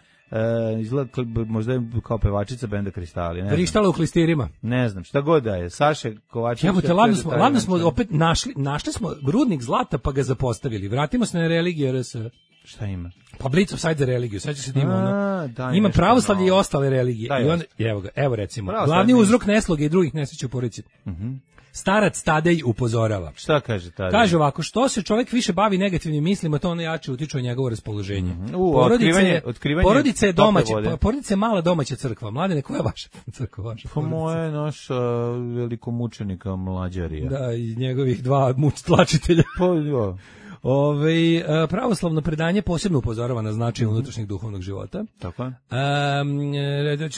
izgleda možda je kao pevačica benda Kristali. Vrištala u klistirima. Ne znam, šta god da je. Saše Kovačević. Jebote, ladno smo opet našli smo rudnik zlata pa ga zapostavili. Vratimo se na religiju RS. Šta ima? Pa Blitz of Side za religiju, sećaš se da ima ono. Da, Ima nešto pravoslavlje i malo. ostale religije. Da, I onda, jeste. evo ga, evo recimo. Pravoslavlje Glavni nije. uzrok nesloge i drugih nesreća u porodici. Starac Tadej upozorava. Šta kaže tada? Kaže ovako, što se čovjek više bavi negativnim mislima, to ono jače utiče na njegovo raspoloženje. Otkrivanje Porodica je tople domaća, vode. porodica je mala domaća crkva. Mladene, koja je vaša crkva? Vaša Pa porodica? moja je naša velikomučenika Mlađarija. Da, i njegovih dva tlačitelja. Pa, jo. Pravoslavno predanje posebno upozorava na značaj unutrašnjeg duhovnog života. Tako je.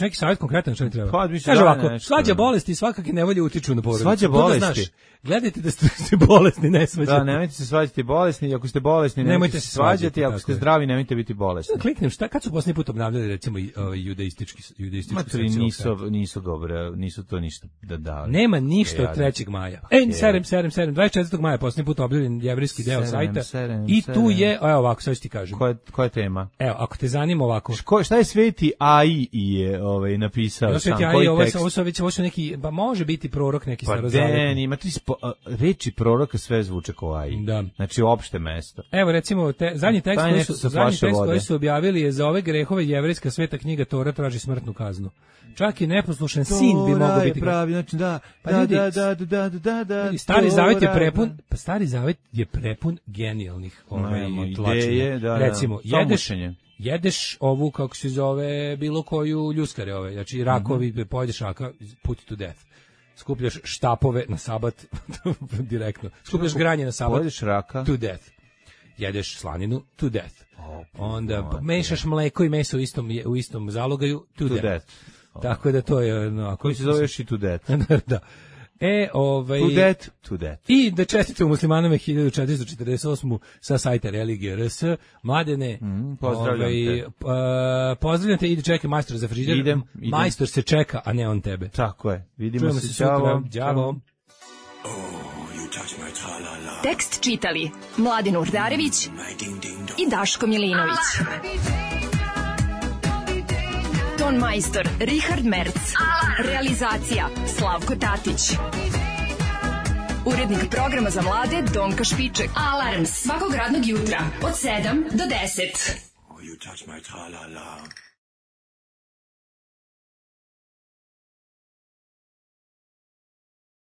Neki savjet konkretan što mi treba. Pa, mislim, Kaže da, ovako, nešto, svađa da. bolesti i svakakve nevolje utiču na porodicu. Svađa To da bolesti. znaš. Gledajte da ste bolesni, ne svađate. Da, nemojte se svađati bolesni, ako ste bolesni nemojte se svađati, ako ste zdravi nemojte biti bolesni. Kliknem, kad su posljednji put obnavljali recimo judaističku Matri nisu dobre, nisu to ništa da dali. Nema ništa od 3. maja. 24. maja posljednji put objavljen jevrejski deo sajta. I tu je, evo ovako, sad ću ti kažem. Koja je tema? Evo, ako te zanima ovako. Šta je Sveti AI je napisao sam? Koji tekst? Ovo su neki, ba može biti prorok neki Pa starozavetni. ima reči proroka sve zvuče kao AI. Da. Znači opšte mesto. Evo recimo zadnji tekst koji su objavili je za ove grehove jevrejska sveta knjiga Tora traži smrtnu kaznu. Čak i neposlušan sin bi mogao biti pravi, znači da. Stari zavet je prepun, pa Stari zavet je prepun genijalnih tlačenja. Recimo, jedeš ovu, kako se zove, bilo koju ljuskare ove, znači rakovi, pojedeš raka, put to death. Skupljaš štapove na sabat, direktno. Skupljaš granje na sabat, pojedeš raka, to death. Jedeš slaninu, to death. Onda mešaš mleko i meso u istom zalogaju, to death. Tako da to je... Koji se zove još i to death. Da. To death. I da čestite u muslimanama 1448. sa sajta Religija RS. Mladene, pozdravljam te, ide čeka majstor za frižider. Idem. Majstor se čeka, a ne on tebe. Tako je. Vidimo se sutra. Ćao. Tekst čitali Mladin Urdarević i Daško Milinović. Ton majstor Richard Merc. Realizacija Slavko Tatić. Urednik programa za mlade Donka Špiček. Alarms svakog radnog jutra od 7 do 10. You touch my tra-la-la.